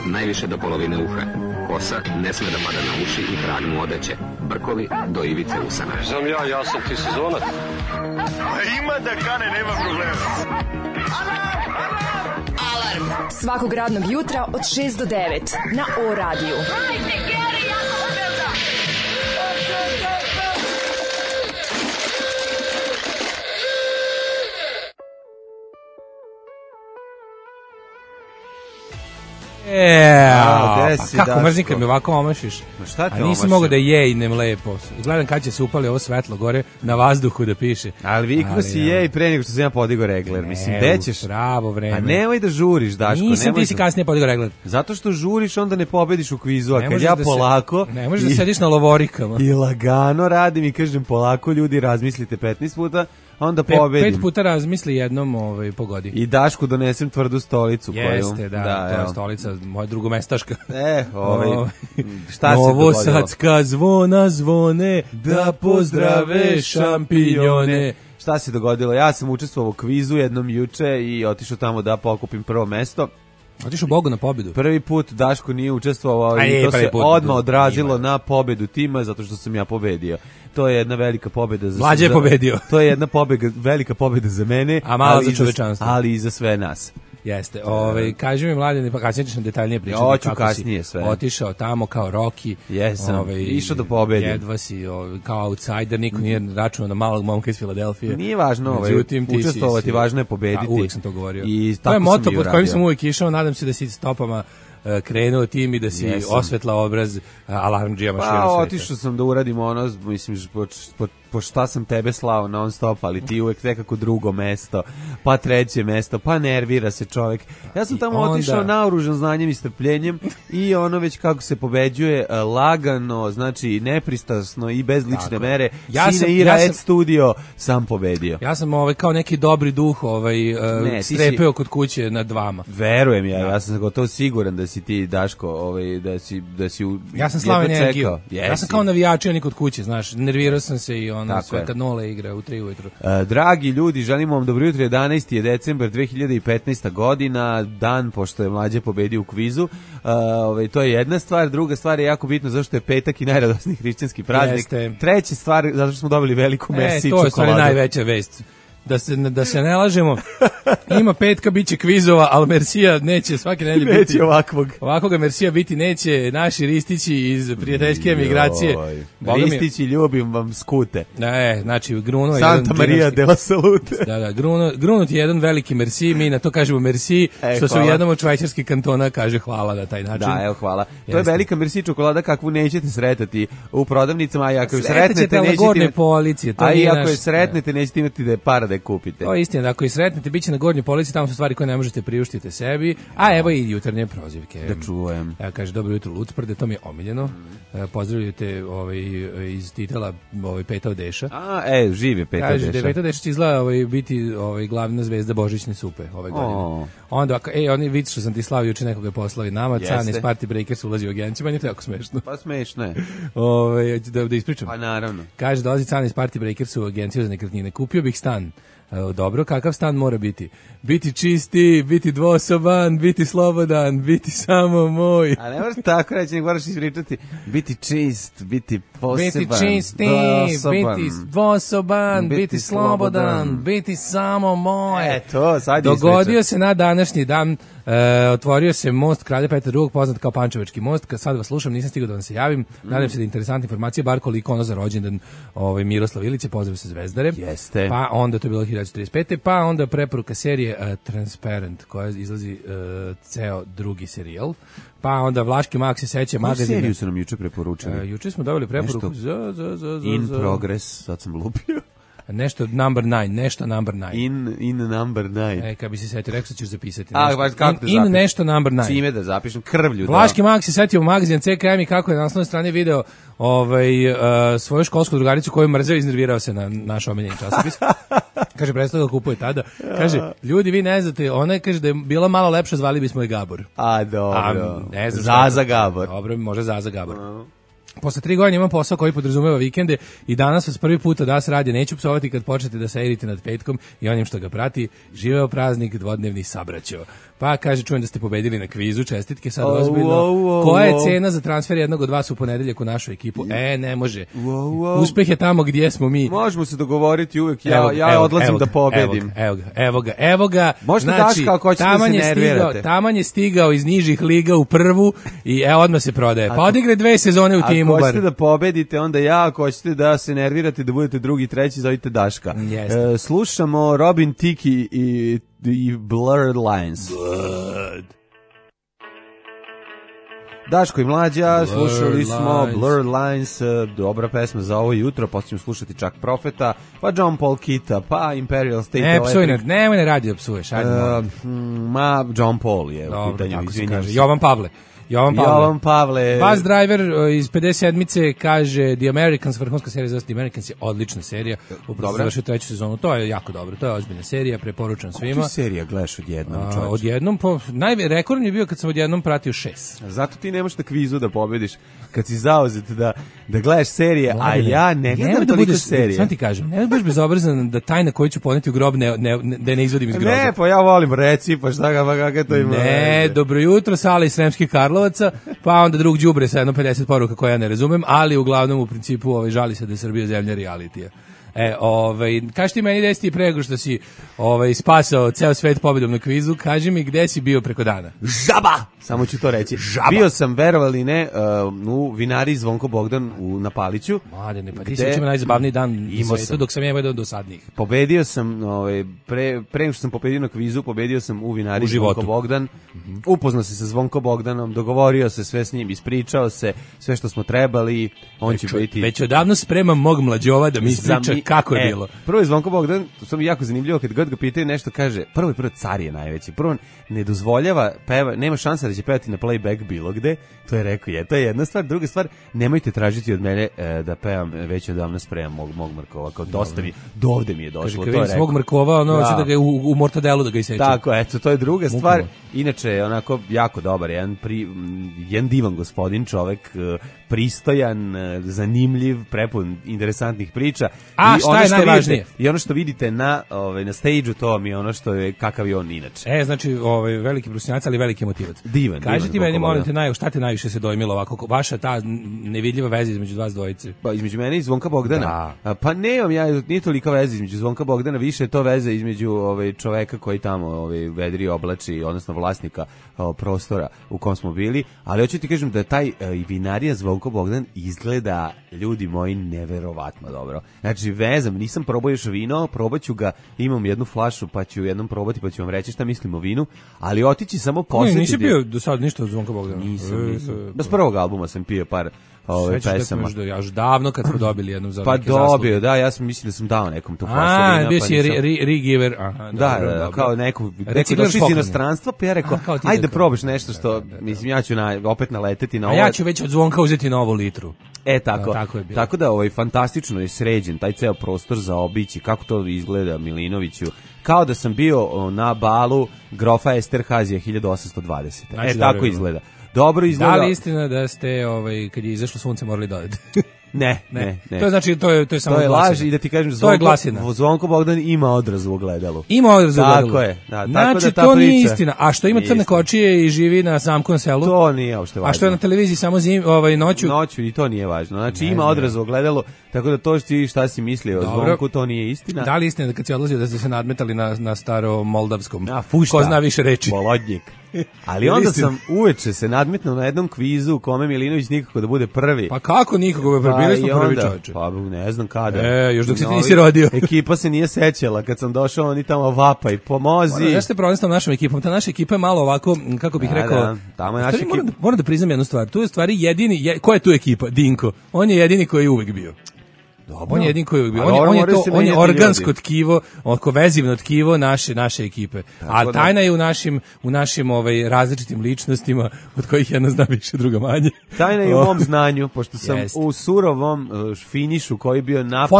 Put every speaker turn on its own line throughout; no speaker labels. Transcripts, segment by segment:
najviše do polovine uha. Kosa ne sme da pada na uši i trag mu odeće. Brkovi do ivice usana.
Znam ja sam ti sezonac.
Ima da kane, nema problema.
Alarm svakog radnog jutra od 6 do 9 na O-radiju.
Pa kako mrzim kad mi ovako omašiš. A nisi mogao da jejnem lepo. Gledam kad će se upali ovo svetlo gore na vazduhu da piše.
Ali vikno si jej pre nego što sam ja podigao regler. Mislim, gde ćeš?
Pravo vreme.
A nemoj da žuriš, Daško.
Nisam, ti si kasnije podigao regler.
Zato što žuriš, onda ne pobediš u kvizu. A kad ja polako...
Ne možeš da sediš na lovorikama.
I lagano radim i kažem polako, ljudi, razmislite 15 puta, onda pobedim.
5 puta razmisli, jednom pogodi.
I Dašku donesem tvrdu stolicu.
Jeste, to je stolica, moja drugomestaška.
Šta se dogodilo?
Novosadska zvona zvone, da pozdrave šampinjone.
Šta se dogodilo? Ja sam učestvovao u kvizu jednom juče i otišao tamo da pokupim prvo mesto.
Otišao Bogu na pobedu.
Prvi put Daško nije učestvovao i to se odmah odrazilo na pobedu tima zato što sam ja pobedio. To je jedna velika pobeda za
Mlađe je pobedio.
To je jedna velika pobeda za mene,
a mala za čovečanstvo.
Ali i za sve nas.
Jeste. Kaži mi, Mladene, pa kasnije ćeš nam detaljnije pričati.
Hoću kasnije sve.
Otišao tamo kao Rocky.
Jesam. Išao da pobedi.
Jedva si kao outsider, niko nije računao na malog momka iz Filadelfije.
Nije važno učestvovati, važno je pobediti.
Uvijek sam to govorio.
I
to je moto pod kojim sam uvijek išao, nadam se da si stopama krenuo tim i da si osvetlao obraz alarmdžijama širom sveta.
Pa otišao sam da uradim ono, mislim, po šta sam tebe slao non stop, ali ti uvek nekako drugo mesto, pa treće mesto, pa nervira se čovjek. Ja sam tamo otišao naoružan znanjem i strpljenjem i ono već kako se pobeđuje lagano, znači nepristrasno i bez lične mere. Sine Ira Ed Studio sam pobedio.
Ja sam kao neki dobri duh strepeo kod kuće nad vama.
Verujem ja sam gotovo siguran da si ti, Daško, da si
ja sam slao energiju. Ja sam kao navijač, ja kod kuće, znaš, nervirao sam se i sve kad Nole igra u 3 ujutru.
Dragi ljudi, želimo vam dobro jutro, 11. je decembar 2015. godina, dan pošto je Mlađe pobedio u kvizu. To je jedna stvar, druga stvar je jako bitno zašto je petak i najradosniji hrišćanski praznik. Treća stvar, zato što smo dobili veliku Merci čokoladu.
To je najveća vest. Da se ne lažemo, ima petka, bit će kvizova, ali Mersija neće svake nedelje biti. Ovakvoga Mersija biti neće, naši Ristići iz prijateljske emigracije.
Ristići, ljubim vam skute.
Znači, Gruno je
Santa Maria de la Salute.
Gruno ti je jedan veliki Merci, mi na to kažemo Merci, što se u jednom od švajcarskih kantona kaže hvala na taj način.
Da, hvala. To je velika Merci čokolada kakvu nećete sretati u prodavnicama, a ako je sretnete, nećete imati da je para da je kupite.
To je istina, ako je sretnete, bit će na gornjoj polici, tamo su stvari koje ne možete priuštiti sebi, a evo i jutarnje prozivke.
Da čujem.
Kaže, dobro jutro Lucprde, to mi je omiljeno. Pozdravljujete iz titela Peta Deša.
Živ je Peta Deša.
Kaže, da je Peta Deša će izgleda biti glavna zvezda Božićne supe ove godine. Onda, oni vidi što sam ti slavio juče nekoga je poslao i nama, Can iz Party Breakers ulazi u agenciju, meni je to jako smešno.
Pa smešno je.
Da ispričam.
Pa naravno.
Kaže, dolazi Can iz Party Breakers u agenciju za nekretnine. Kupio bih stan. Dobro, kakav stan mora biti? Biti čisti, biti dvosoban, biti slobodan, biti samo moj.
A ne moraš tako reći, nego moraš ispričati. Biti čist, biti poseban,
biti čisti, biti dvosoban, biti slobodan, biti samo moj.
Eto, sad
dogodio se na današnji dan, otvorio se most Kralja Petra II, poznat kao Pančevački most. Kad sad vas slušam, nisam stigao da vam se javim. Nadam se da je interesantna informacija, bar koliko ono za rođendan Miroslav Ilić, pozdrav se Zvezdare.
Jeste.
Pa onda to je bilo 1935. Pa onda preporuka serije Transparent, koja izlazi ceo drugi serijal. Pa onda Vlaški Mak se seća magazine.
Koju seriju su nam juče preporučili?
Juče smo dobili preporuku
In Progress, sad sam lupio.
Nešto number 9.
In number 9.
Kad bi se setio, rekao ćeš zapisati.
In
nešto number 9.
Čime da zapišem? Krvlju.
Vlaški Mak se setio u magazin CKM i kako je na naslovnoj strani video svoju školsku drugaricu koju mrzeo i iznervirao se na naš omiljeni časopis. Kaže, prestao da kupuje tada. Kaže, ljudi, vi ne znate, ona je, kaže, da je bila malo lepša, zvali bismo je Gabor.
Dobro.
Ne znam.
Zaza Gabor.
Dobro, može Zaza Gabor. Posle 3 godine imam posao koji podrazumeva vikende i danas vas prvi put da se radi, neću psovati kad počnete da se erite nad petkom i onim što ga prati. Živeo praznik, dvodnevni sabraćo. Pa kaže, čujem da ste pobedili na kvizu, čestitke, sad ozbiljno. Koja je cena za transfer jednog od vas u ponedeljak u našu ekipu? Ne može. Uspeh je tamo gdje smo mi.
Možemo se dogovoriti uvek, ja odlazim da pobedim.
Evo ga.
Možete daš kako hoćete da se nervirate.
Taman je stigao iz nižih liga u prvu i odmah se prodaje. Pa odigre 2 sezone u timu.
Ako hoćete da pobedite, onda ja, ako hoćete da se nervirate, da budete drugi, treći, zovite Daška. Slušamo Robin Thicke i Blurred Lines. Daško i Mlađa, slušali smo Blurred Lines, dobra pesma za ovo jutro, pa ćemo slušati čak Profeta, pa John Paul Kita, pa Imperial State Electric.
Nemoj ne radi da psuješ,
John Paul je u pitanju, izvinjam se.
Jovan Pavle. Bus Driver iz 57-ice kaže The Americans, vrhunska serija za The Americans je odlična serija. Upravo završio 3. sezonu. To je jako dobro. To je ozbiljna serija, preporučujem svima.
Kako ti serija gledaš odjednom, čovječe?
Odjednom, rekord je bio kad sam odjednom pratio 6.
Zato ti nemaš na kvizu da pobediš kad si zauzet da gledaš serije, a ja ne gledam toliko serije.
Sam ti kažem, ne budeš bezobrazan da tajna koju ću poneti u grob da ne izvodim iz groba.
Ne, pa ja volim reci, pa šta ga, kako to ima.
Ne, dobro jutro, Sala iz Sremskih Karlovaca, pa onda drug đubre sa jedno 50 poruka koje ja ne razumem, ali uglavnom u principu žali se da je Srbija zemlja realitija. Kaži ti meni gde si ti prego što si spasao ceo svet pobedom na kvizu, kaži mi gde si bio preko dana.
Žaba! Samo ću to reći.
Žaba.
Bio sam, verovali ne, u vinari Zvonko Bogdan na Paliću.
Mladene, pa ti si učeo najzabavniji dan na svetu, dok sam jedan do sadnijih.
Pobedio sam, pre nego što sam pobedio na kvizu, pobedio sam u vinari Zvonko Bogdan. Upoznao se sa Zvonko Bogdanom, dogovorio se sve s njim, ispričao se sve što smo trebali. On će biti...
Već odavno spremam mog mlađova da mi ispriča kako je bilo.
Prvo je Zvonko Bogdan, to mi jako zanimljivo, kad god ga pitaju nešto, kaže, prvo car je najveći. Prvo ne dozvoljava, nema šansa da će pevati na playback bilo gde. To je rekao, to je jedna stvar. Druga stvar, nemojte tražiti od mene da pevam, već odavno spremam mog Mrkova. Kao dovde mi je došlo.
Kaže, kad svog Mrkova, da ga u mortadelu da ga isečem.
Tako, eto, to je druga stvar. Inače, onako, jako dobar, jedan divan gospodin, čovek, pristojan, zanimljiv, prepun interesantnih priča.
A šta je najvažnije?
I ono što vidite na stage-u, to mi je ono što je, kakav je on inače.
Znači, veliki profesionalac, ali veliki motivac.
Divan.
Kaži ti meni, molim te, šta te najviše se dojmilo ovako, vaša ta nevidljiva veza između vas dvojice?
Pa između mene i Zvonka Bogdana. Da. Pa nemam ja, nije tolika veza između Zvonka Bogdana, više je to veza između čoveka koji tamo vedri oblači, odnosno vlasnika prostora u kom smo bili, ali hoću ti kažem da taj vinarija Zvonko Bogdan izgleda, ljudi moji, neverovatno dobro. Znači, vezam, nisam probao još vino, probaću ga, imam jednu flašu, pa ću jednom probati, pa ću vam reći šta mislim o vinu, ali otići samo posjetiti...
Nisi bio do sad ništa od Zvonka Bogdana?
Nisam. Bez prvog albuma sam pio par pesama.
Ja još davno kad smo dobili jednu za
pa
neke zasluge.
Pa dobio, da, ja sam mislim da sam dao nekom tu flašu vina.
Bio si re-giver.
Da, kao neku, došli iz inostranstva, pa ja rekao, ajde probaš nešto što, mislim, ja ću opet naleteti na ovo.
A ja ću već od Zvonka uzeti novu litru.
Tako. Tako da fantastično je sređen taj ceo prostor za obići, kako to izgleda Milinoviću. Kao da sam bio na balu grofa Esterhazija 1820. Znači, tako izgleda. Dobro izgleda.
Da li istina da ste, kad je izašlo sunce, morali dodati?
Ne.
To je znači, to je samo
to je laž i da ti kažem, Zvonko Bogdan ima odraz u ogledalu.
Ima odraz u ogledalu.
Tako je. Da,
znači,
tako da
to nije istina. A što ima crne kočije i živi na samkom selu?
To nije uopšte važno.
A što je na televiziji samo noću?
Noću i to nije važno. Znači, ima odraz u ogledalu, tako da to šta si mislio o Zvonku, to nije istina.
Da li istina da kad si odlazio da ste se nadmetali na staro moldavskom? Ko zna više reči?
Molodnjik. Ali onda sam uveče se nadmetnuo na jednom kvizu u kome Milinović nikako da bude prvi.
Pa kako nikako? Bili smo prvi čovječe.
Pa ne znam kada.
Još dok se ti nisi rodio.
Ekipa se nije sećala. Kad sam došao, oni tamo vapaj, pomozi.
Znaš te problem s tom našom ekipom? Ta naša ekipa je malo ovako, kako bih rekao...
Tamo je naša ekipa.
Moram da priznam jednu stvar. Tu je stvari jedini... Ko je tu ekipa? Dinko. On je jedini koji je uvek bio. On je jedin koji on je organsko tkivo, oko vezivno tkivo naše ekipe. A tajna je u našim različitim ličnostima, od kojih jedna zna više, druga manje.
Tajna je u mom znanju, pošto sam u surovom finišu koji je bio napet.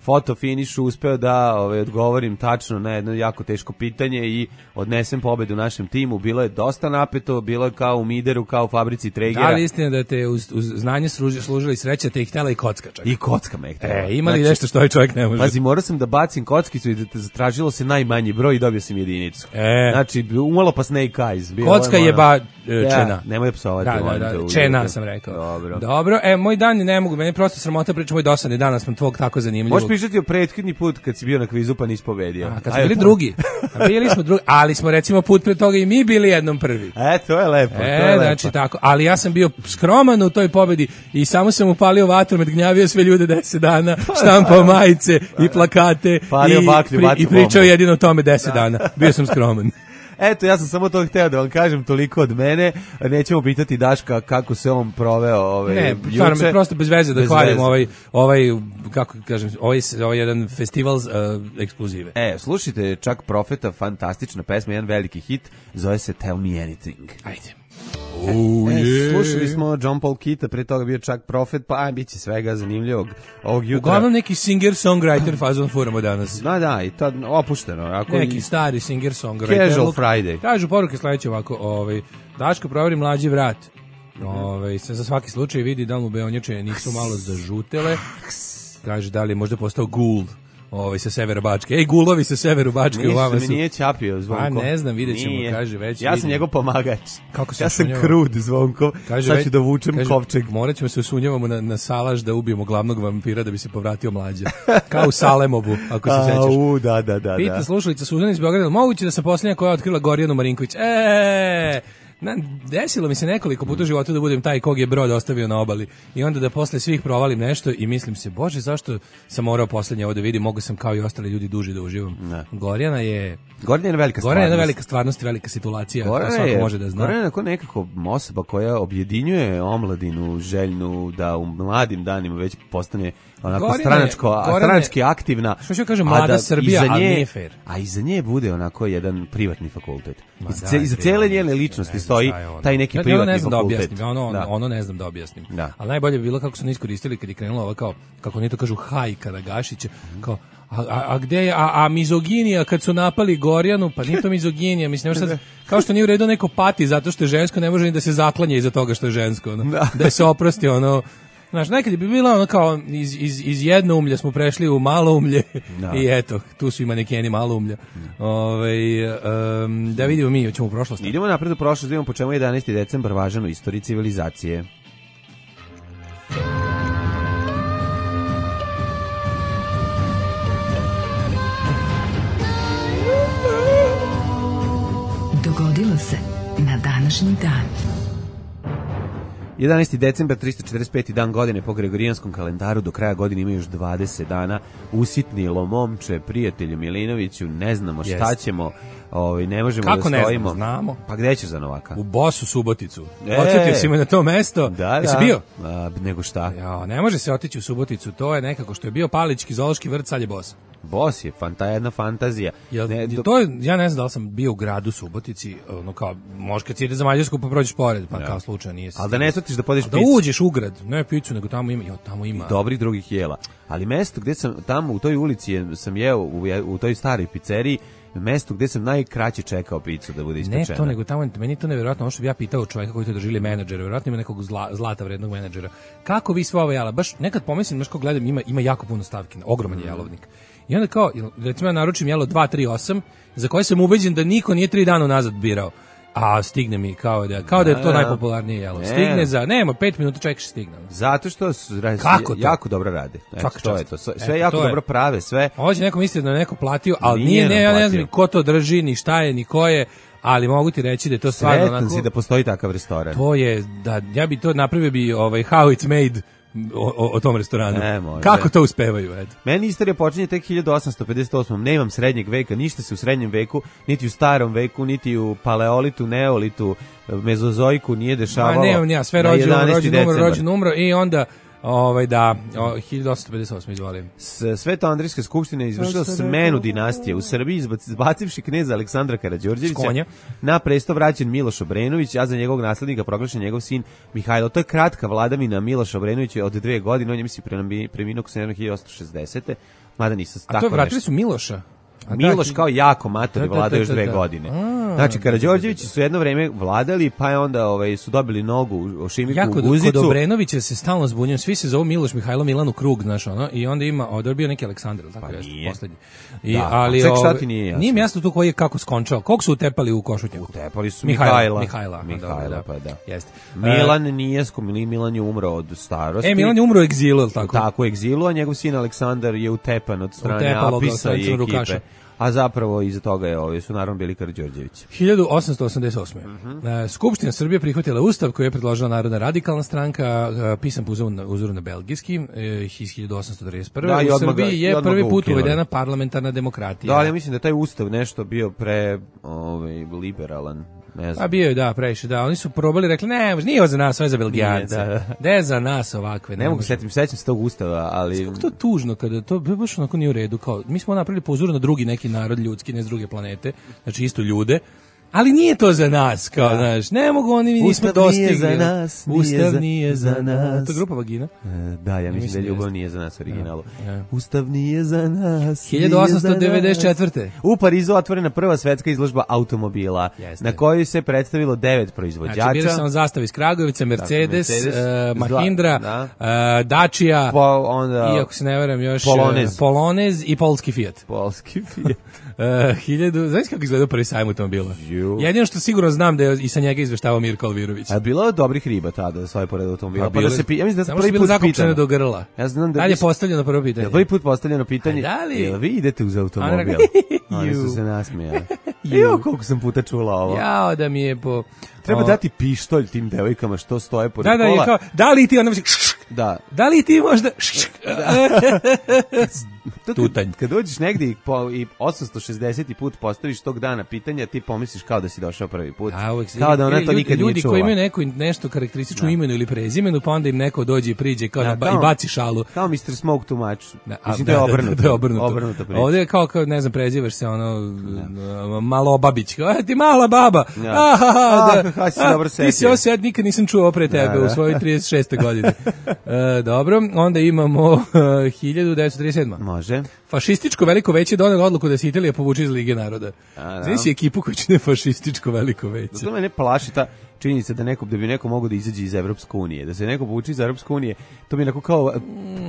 Fotofinišu uspeo da odgovorim tačno na jedno jako teško pitanje i odnesem pobedu našem timu. Bilo je dosta napeto, bilo je kao u Mideru, kao u fabrici Tregera.
Da li istina da te uz znanje služila i sreća, te ih htjela i kocka čak?
I kocka me htjela.
Ima li nešto što ovaj čovjek ne može?
Pazi, morao sam da bacim kockicu i da zatražilo se najmanji broj i dobio sam jedinicu. Znači, umalo pa Snake Eyes.
Kocka je čena.
Nemoj psovati.
Da, čena sam rekao. Dobro, moj dan ne mogu, meni prosto sramota priča, moj dosadni dan, sam tvog tako zanimljivo.
Možeš pričati o prethodni put kad si bio na kvizu pa nisi pobedio.
Kad smo bili drugi. Bili smo drugi, ali smo recimo put pre toga i mi bili jednom prvi.
To je lepo.
Znači tako, ali ja sam bio skroman u toj pobedi i samo sam upalio vatru, gnjavio sve ljude 10 dana, štampao majice i plakate i pričao jedino o tome 10 dana. Bio sam skroman.
Eto, ja sam samo to hteo da vam kažem, toliko od mene. Nećemo pitati Daška kako se on proveo
Ne, stvarno, prosto bez veze da hvalim kako kažem, ovaj jedan festival ekskluzive.
Slušajte, Čak Profeta, fantastična pesma, jedan veliki hit, zove se Tell Me Anything.
Ajde.
Slušali smo John Paul Kita, pre toga bio Čak Profet, pa bit će svega zanimljivog ovog jutra.
Uglavnom neki singer-songwriter fazon furamo danas.
Da, i to opušteno.
Neki stari singer-songwriter.
Casual Friday.
Kažu poruke sledeće ovako, Daško proveri mlađi vrat. Se za svaki slučaj vidi da mu beonjače nisu malo zažutele. Kaže da li je možda postao gul. Sa severa Bačke. Gulovi sa severu Bačke u vama su.
Mi nije ćapio Zvonko.
Ne znam, vidjet ćemo, kaže već.
Ja sam njegov pomagač. Ja sam krud Zvonko. Sad ću da vučem kovčeg.
Morat ćemo se usunjavamo na salaš da ubijemo glavnog vampira da bi se povratio mlađa. Kao u Salemovu, ako se sećaš.
Da.
Pita slušalica Suzana iz Beograda, moguće da sam posljednja koja je otkrila Gorjanu Marinković. Desilo mi se nekoliko puta u životu da budem taj kog je brod ostavio na obali i onda da posle svih provalim nešto i mislim se, bože, zašto sam morao poslednje ovo da vidim, mogu sam kao i ostali ljudi duže da uživam. Gorjana je velika stvarnost i velika situacija, to svako može da zna.
Gorjana je nekako osoba koja objedinjuje omladinu željnu da u mladim danima već postane onako stranački aktivna.
Što ću kažem, mlada Srbija, ali nije fair.
A iza nje bude onako jedan privatni fakultet. Iza cele njene ličnosti stoji taj neki privatni fakultet.
Ono ne znam da objasnim. Ali najbolje bi bilo kako su ne iskoristili kad je krenula ova kao, kako oni to kažu, hajka na Gašića, kao, a gde je, a mizoginija kad su napali Gorjanu, pa nije to mizoginija, mislim, sad, kao što nije u redu neko pati zato što je žensko, ne može ni da se zaklanje iza toga što je žensko, da se oprosti, znaš, nekad je bi bilo kao iz jednoumlja smo prešli u maloumlje i eto, tu su i manekeni maloumlja. Da vidimo mi, ćemo u prošlost.
Idemo napred u prošlost, vidimo po čemu je 11. decembar važan u istoriji civilizacije.
Dogodilo se na današnji dan.
11. decembar, 345. dan godine po Gregorijanskom kalendaru, do kraja godine ima još 20 dana. Usitnilo momče, prijatelju Milinoviću, ne znamo šta ćemo, ne možemo
kako
da stojimo.
Kako ne znamo?
Pa gde ćeš za Novaka?
U Bosu Suboticu. Odsjetio si me na to mesto. Jesi bio?
Nego šta?
Ne može se otići u Suboticu, to je nekako što je bio Palićki zoološki vrt, sad je Bos.
Bos je jedna fantazija.
Ja ne znam da li sam bio u gradu Subotici, kao, možda kad si ide za Mađarsku pa prođeš pored, pa kao slučaj nije.
Ali da ne shvatiš da podeš picu.
Da uđeš u grad, ne picu, nego tamo ima.
I dobrih drugih jela. Ali mesto gde sam, tamo u toj ulici sam jeo, u toj staroj pizzeriji, mesto gde sam najkraće čekao picu da bude ispečena.
Ne to, nego tamo, meni je to nevjerojatno, ono što bi ja pitao čovjeka koji to doživio menadžera, vjerojatno ima nekog zlata vrednog menadžera. Kako vi sve ovo jela? Baš nekad pomislim, baš kao gledam, ima jako puno stavki, ogroman je jelovnik. I onda kao, recimo ja naručim jelo 238, za koje sam ubeđen da niko nije 3 dana nazad birao. A stigne mi kao da je to najpopularnije jelo. Stigne za, nema, 5 minuta čekaš stigne.
Zato što jako dobro rade. To je to. Sve jako dobro prave, sve.
Ovo će neko misliti da je neko platio, ali ja ne znam ko to drži, ni šta je, ni ko je, ali mogu ti reći da je to stvarno onako.
Sretan si da postoji takav restoran.
To je, da, ja bi to napravio how it's made o tom restoranu. Kako to uspevaju, eto.
Meni istorija počinje tek 1858. Nemam srednjeg veka, ništa se u srednjem veku, niti u starom veku, niti u paleolitu, neolitu, mezozoiku nije dešavalo.
Sve rođen umro i onda Da, 1858, izvolim.
Sveto-Andrijska skupština je izvršila smenu dinastije u Srbiji, izbacivši kneza Aleksandra Karađorđevića. Na presto vraćen Miloš Obrenović, a za njegovog naslednika proglašen njegov sin Mihajlo. To je kratka vladavina Miloša Obrenovića od 2 godine, on je preminuo 1860. Mada nisam tako.
A to vratili su Miloša?
Miloš kao jako matori vladao još 2 godine. Znači, Karađorđevići su jedno vreme vladali, pa je onda su dobili nogu u Šimiku u Guzicu.
Kod Obrenovića se stalno zbunjujem, svi se zovu Miloš, Mihajlo, Milan u krug, znaš ono, i onda ima, ovdje je bio neki Aleksandar, tako je, poslednji.
Ali šta ti nije jasno?
Nije mi jasno tu koji je kako skončao, kog su utepali u Košutnjaku?
Utepali su Mihajla,
pa da. Jeste.
Milan nije Milan je umro od starosti.
Milan je umro u egzilu, tako?
Tako, u egzilu, a njegov sin Aleksandar je utepan od strane Apisa i ekipe. A zapravo iza toga su naravno bili Karađorđevići.
1888. Skupština Srbije prihvatila ustav koji je predložila Narodna radikalna stranka, pisan po uzoru na belgijski, iz 1831. U Srbiji je prvi put uvedena parlamentarna demokratija.
Da, ali ja mislim da taj ustav nešto bio liberalan.
A bio je, da, previše, da. Oni su probali, rekli, ne, nije ovo za nas, ovo je za Belgijance. Ne za nas ovakve.
Ne mogu sećam se tog ustava, ali...
Kako to tužno, kada to baš onako nije u redu, kao, mi smo napravili po uzoru na drugi neki narod ljudski, ne s druge planete, znači isto ljude, ali nije to za nas, kao, znaš, ne mogu oni, mi nismo dostigli.
Ustav nije za nas,
Ustav nije za nas. To je grupa Vagina?
Da, ja mislim da ljubav nije za nas u originalu. Ustav nije za nas.
1894.
U Parizu otvorena prva svetska izložba automobila, na kojoj se predstavilo 9 proizvođača.
Znači, bili sam Zastava iz Kragovica, Mercedes, Mahindra, Dacia, i ako se ne varam još, Polonez i polski Fiat. Znaš kako izgledao prvi sajam automobila? Jedino što sigurno znam da je i sa njega izveštavao Mirko Alvirović.
A bilo je dobrih riba tada da svoje pored automobila.
Pa da se ja mislim da samo prvi put zakopčeno do grla.
Ja znam da
je postavljeno prvo pitanje.
Prvi put postavljeno pitanje. Jel vi idete uz automobil? Oni su se nasmijali. Jo, koliko sam puta čula ovo.
Jao, da mi je po...
Treba dati pištolj tim devojkama što stoje pored kola.
Da, kao, da li ti ona Da li ti možda tutanj.
Kad dođeš negdje i 860. put postaviš tog dana pitanja, ti pomisliš kao da si došao prvi put. Kao da ona to nikad nije čula.
Ljudi koji imaju nešto karakteristično imenu ili prezimenu, pa onda im neko dođe i priđe kao i baci šalu.
Kao Mr. Smoke too much. Mislim da je obrnuto.
Ovdje je kao, ne znam, prezivaš se malo babić. Ti mala baba. Ti si osjed, nikad nisam čuo pre tebe u svojoj 36. godini. Dobro, onda imamo 1937.
Može.
Fašističko veliko veće donelo odluku da se Italija povuče iz Lige naroda. Znaš si ekipu koja čine fašističko veliko veće.
Zato me ne plaši ta činjenica da bi neko mogao da izađe iz Evropske unije. Da se neko povuče iz Evropske unije, to bi onako kao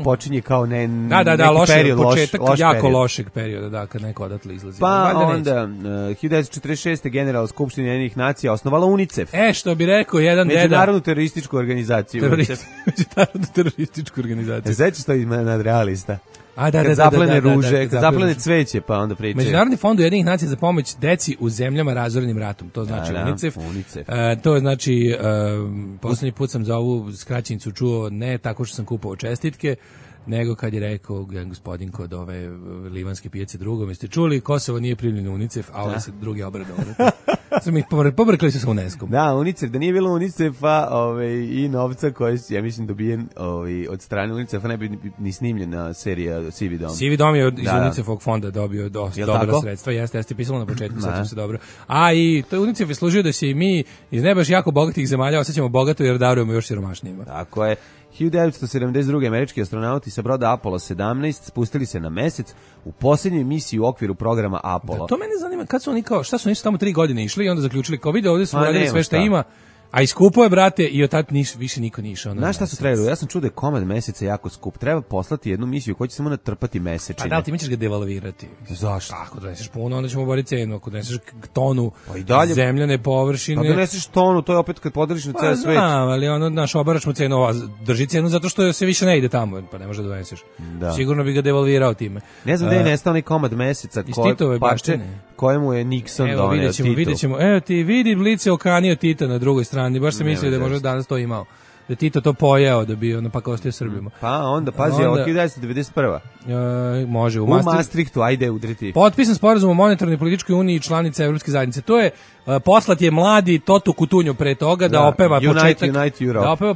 počinje kao neki period,
početak
loš
jako
period.
Lošeg perioda, kad neko odatle izlazi.
Pa onda 1946. General Skupština Ujedinjenih nacija osnovala UNICEF.
Što bi rekao jedan deda.
Međunarodnu terorističku organizaciju.
Međunarodnu terorističku organizaciju.
Sećaš to nadrealista?
Kad
zaplene ruže, kad zaplene cveće, pa onda pričaju.
Međunarodni fond Ujedinjenih nacija za pomoć deci u zemljama razorenim ratom. To znači UNICEF. To je znači, poslednji put sam za ovu skraćenicu čuo ne tako što sam kupovao čestitke, nego kad je rekao gospodin kod ove livanske pijace drugom, jeste čuli, Kosovo nije primljeno u UNICEF, a ovaj se drugi obradovali. Pobrkali se sa UNESCO-om.
Da, UNICEF, da nije bilo UNICEF-a i novca koji ja mislim dobijen od strane UNICEF-a, ne bi ni snimljena serija Sivi dom.
Sivi dom je iz UNICEF-ovog fonda dobio dosta dobra sredstva, jeste pisalo na početku, sećam se dobro. A i to UNICEF je služio da se i mi iz ne baš jako bogatih zemalja osjećamo bogato jer darujemo još siromašnijima.
Tako je. 1972. američki astronauti sa broda Apollo 17 spustili se na mesec u posljednjoj misiji u okviru programa Apollo.
Da, to mene zanima, kad su oni kao, šta su oni tamo 3 godine išli i onda zaključili, kao vide ovdje su radili sve što ima, a i skupo je, brate, i od tad više niko nije išao.
Znaš šta su trebali? Ja sam čuo da je komad meseca jako skup. Treba poslati jednu misiju koja će samo natrpati mesečine.
Pa da, ti mi ćeš ga devalvirati.
Zašto?
Ako doneseš puno, onda ćemo boriti cenu. Ako doneseš tonu zemljane površine...
Pa doneseš tonu, to je opet kad podeliš na ceo svet.
Znam, ali naš obaračmo cenu, drži cenu zato što se više ne ide tamo, pa ne može da doneseš. Sigurno bi ga devalvirao time.
Ne znam da je nestao onaj komad meseca kojemu je Nixon doneo Tito.
Vidjet ćemo. Evo ti vidi Blice okanio Tita na drugoj strani, baš sam mislio da je možda danas to imao. da Tito to pojeo, da bi ono pa kao ostio Srbima.
Pa onda, pazi, ovo 1991.
Može,
u Maastrichtu, ajde udriti.
Potpisan sporazum o monetarnoj i političkoj uniji i članica Evropske zajednice. To je, poslat je mladi Toto Kutunju pre toga da opeva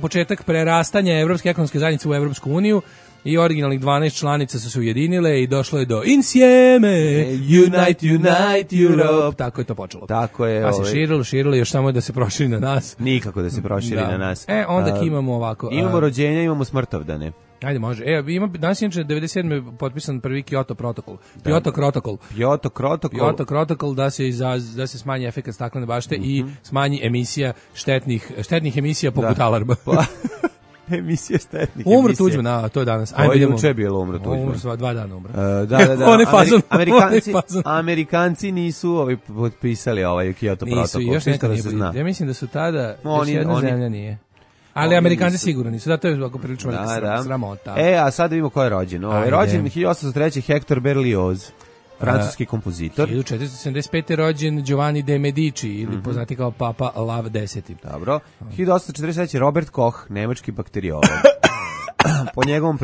početak prerastanja Evropske ekonomske zajednice u Evropsku uniju. I originalnih 12 članica su se ujedinile i došlo je do Insieme, Unite Europe. Tako je to počelo.
Tako je.
Pa se širilo, još samo da se proširi na nas.
Nikako da se proširi na nas.
Onda imamo ovako.
Imamo rođenja, imamo smrtovdane.
Ajde, može. Danas je 97. potpisan prvi Kyoto protokol. Kyoto protokol da se smanji efekat staklene bašte i smanji emisija štetnih emisija poput alarma.
Emisije štetnih.
Umro Tuđman, to je danas.
Ajde, juče je bilo umro Tuđman.
Umro 2 dana umro.
Amerikanci nisu potpisali ovaj Kyoto protokol.
Još neka nije. Ja mislim da su tada još jedna zemlja nije. Ali Amerikanci sigurno nisu, da to je ovako prilično sramota.
A sad vidimo ko je rođen. Rođen 1803. Hector Berlioz. Francuski kompozitor.
1475. rođen Giovanni de Medici, ili poznati kao Papa Lav X.
Dobro. 1843. Robert Koch, nemački bakteriolog. Po njegovom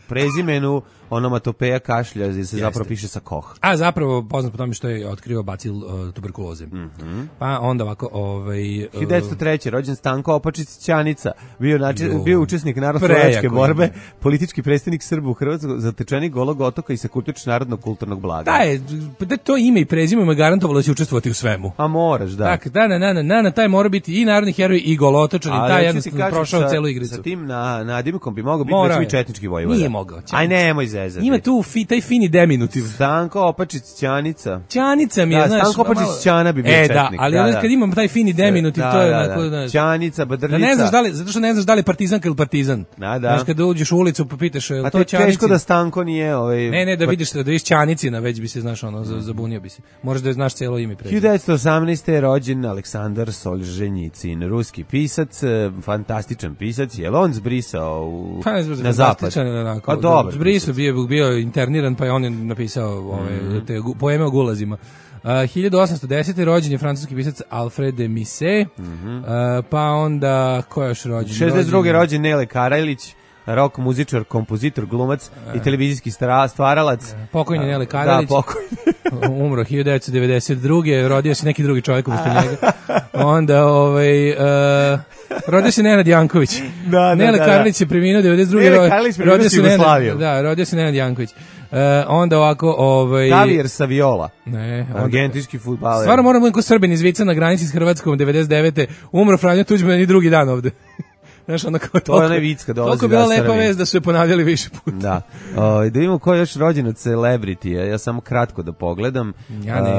prezimenu onomatopeja kašlja se zapravo piše sa Koch.
A zapravo poznat po tome što je otkrio bacil tuberkuloze. Pa onda ovako...
1903. rođen Stanko Opačić Ćanica, bio učesnik narodno-slovačke borbe, politički predstavnik Srba u Hrvatskoj, zatečenik Golog otoka i sakupljač narodnog kulturnog blaga.
Da, to ime i prezime mu je garantovalo da će učestvovati u svemu.
A moraš, da.
Tako, taj mora biti i narodni heroj i golotočan i taj jednostavno prošao celu igricu.
Sa tim nadimkom bi mogao biti recimo i četnički vojvoda.
Nije mogao.
Aj nemoj zezati.
Ima tu taj fini deminutiv.
Stanko Opačić Ćanica.
Ćanica mi je, znaš.
Stanko Opačić Ćana bi bio četnik.
Da, ali kad imam taj fini deminutiv, to je onako...
Ćanica, Badrljica.
Ne znaš zato što ne znaš da li je partizanka ili partizan.
Znaš,
kada uđeš u ulicu pa pitaš, je to Ćanici?
Teško da Stanko nije...
Ne, da vidiš Ćanicina, već bi se, znaš, zabunio bi se. Možeš da znaš cijelo ime prezime.
1918. je rođen Aleksandar Solženjicin, ruski pisac, fantastičan pisac, je on zbrisao na zapad?
A dobro. Zbrisao, bio interniran, pa je on napisao te poeme o gulazima. 1810. rođen je francuski pisac Alfred de Musset, pa onda, ko je još rođen?
62. rođen Nele Karajlić, rock muzičar, kompozitor, glumac i televizijski stvaralac.
Pokojni Nele Karajlić.
Da, pokojni.
Umro 1992. Rodio se neki drugi čovjek umesto njega. Onda, rodio se Nenad Janković. Nele Karajlić je preminuo 92.
Nele Karajlić preminuo se Jugoslaviju.
Da, rodio se Nenad Janković. Onda ovako...
Javier Saviola.
Ne.
Argentinski fudbaler.
Stvarno moram biti ko Srbin iz Vica na granici s Hrvatskom 99. Umro Franjo Tuđman i drugi dan ovde. Znaš, ono kao
to je onaj vic kad dolazi.
Toliko je bila lepa vez da su je ponavljali više puta.
Da. Da vidimo ko je još rođen od celebrity. Ja samo kratko da pogledam.
Ja ne.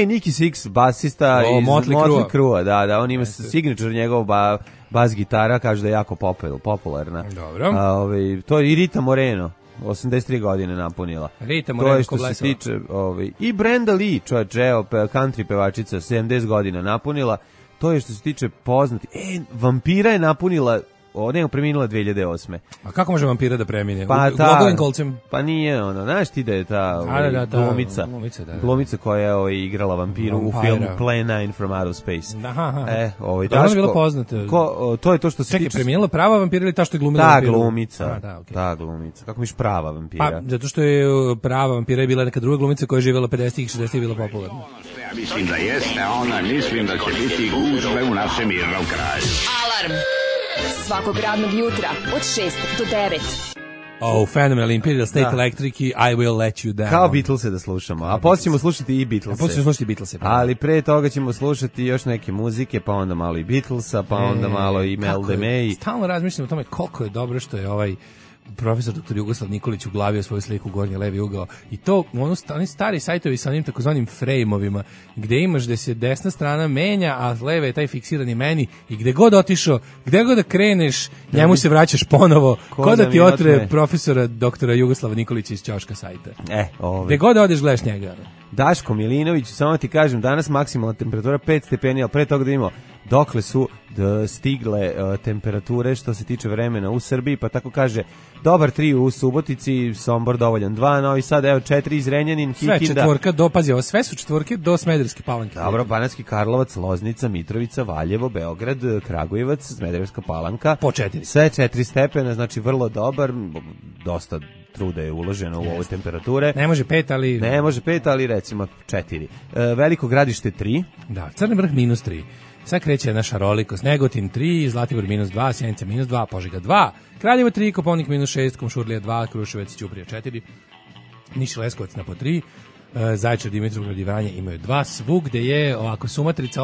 Nicky Six, basista iz Motley Crue. Da, on ima signature njegov bas gitara, kaže da je jako popularna.
Dobro.
To je i Rita Moreno. 83 godine napunila.
Rita Moreno
ko se tiče, i Brenda Lee, country pevačica, 70 godina napunila. To je što se tiče poznati. Vampira je napunila, preminula 2008.
A kako može vampira da premine?
Glogovim kolcem? Pa nije znaš ti da je ta glumica koja je igrala vampiru u filmu Plan 9 from Outer Space.
Da je bilo poznato.
To je to što se tiče.
Čekaj, preminula prava vampira ili ta što je glumila
vampiru? Ta glumica. Kako miš prava vampira?
Pa, zato što je prava vampira je bila neka druga glumica koja je živjela 50-ih i 60-ih bila popularna.
Ja mislim da jeste, a ona mislim da će biti gužve u našem mirnom kraju.
Alarm! Svakog radnog jutra od 6 do 9.
Phenomenal Imperial State Electric i I Will Let You Down.
Kao Beatlese da slušamo, a poslije ćemo slušati i Beatlese. Ali pre toga ćemo slušati još neke muzike, pa onda malo i Beatlesa, pa onda malo i Mel de May.
Stalno razmišljam o tome koliko je dobro što je ovaj profesor dr. Jugoslav Nikolić uglavio svoju sliku u gornji levi ugao i to oni stari sajtovi sa onim takozvanim frejmovima gde imaš da se desna strana menja, a leve je taj fiksirani meni i gde god otišao, gde god da kreneš, njemu se vraćaš ponovo, ko da ti otre profesora dr. Jugoslava Nikolića iz ćoška sajta. Gde god da odeš gledaš njega.
Daško Milinović, samo ti kažem, danas maksimalna temperatura 5 stepeni, ali pre toga da imamo dokle su stigle temperature što se tiče vremena u Srbiji, pa tako kaže dobar 3 u Subotici, Sombor dovoljan 2, Novi Sad evo 4 iz Renjanin, Kikinda.
Sve četvorka do, pazi, ovo sve su četvorke do Smederevske Palanke.
Dobro, Banatski Karlovac, Loznica, Mitrovica, Valjevo, Beograd, Kragujevac, Smederevska Palanka.
Po 4.
Sve 4 stepena, znači vrlo dobar, dosta truda je uloženo u ove temperature.
Ne može 5, ali...
Ne može 5, ali recimo 4. Veliko Gradište 3.
Da, Crni Vrh -3. Sad kreće naša šarolikost. Negotin 3, Zlatibor -2, Sjenica -2, Požega 2, Kraljevo 3, Koponik -6, Kumšurlija 2, Kruševac i Ćuprija 4, Niš i Leskovac na po 3, Zaječar, Dimitrovgrad i Vranje imaju 2, svugde je ovako Sumatrica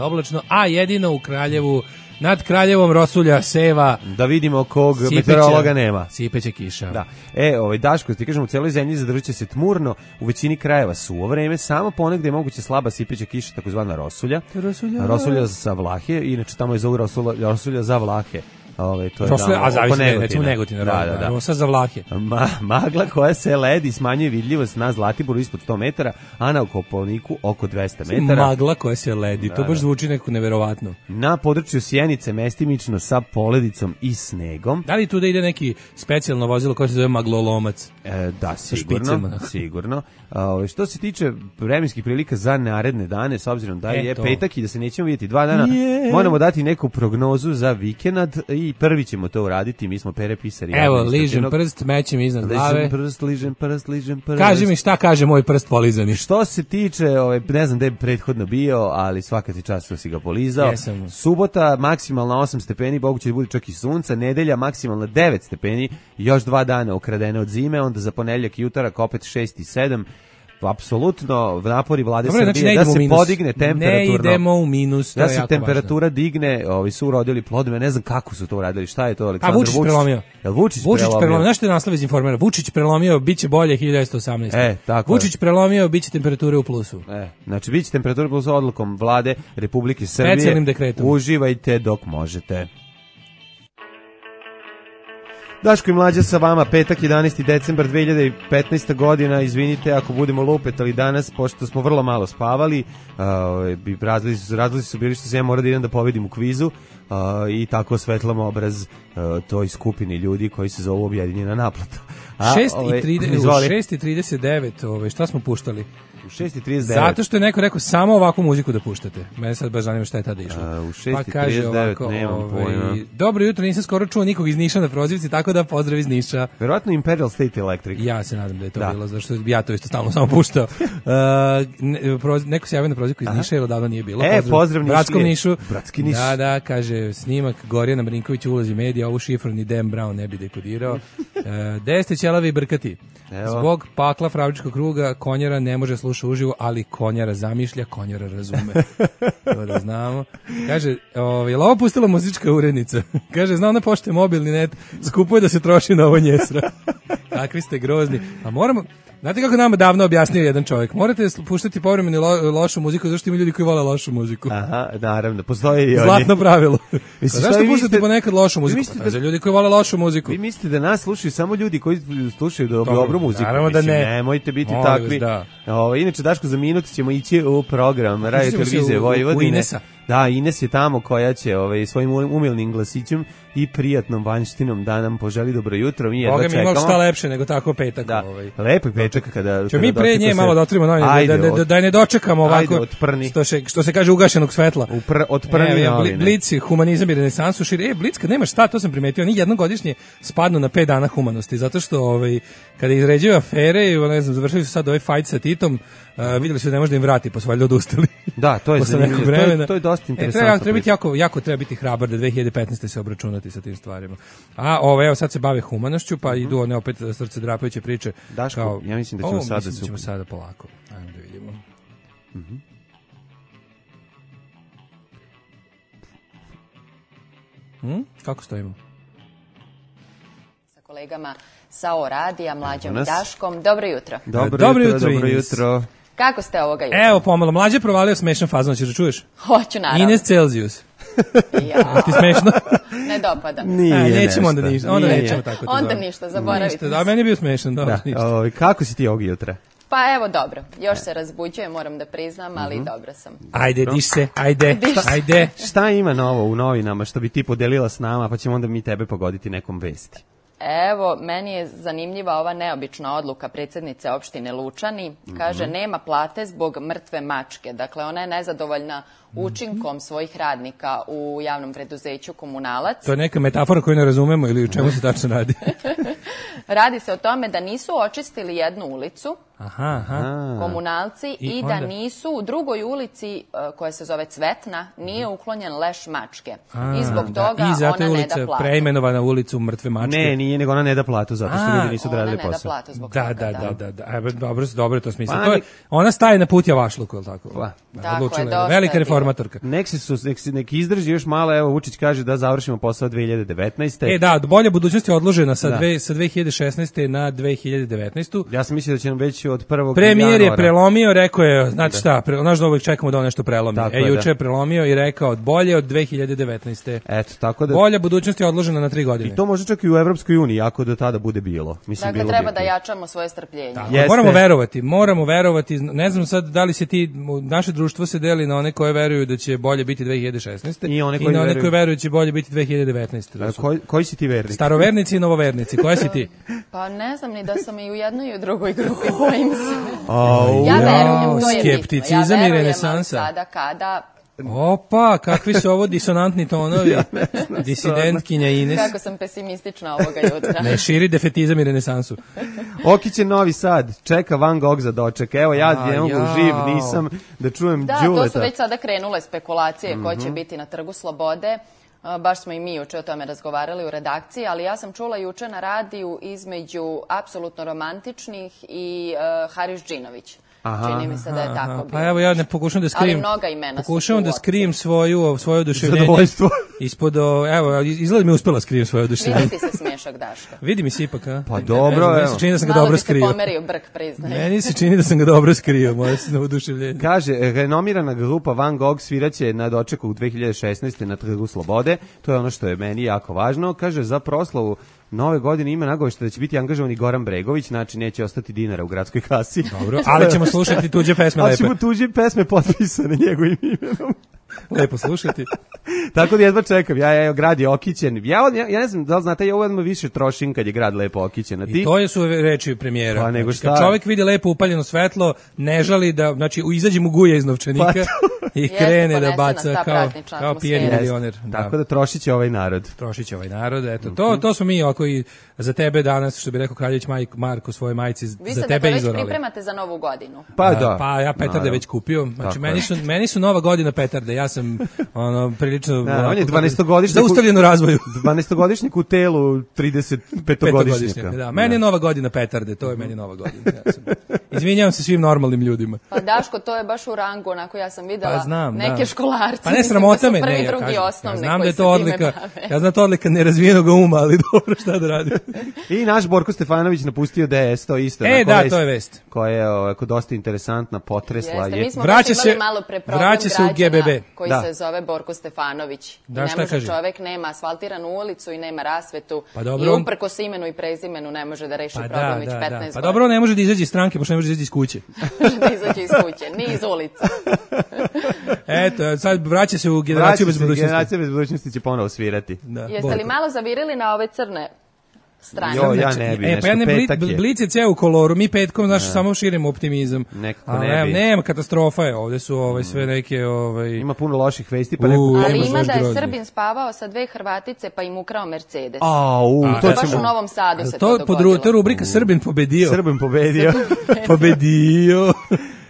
oblačno, a jedino u Kraljevu, nad Kraljevom rosulja, seva.
Da vidimo kog meteorologa nema.
Sipeće kiša.
Da. Daško, ti kažem, u celoj zemlji zadržat će se tmurno, u većini krajeva suvo vreme, samo ponegde je moguće slaba sipeća kiša, takozvana rosulja. Rosulja za Vlahe, inače tamo je zovu rosulja za Vlahe. To je
Rosulja, a zavisi, recimo Negotina,
da.
Rosa za Vlahe.
Magla koja se ledi smanjuje vidljivost na Zlatiboru ispod 100 metara, a na Kopaoniku oko 200 metara.
Magla koja se ledi, to baš zvuči nekako neverovatno.
Na području Sjenice mestimično sa poledicom i snegom.
Da li tu da ide neki specijalno vozilo koje se zove maglolomac?
Da, sigurno. Što se tiče vremenskih prilika za naredne dane, s obzirom da je petak i da se nećemo vidjeti 2 dana, moramo dati neku prognozu za vikend i prvi ćemo to uraditi, mi smo Pere Pisari.
Evo, ližem prst, mećem iznad glave.
Ližem prst.
Kaži mi šta kaže moj prst polizani.
Što se tiče, ne znam da je prethodno bio, ali svaka ti čast što si ga polizao.
Jesam.
Subota maksimalno 8 stepeni, moguće da bude čak i sunca, nedelja maksimalno 9 stepeni, još 2 dana ukradene od zime, onda za ponedeljak i utorak opet 6 i 7. Apsolutno napori vlade Srbije da se podigne temperaturno.
Ne idemo u minus, to je jako važno.
Da se temperatura digne, su urodili plodove, ne znam kako su to uradili, šta je to Aleksandar Vučić?
Prelomio.
Vučić
prelomio. Znaš što je naslov iz Informera? Vučić prelomio, bit će bolje 1918.
Tako
Vučić prelomio, bit će temperature u plusu.
Znači, bit će temperature u plusu odlukom vlade Republike Srbije.
Specijalnim dekretom.
Uživajte dok možete. Daško i Mlađa sa vama, petak 11. decembar 2015. godina, izvinite ako budemo lupetali danas, pošto smo vrlo malo spavali, razlozi su bili što se ja mora da idem da pobedim u kvizu i tako osvetlam obraz toj skupini ljudi koji se zovu objedinjena naplata.
6:39, šta smo puštali?
U 6:39.
Zato što je neko rekao samo ovakvu muziku da puštate. Mene sad baš zanima šta je tada išlo.
U 6:39 nemam pojma.
Dobro jutro, nisam skoro čuo nikog iz Niša na prozivci, tako da pozdrav iz Niša.
Verovatno Imperial State Electric.
Ja se nadam da je to bilo, zato što ja to isto stalno samo puštao. Neko se javio na prozivku iz Niša, jer odavno nije bilo.
Pozdrav
Bratskom Nišu.
Bratski Niš.
Da, kaže, snimak Gorjana Marinkovića u ulozi medija, ovu šifru ni Dan Brown ne bi dekodirao. Gde ste ćelavi brkati? Zbog pakla Pravčičkog kruga konjara ne može sluša uživo, ali konjara zamišlja, konjara razume. To da znamo. Kaže, je li ovo pustila muzička urednica? Kaže, zna ona pošte mobilni net, skupo je da se troši na ovo njesra. Kakvi ste grozni. A moramo... Znate kako nama davno objasnio jedan čovjek? Morate puštati povremeno lošu muziku, zašto ima ljudi koji vole lošu muziku.
Aha, naravno, postoji i oni.
Zlatno pravilo. Zašto puštate ponekad lošu muziku? Za ljudi koji vole lošu muziku.
Vi mislite da nas slušaju samo ljudi koji slušaju dobru muziku?
Naravno da ne.
Nemojte biti takvi. Inače, Daško, za minut ćemo ići u program Radio televizije Vojvodine.
U Inesa.
Da, Ines je tamo koja će svojim umilnim glasićem i prijatnom vanjštinom da nam poželi dobro jutro. Mi jedva čekamo.
Boga mi šta lepše nego tako petak.
Da, lepo je petak kada...
Ćemo mi pre nje malo da otvorimo novine, da ne dočekamo ovako, što se kaže ugašenog svetla.
Otprni novine.
Blic, humanizam i renesansu širi. Blic, kad nema šta, to sam primetio, oni jednogodišnje spadnu na 5 dana humanosti, zato što kada izređuju afere, ne znam, završili su sad ovaj fight sa Titom, vidjeli su da ne može da im vrati, pa su valjda odustali.
Da, to je zanimljivo, to je dosta interesantno.
Treba biti hrabar da 2015. se obračunati sa tim stvarima. A evo sad se bave humanošću, pa idu one opet srce drapajuće priče.
Daško, ja mislim da ćemo sada...
ćemo sada polako. Ajmo da vidimo. Kako stojimo?
Sa kolegama sa O-radija, Mlađom i Daškom. Dobro jutro.
Dobro jutro.
Kako ste ovoga jutra?
Evo, pomalo, Mlađe provalio smešan fazon, ćeš da čuješ?
Hoću, naravno.
Ines Celsius.
Ja.
Ti smešno?
Ne dopada.
Nećemo onda ništa. Onda nećemo tako.
Onda ništa, zaboravite.
Da, meni je bio smešan.
Kako si ti ovog jutra?
Pa evo, dobro. Još se razbuđujem, moram da priznam, ali dobro sam.
Ajde, diš se, ajde.
Šta ima novo u novinama što bi ti podelila s nama, pa ćemo onda mi tebe pogoditi nekom vesti?
Evo, meni je zanimljiva ova neobična odluka predsjednice opštine Lučani. Kaže, nema plate zbog mrtve mačke. Dakle, ona je nezadovoljna učinkom svojih radnika u javnom preduzeću Komunalac.
To je neka metafora koju ne razumemo ili u čemu se tačno radi?
Radi se o tome da nisu očistili jednu ulicu, komunalci, i da nisu u drugoj ulici koja se zove Cvetna, nije uklonjen leš mačke. I zbog toga
i zato
ona ne da
ulica
platu.
preimenovana ulicu mrtve mačke.
Ne, nije, nego ona ne da platu, zato što ljudi nisu odradili posao.
Ona ne da platu zbog toga,
Da. Dobro je to smisla. Ona staje na put javašluku, je li tako?
Tako je, dosta
velika reformatorka.
Nek izdrži još malo, evo Vučić kaže da završimo posao 2019.
Da, bolja budućnost je odložena sa 2016. na 2019.
Ja sam mislio da će nam već od 1.
Premijer
januara.
je prelomio, rekao je, znate šta, naš da uvijek čekamo da on nešto prelomi. Juče je prelomio i rekao bolje od 2019.
Eto, tako da...
Bolja budućnost je odložena na 3 godine.
I to može čak i u Evropskoj uniji, ako do tada bude bilo. Mislim,
dakle, treba da jačamo svoje strpljenje.
Moramo verovati, ne znam sad da li se naše društvo se deli na one koje veruju da će bolje biti 2016.
I
na one koje veruju da će bolje biti 2019.
Koji si ti vernik?
Starovernici i novovernici, koja si ti?
Pa ne znam ni da sam i u jednoj i u drugoj grupi, bojim se.
Ja verujem, to je skepticizam i renesansa.
Sada kada...
Opa, kakvi su ovo disonantni tonovi. Disidentkinja Ines.
Kako sam pesimistična ovoga jutra.
Ne, širi defetizam i renesansu.
Okić je Novi Sad, čeka Van Gogh za doček. Evo, ja ne mogu živ, nisam da čujem Đuleta.
Da, to su već sada krenule spekulacije ko će biti na Trgu Slobode. Baš smo i mi juče o tome razgovarali u redakciji, ali ja sam čula juče na radiju između apsolutno romantičnih i Haris Džinović. Čini mi se da je tako bilo.
Pa evo ja ne pokušam da skrijem.
Ali mnoga imena su.
Pokušavam da skrijem svoje oduševljenje.
Zadovoljstvo.
Evo, izgleda mi uspela skrijem svoje oduševljenje.
Vidi ti se smiješak, Daško.
Vidi mi se ipak, a?
Pa dobro,
evo. Meni se čini da sam ga dobro skrio.
Malo bi se pomerio brk, priznaje.
Meni se čini da sam ga dobro skrio, moje se na oduševljenje.
Kaže, renomirana grupa Van Gogh sviraće na dočeku u 2016. na Trgu Slobode. To je ono što je meni jako važno. Kaže, za proslavu Nove godine ima nagovešta da će biti angažovan i Goran Bregović, znači neće ostati dinara u gradskoj kasi.
Dobro, ali ćemo slušati tuđe pesme lepe.
Ali ćemo tuđe pesme potpisane njegovim imenom.
Lepo slušati.
Tako da jedva čekam, ja grad je okićen. Ja ne znam da li znate, ja odmah više trošim kad je grad lepo okićen. A ti?
I to su reči premijera.
Pa nego šta?
Kad čovjek vidi lepo upaljeno svetlo, ne žali da, znači izađe mu guje iz novčanika i krene da baca kao pijeni milioner.
Tako da trošit će ovaj narod.
Eto, to smo mi oko i za tebe danas, što bi rekao Kraljević Marko svojoj majci, za tebe izorali.
Vi se da već pripremate za Novu godinu.
Pa da.
Pa ja petarde već kupio. Znači meni su Nova godina petarde. Ja sam prilično
on je 12-godišnjak
zaustavljen u razvoju.
12-godišnjak u telu 35-godišnjaka.
Da, meni je Nova godina petarde, to je meni Nova godina. Izvinjavam se svim normalnim ljudima.
Pa Daško, to je baš u rangu, onako ja sam videla neke školarci.
Pa ne sramota me,
prvi, drugi, osnovni.
Znam da je to odlika, ja znam to odlika nerazvijenog uma, ali dobro, šta da radim.
I naš Borko Stefanović napustio DS, to isto.
Da, to je vest.
Koja je ovako dosta interesantna, potresla.
Mi smo imali malo pre problem građana koji se zove Borko Stefanović. I ne može čovek, nema asfaltiranu ulicu i nema rasvetu. I uprko se imenu i prezimenu ne može da reši problem već 15 godina.
Pa dobro, ne može da izađe iz stranke, pošto ne može da izađe iz kuće.
Ne može da izađe iz kuće, ni iz ulica.
Eto, sad vraća se u generaciju bez budućnosti.
Generacija bez budućnosti će ponovo svirati.
Jeste li malo zavirili na ove crne strane?
Ja ne bi, nešto petak je.
Blic je ceo u koloru, mi petkom, znaš, samo širimo optimizam.
Nekako ne bi.
Nema, katastrofa je, ovde su sve neke...
Ima puno loših vesti, pa
ali ima da je Srbin spavao sa 2 Hrvatice, pa im ukrao Mercedes.
To
je baš u Novom Sadu se to dogodilo.
To je rubrika Srbin pobedio. Pobedio.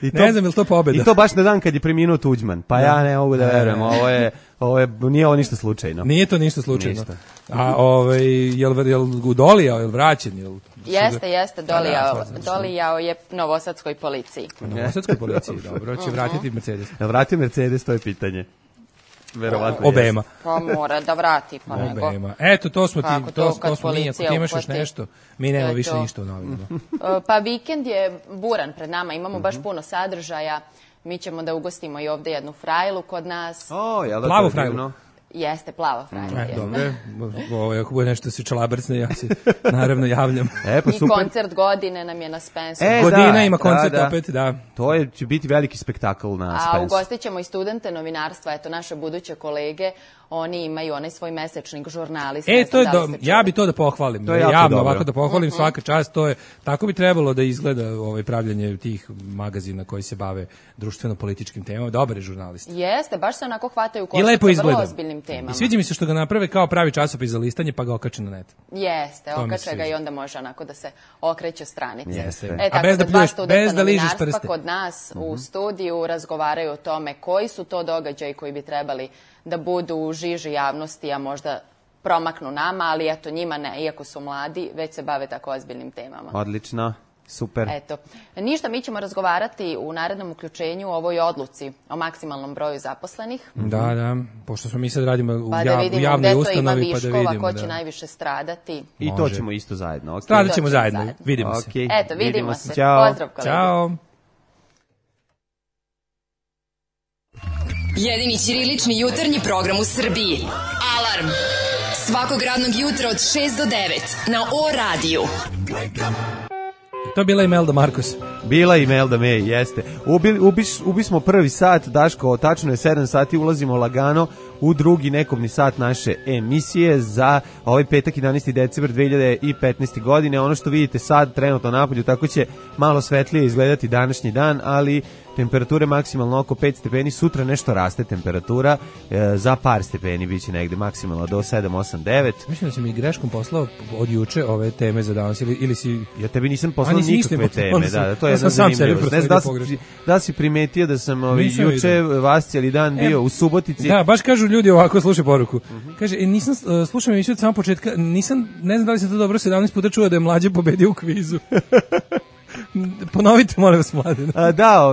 Ne znam, je li to pobeda?
I to baš na dan kad je preminuo Tuđman. Pa ja ne mogu da verujem, nije ovo ništa slučajno.
Nije to ništa slučajno. A jel dolijao, jel vraćen?
Jeste, dolijao je novosadskoj policiji.
Novosadskoj policiji, dobro, će vratiti Mercedes.
Jel vrati Mercedes, to je pitanje. Verovatno
obema.
Pa mora da vrati, pa nego.
Eto, to smo mi, ako ti imaš još nešto, mi nema više ništa u novinama.
Pa vikend je buran pred nama, imamo baš puno sadržaja, mi ćemo da ugostimo i ovde jednu frajlu kod nas.
Plavu frajlu?
Jeste, plava Frank je.
Dobro, ako bude nešto se čalabrcne, ja se naravno javljam.
Pa
i koncert godine nam je na Spensu.
Godina ima koncert opet, da.
To će biti veliki spektakl na Spensu.
A ugostit ćemo i studente novinarstva, eto naše buduće kolege, oni imaju onaj svoj mesečnik žurnalista.
To je ja bi to da pohvalim. To je javno ovako da pohvalim, svaka čast, to je tako bi trebalo da izgleda pravljanje tih magazina koji se bave društveno-političkim temama, dobre žurnalisti.
Jeste, baš se onako hvataju koštac sa vrlo ozbiljnim temama.
I sviđa mi se što ga naprave kao pravi časopis za listanje, pa ga okače na net.
Jeste, okače ga i onda može onako da se okreću stranice.
Jeste.
A bez da pljuješ, bez da ližeš prste. Kod nas u studiju razgovaraju o tome koji su to događaji koji bi trebali da budu u žiži javnosti, a možda promaknu nama, ali eto njima ne, iako su mladi, već se bave tako ozbiljnim temama.
Odlično. Super.
Eto, ništa, mi ćemo razgovarati u narednom uključenju o ovoj odluci o maksimalnom broju zaposlenih.
Da, pošto smo mi sad radimo u
javnoj ustanovi, pa da vidimo gde to ima viškova, ko će najviše stradati.
I to ćemo isto zajedno.
Stradat ćemo zajedno, vidimo se.
Eto, vidimo se.
Ćao.
Pozdrav kolege.
Ćao.
Jedini ćirilični jutarnji program u Srbiji. Alarm! Svakog radnog jutra od 6 do 9 na O-radiju.
To je bila Imelda Marcos.
Bila Imelda May, jeste. Ubismo prvi sat, Daško, tačno je 7 sati, ulazimo lagano u drugi nekobni sat naše emisije za ovaj petak 11. decembar 2015. godine. Ono što vidite sad trenutno napolju, tako će malo svetlije izgledati današnji dan, ali temperature maksimalno oko 5 stepeni, sutra nešto raste temperatura, za par stepeni biće negde maksimalno do 7, 8, 9.
Mislim da si mi greškom poslao od juče ove teme za danas ili si...
Ja tebi nisam poslao nikakve teme, da, to je jedna zanimljivost. Ne znam da si primetio da sam juče vas cijeli dan bio u Subotici.
Da, baš kažu ljudi ovako, slušaj poruku. Kaže, nisam slušao emisiju od samog početka, ne znam da li sam to dobro 17 puta čuo da je Mlađe pobedio u kvizu. Ponovite, molim vas, Mladen.
Da,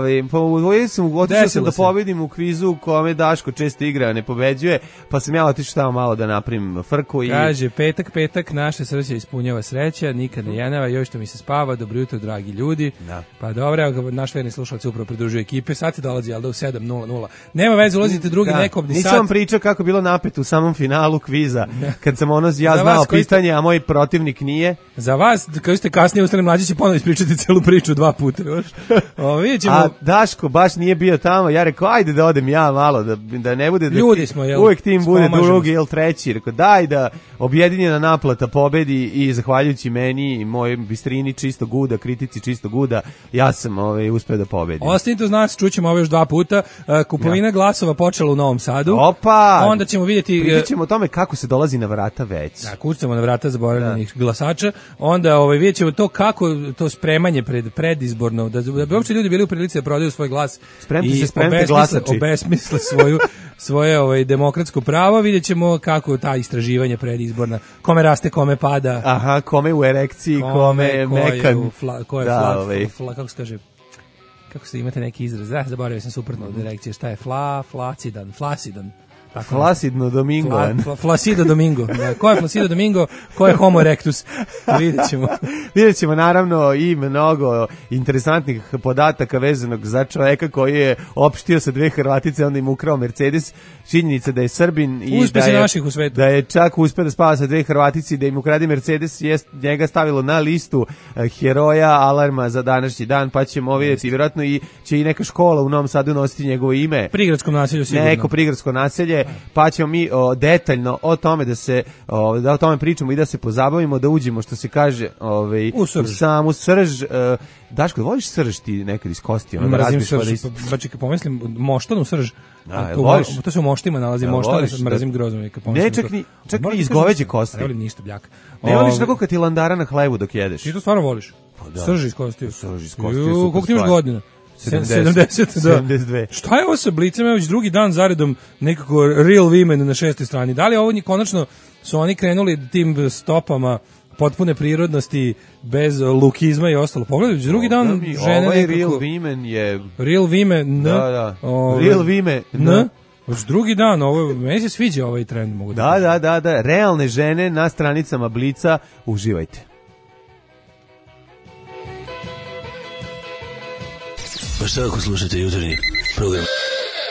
otišao sam da pobedim u kvizu u kome Daško često igra, ne pobeđuje, pa sam ja otišao tamo malo da napravim frku.
Kaže, petak, naše srce ispunjava sreća, nikad ne jenava, još što mi se spava, dobro jutro, dragi ljudi.
Da.
Pa dobro, naš verni slušalac upravo pridružuje ekipe, sad ti dolazi, ali da u 7:00. Nema veze, ulazite drugi nekobni sat.
Nisam vam pričao kako bilo napet u samom finalu kviza, kad sam znao pitanje, a moj protivnik nije.
Za vas, koji ste kasnije ustali, Mlađe će ponovo ispričati celu priču 2 puta.
A Daško baš nije bio tamo, ja rekao, ajde da odem ja malo, da ne bude...
Ljudi smo, jel?
Uvijek tim bude drugi ili treći. Rekao, daj da objedinjena naplata pobedi i zahvaljujući meni i mojoj bistrini čistog guda, kritici čistog guda, ja sam uspeo da pobedim.
Ostanite uz nas, čućemo ovo još 2 puta. Kupovina glasova počela u Novom Sadu.
Opa!
Onda ćemo vidjeti...
Pričat ćemo o tome kako se dolazi na vrata već.
Da, kucamo na vrata zaboravljenih glasača. Onda vidjet ćemo to kako to spremanje predizborno, da bi uopće ljudi bili u prilici da prodaju svoj glas
i
obesmisle svoje demokratsko pravo. Vidjet ćemo kako ta istraživanja predizborna, kome raste, kome pada.
Aha, kome u erekciji, kome mekan.
Ko je kako se kaže, kako se imate neki izraz, zaboravio sam suprotno od erekcije, šta je flasidan.
Flacidno Domingo.
Flasido Domingo. Ko je Flasido Domingo, ko je Homo erectus?
Vidjet ćemo naravno i mnogo interesantnih podataka vezanog za čoveka koji je opštio sa 2 Hrvatice, onda im ukrao Mercedes. Činjenica da je Srbin i da je čak uspeo da spava sa 2 Hrvatice i da im ukrade Mercedes, je njega stavilo na listu heroja alarma za današnji dan, pa ćemo vidjeti, vjerojatno će i neka škola u Novom Sadu nositi njegovo ime.
Prigradskom naselju sigurno.
Neko prigradsko naselje. Pa ćemo mi detaljno o tome da o tome pričamo i da se pozabavimo, da uđemo, što se kaže, u samu srž. Daško, voliš srž ti nekad iz kosti?
Mrazim srž, pa čekaj, pomislim, moštanu srž. To se u moštima nalazi, moštanu, mrazim grozno.
Ne, čak ni iz goveđe kosti.
Ne volim ništa, bljaka.
Ne voliš tako kad ti landara na hlebu dok jedeš?
Ti to stvarno voliš? Srž iz kosti.
Srž iz kosti. Koliko
ti imaš godina? 70, da.
72.
Šta je ovo sa Blicem? Već drugi dan zaredom nekako Real Women na 6. strani. Da li ovo konačno su oni krenuli tim stopama potpune prirodnosti, bez lukizma i ostalo? Pogledaj, drugi dan žene
ovaj nekako... Real Women je...
Real Women,
Da. Real Women,
Već drugi dan, meni se sviđa ovaj trend. Mogu
da. Realne žene na stranicama Blica, uživajte.
Pa šta ako slušate jutarnji program?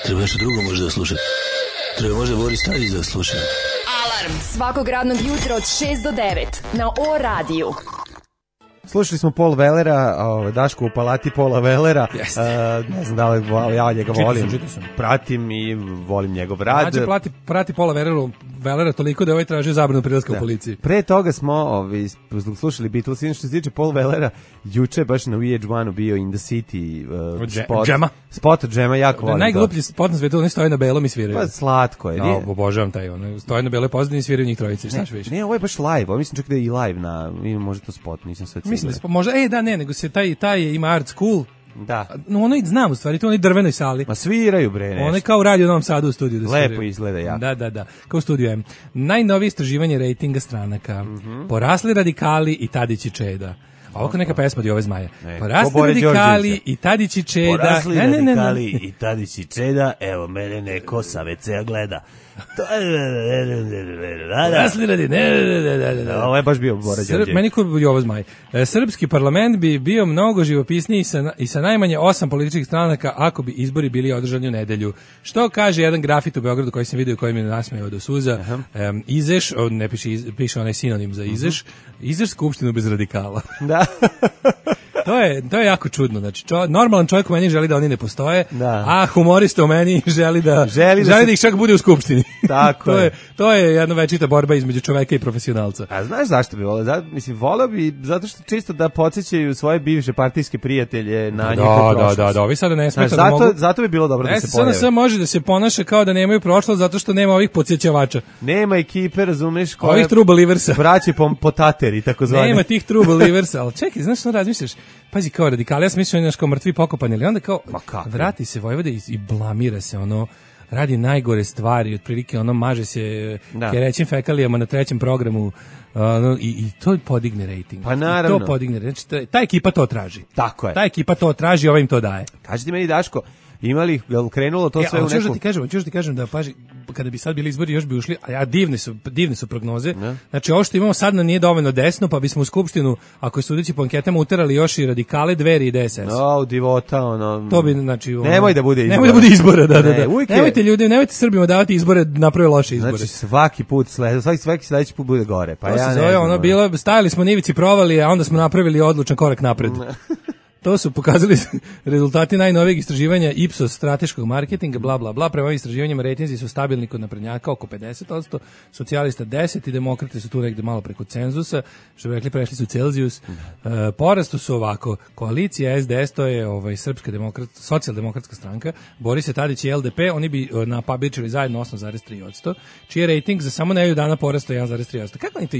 Treba nešto drugo možda da slušate. jutro, može Boris Tadić da sluša.
Alarm svakog radnog jutra od 6 do 9 na O radiju.
Slušali smo Paul Wellera, Daško u palati Paula Wellera. Ne znam da li ja njega volim. Pratim i volim njegov rad.
Znači, prati Paula Wellera toliko da ovaj traži zabranu prilaska u policiji.
Pre toga smo slušali Beatles. Što se tiče Paul Wellera, juče baš na VH1 bio In the City spot od Džema, jako volim.
Najgluplji spot na svetu, oni stoje na belom i sviraju.
Pa slatko je.
Obožavam taj, stoje na beloj pozadini i sviraju njih trojice. Šta više?
Ne, ovo je baš live. Mislim čak da je i live na, možda to spot, nisam sve ciljio.
Mislim da možda, nego se taj ima art school.
Da.
No, ono i znam u stvari, to u onoj drvenoj sali.
Ma sviraju bre nešto.
Ono je kao radio u Novom Sadu u studiju. Da
lepo izgleda jako.
Da, kao u studiju M. Najnovije istraživanje rejtinga stranaka. Porasli radikali i Tadić i Čeda. Ovako neka pesma od Jove Zmaja. Porasli radikali i Tadić i Čeda.
Porasli radikali i Tadić i Čeda. Evo, mene neko sa WC-a gleda.
Porasli
ovo je baš bio Bora Đorđević.
Meni ko Jova Zmaj. Srpski parlament bi bio mnogo živopisniji i sa najmanje 8 političkih stranaka ako bi izbori bili održani u nedelju. Što kaže jedan grafit u Beogradu koji sam vidio, koji mi nasmejao do suza. Izeš, ne piše onaj sinonim za Izeš. Izeš skupštinu bez radikala.
Da.
To je jako čudno. Znači, normalan čovjek u meni želi da oni ne postoje, a humorista u meni želi da ih čak bude u skupštini.
Tako je.
To je jedna večita borba između čoveka i profesionalca.
A znaš zašto bi volio? Volio bi zato što čisto da podsjećaju svoje bivše partijske prijatelje na njihovu prošlost.
Da, ovi sada ne smeta da mogu.
Zato bi bilo dobro da se pojave.
SNS može da se ponaša kao da nemaju prošlost zato što nema ovih podsjećavača.
Nema ekipe, razumeš,
ovih true believers.
Braće potateri, takozvani.
Nema tih true believers, ali čekaj, znaš što razmišljaš? Pazi, kao radikali, ja sam mislio nešto kao mrtvi pokopani, ali onda kao vrati se Vojvoda i blamira se, radi najgore stvari, otprilike maže se kerećim fekalijama na 3. programu i to podigne rejting.
Pa naravno.
To podigne, znači ta ekipa to traži.
Tako je.
Ta ekipa to traži, ova im to daje.
Kaži ti meni, Daško, imali, krenulo to sve u neku...
Hoćeš ti kažem da, paži, kada bi sad bili izbori još bi ušli, a divne su prognoze. Znači, ovo što imamo sad nije dovoljno desno, pa bismo u skupštinu, ako je sudeći po anketama, uterali još i radikale, Dveri i DSS.
Divota,
To bi, znači...
Nemoj da bude izbora.
Nemoj da bude izbora, da. Nemojte ljudi, nemojte Srbima davati izbore, naprave loše izbore.
Znači, svaki sledeći put bude gore. Pa
to se zove, stajali smo na ivici provali, a onda smo napravili odlučan korak napred. To su pokazali rezultati najnovijeg istraživanja Ipsos strateškog marketinga, bla, bla, bla. Prema ovim istraživanjima rejtinzi su stabilni kod naprednjaka oko 50%, socijalista 10% i demokrate su tu negde malo preko cenzusa, što bi rekli prešli su Celzijus. Porastu su ovako, koalicija SDS, to je Srpska socijaldemokratska stranka, Boris Tadić i LDP, oni bi napabičili zajedno 8,3%, čiji je rejting za samo nedelju dana porastao 1,3%. Kako oni to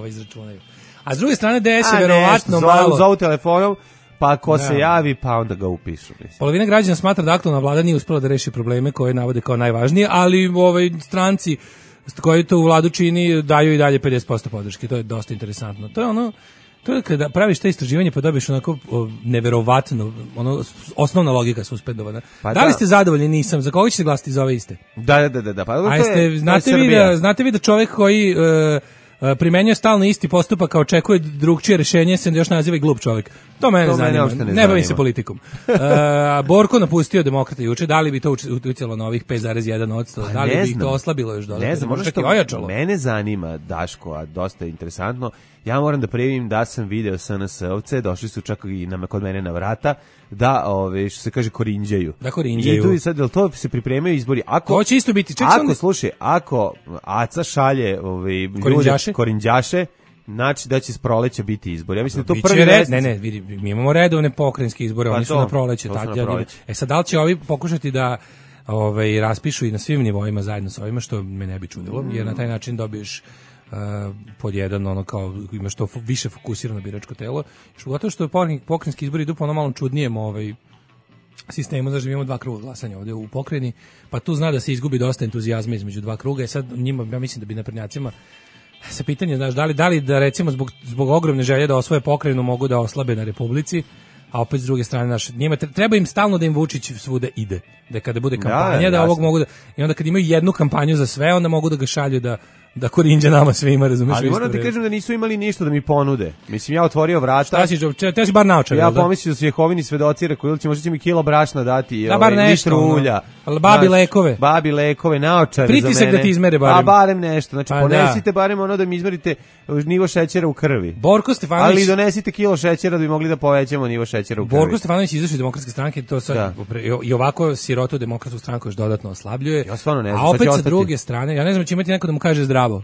izračunaju? A s druge strane DS je verovatno malo...
Zovu telefonom, pa ko se javi, pa onda ga upišu.
Polovina građana smatra da aktualna vlada nije uspela da reši probleme koje navode kao najvažnije, ali stranci koji to u vladu čini daju i dalje 50% podrške. To je dosta interesantno. To je kada praviš te istraživanje pa dobiješ onako neverovatno, osnovna logika suspendovana. Da li ste zadovoljni? Nisam. Za koga ćete glasiti za ove iste?
Da. Pa,
znate vi da čovjek koji... primenjuje stalno isti postupak, kao očekuje drugčije rješenje, se još naziva i glup čovjek. To mene zanima. Ne bavim se politikom. Borko napustio demokrate juče, da li bi to uticalo na ovih 5,1%? Da li bi ih to oslabilo još dodatno?
Ne znam, možda što ojačalo. Mene zanima, Daško, a dosta je interesantno, ja moram da prijavim da sam video SNS-ovce, došli su čak i kod mene na vrata, da, što se kaže, korinđaju.
Da, korinđaju.
I tu sad, to se pripremaju izbori.
To će isto biti.
Slušaj, ako Aca šalje korinđaše, znači da će s proleća biti izbori. Ja mislim da to prvi
vidi, mi imamo redovne pokrajinske izbore, oni su na proleće. Sad, da li će ovi pokušati da raspišu i na svim nivoima zajedno sa ovima, što me ne bi čudilo, jer na taj način dobiješ pod jedan, kao imaš to više fokusirano biračko telo. Gotovo što pokrajinski izbori idu po malo čudnijem sistemu, znači imamo 2 kruga glasanja ovdje u pokrajini, pa tu zna da se izgubi dosta entuzijazma između 2 kruga i sad njima, ja mislim da bi naprednjacima se pitanje, znaš, da li da recimo zbog ogromne želje da osvoje pokrajinu mogu da oslabe na Republici, a opet s druge strane njima treba im stalno da im Vučić svuda ide, da kada bude kampanja da ovog mogu da, i onda kad imaju jednu kampanju za sve, onda mogu da ga šalju da da korinđa nama svima, razumeš?
Ali moram ti kažem da nisu imali ništa da mi ponude. Mislim, ja otvorio vrata.
Šta si, te si bar naočar,
ja pomislio da su Jehovini svedoci, rekao, ili možda će mi kilo brašna dati,
da, bar nešto,
ulja.
Babi lekove,
naočare
pritisak
za mene.
Da ti izmere barem.
A barem nešto, znači ponesite barem ono da mi izmerite nivo šećera u krvi.
Borko Stefanović.
Ali donesite kilo šećera da bi mogli da povećamo nivo šećera u krvi.
Borko Stefanović izašao iz Demokratske stranke, to sad i ovako sirotu Demokratsku stranku još dodatno oslabljuje.
Ja stvarno ne znam.
A opet sa druge strane, ja ne znam, će imati neko da mu kaže zdravo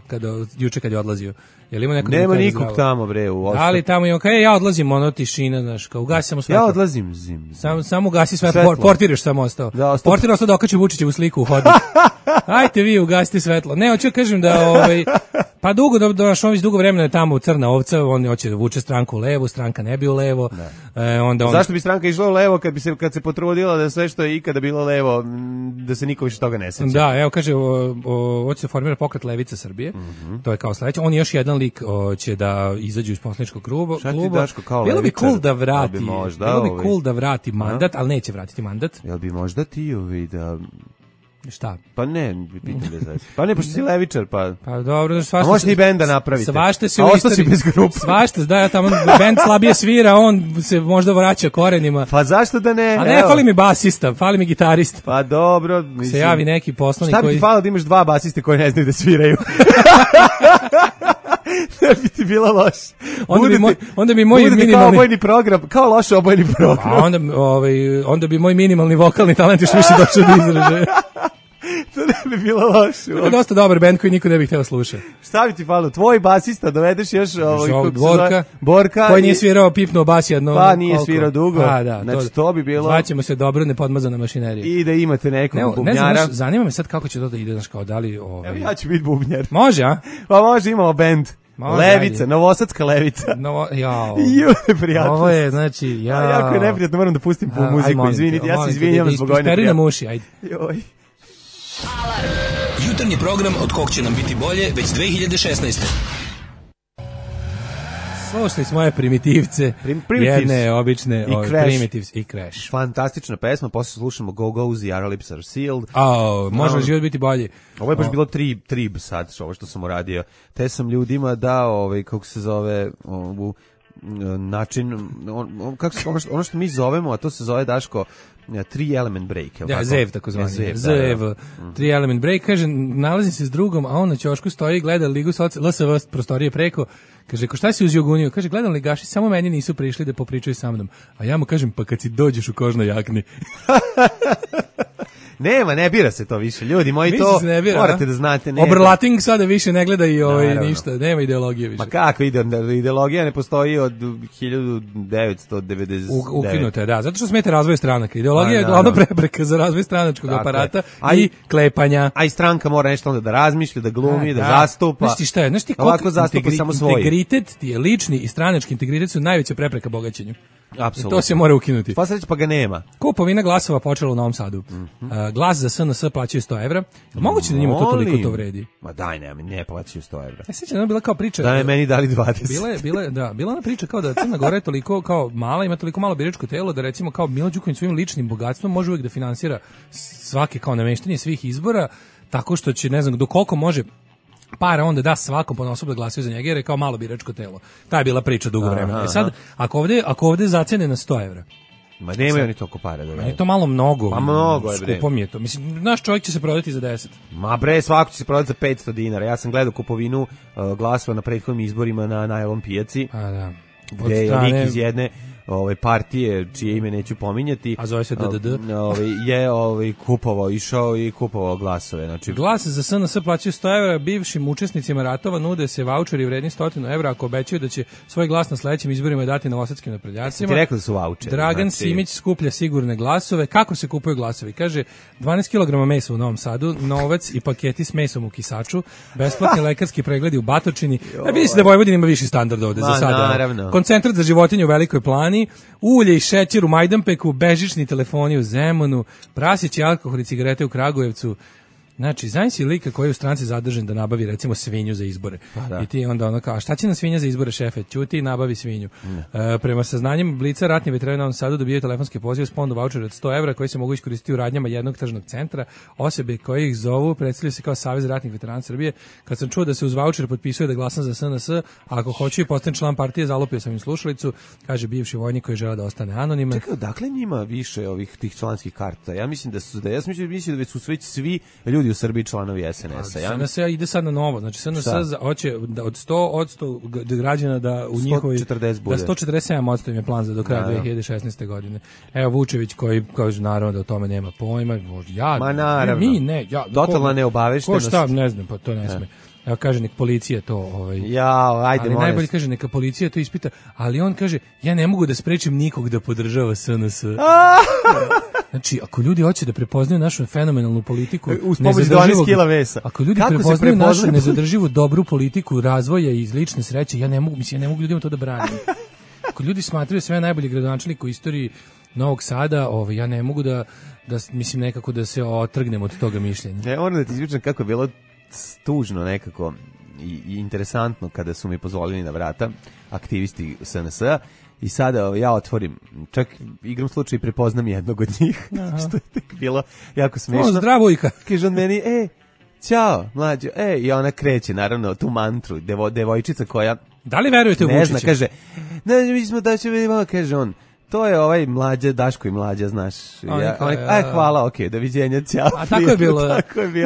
juče kad je odlazio. Jel ima neko?
Nema nikog tamo bre u Oslu.
Ali tamo ima ja odlazim, ono tišina, znaš, kao ugasi samo svetlo.
Ja odlazim
samo ugasi svetlo. Portir samo ostao. Portir ostao da okači Vučićevu sliku u hodnik. Ajte vi ugasite svetlo. Ne, hoću kažem da pa dugo vremena je tamo crna ovca, on hoće da vuče stranku u levo, stranka ne bi u levo.
Zašto bi stranka išla u levo kad se potrudila da sve što je ikada bilo levo, da se niko više toga ne seća?
Da, evo kaže, hoće se formira pokret Levica Srbije. To je kao sledeće. On je još jedan lik će da izađu iz poslaničkog kluba. Bilo bi cool da vrati mandat, ali neće vratiti mandat.
Jel bi možda ti da...
Šta?
Pa ne, pitam bez veze. Pa ne, pošto si levičar, pa...
Pa dobro, svašta...
A možete i benda napravite.
Svašta se
u istoriji... si bez grupa.
Svašta, da, ja tamo bend slabije svira, on se možda vraća korenima.
Pa zašto da ne?
A ne, fali mi basista, fali mi gitarista.
Pa dobro, mislim...
Se javi neki poslanik koji...
Šta bi ti falilo da imaš dva basiste koji ne znaju da sviraju? Ne bi ti bilo loše.
Onda bi moj minimalni...
kao obojni program, kao loš obojni program.
A onda bi moj minimalni vokalni talent još više došao do izražaja.
To ne bi bilo loše.
To je dosta dobar bend koji niko ne bi hteo slušati.
Šta bi ti falilo? Tvoj basista dovedeš još
Borka koji nije svirao, pipnuo bas jedno.
Pa nije svirao dugo.
Pa da,
znači to bi bilo.
Zvaćemo se dobro nepodmazana mašinerija.
I da imate nekog bubnjara.
Ne znam, zanima me sad kako će to da ide, znaš, kao da li
Evo ja ću biti bubnjar.
Može, a?
Pa može, imamo bend. Levica, novosadska levica. Neprijatno.
Ovo je, znači,
jako je neprijatno, moram da pustim po muziku, izvinite, ja se izvinjam zbog ovoj neprijatno.
Isperi nam uši, ajde.
Joj.
Jutarnji program od kog će nam biti bolje već 2016.
Slušali smo moje primitivce, jedne obične Primitives i Crash.
Fantastična pesma, posle slušamo Go Go's The Our Lips Are Sealed.
Može li život biti bolji?
Ovo je baš bilo trib sad, ovo što sam uradio. Te sam ljudima dao, kako se zove, način, ono što mi zovemo, a to se zove, Daško, 3 element break.
Ja, ZEV tako zvani. ZEV. 3 element break, kaže, nalazim se s drugom, a on na ćošku stoji, gleda Ligu LSV prostorije preko, kaže, ko šta si uzio guniju? Kaže, gledam ligaši, samo meni nisu prišli da popričaju sa mnom. A ja mu kažem, pa kad si dođeš u kožnoj jakni.
Nema, ne bira se to više. Ljudi moji, to morate da znate.
Oberlating sada više ne gleda i ništa. Nema ideologije više.
Ma kako ideologija ne postoji od 1999.
Ukinuta je, da. Zato što smete razvoj stranaka. Ideologija je glavna prepreka za razvoj stranačkog aparata i klepanja.
A i stranka mora nešto onda da razmišlja, da glumi, da zastupa.
Znaš ti šta je? Znaš ti
ovako zastupa samo svoj.
Integritet ti je lični i stranački integritet su najveća prepreka bogaćenju.
Apsolutno.
To se mora ukinuti.
Pa ga nema.
Kupovina glasova počela u Novom Sadu. Glas za SNS plaćaju 100 evra. Moguće da njima to toliko to vredi?
Ma daj, ne plaćaju 100 evra.
Ja sećam da je bila kao priča.
Da je meni dali 20.
Bila ona priča kao da Crna Gora je toliko kao mala, ima toliko malo biračko telo da recimo kao Milo Đukanović svojim ličnim bogatstvom može uvijek da finansira svake kao nameštanje svih izbora tako što će, ne znam, do koliko može para onda da svakom ponaosob da glasaju za njega jer je kao malo biračko telo. Ta je bila priča dugo vremena. Sad, ako ovde zacene na 100 evra,
ma nemaju oni toliko para da
je to malo mnogo.
Pa mnogo je, bre.
Skupo mi je to. Mislim, naš čovjek će se prodati za 10.
Ma bre, svako će se prodati za 500 dinara. Ja sam gledao kupovinu glasova na prethodnim izborima na Najlon pijaci.
A da.
Gde je lik iz jedne partije, čije ime neću pominjati,
a zove se DDD,
je kupovao, išao i kupovao glasove. Znači,
glas za SNS plaćaju 100 evra, bivšim učesnicima ratova nude se vaučeri vredni 100 evra ako obećaju da će svoj glas na sledećim izborima dati novosadskim naprednjacima.
Ti rekao da su vaučeri.
Dragan Simić skuplja sigurne glasove. Kako se kupuju glasovi? Kaže, 12 kg mesa u Novom Sadu, novac i paketi s mesom u Kisaču, besplatni lekarski pregledi u Batočini. Vidi se da Vojvodina ima viši standard ovde za sada.
Naravno.
Koncentrat za životinje u Velikoj Plani, ulje i šećer u Majdanpeku, bežični telefoni u Zemunu, prasići alkohol i cigarete u Kragujevcu. Znači, znaš si lika koji je u stranci zadržan da nabavi recimo svinju za izbore.
Da.
I ti onda ono kao, a šta će nam svinja za izbore, šefe? Ćuti i nabavi svinju. Prema saznanjem Blica, ratni veterani u Novom Sadu dobijaju telefonski poziv s ponudu vaučera od 100 evra koji se mogu iskoristiti u radnjama jednog tržnog centra. Osobe koje ih zovu predstavljaju se kao Savez ratnih veterana Srbije. Kad sam čuo da se uz vaučer potpisuje da glasam za SNS, a ako hoću i postanem član partije, zalupio sam im slušalicu, kaže bivši vojnik koji žele da ostane anoniman.
Čekaj, dakle njima više tih članskih karta? Ja mislim da su da su već svi ljudi u Srbiji članovi SNS-a.
SNS ide sad na novo, znači SNS hoće da od 100% građana da u njihovoj
140 bude.
Da 147% im je plan za do kraja 2016. godine. Evo Vučević koji kaže naravno da o tome nema pojma,
totalna neobaveštenost.
Ko šta, ne znam, pa to ne sme. Evo kaže nek policija to
ajde,
najbolje kaže neka policija to ispita, ali on kaže ja ne mogu da sprečim nikog da podržava SNS. Znači, ako ljudi hoće da prepoznaju našu fenomenalnu politiku, ako ljudi prepoznaju našu nezadrživu dobru politiku razvoja i lične sreće, ja ne mogu ljudima to da branim. Ako ljudi smatraju sve najbolji gradonačelnik u istoriji Novog Sada, ja ne mogu da mislim nekako da se otrgnem od toga mišljenja.
Ne, moram da ti izvičam kako je bilo tužno nekako i interesantno kada su mi pozvolili na vrata aktivisti SNS-a i sada ja otvorim, čak igram slučaj i prepoznam jednog od njih, što je tek bilo jako smiješno.
Zdravo Ika.
Kaže on meni, ćao, mlađo, i ona kreće, naravno, tu mantru, devojčica koja...
Da li verujete u Vučića?
Ne zna, kaže, mi smo da će vidimo, kaže on, to je ovaj Mlađa, Daško i Mlađa, znaš. Hvala, okej, doviđenja, ćao.
A tako je bilo.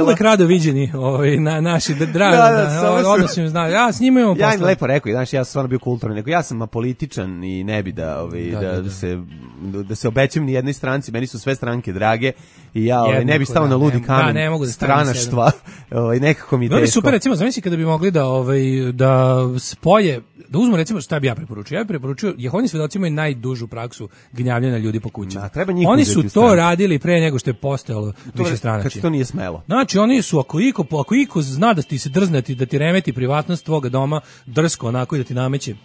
Uvek rado viđeni naši dragi, odnosim, znaš, ja s njima imamo posla.
Ja im lepo rekao, znaš, ja sam stvarno bio kulturan, nego ja sam apolitičan i ne bi da se obećam ni jednoj stranci, meni su sve stranke drage i ja ne bi stao na ludi kamen stranaštva, nekako mi je teško.
Bilo bi super, recimo, zamisli kada bi mogli da spoje, da uzmu recimo šta bi ja preporučio. Ja bih preporučio, Jehovini svedoci imaju najdužu praksu gnjavljanja ljudi po kućama. Oni su to radili pre nego što je postojalo više stranačije.
Kad to nije smelo.
Znači oni su, ako iko zna da ti se drznati, da ti remeti privatnost tvoga doma, drsko onako i da ti nameće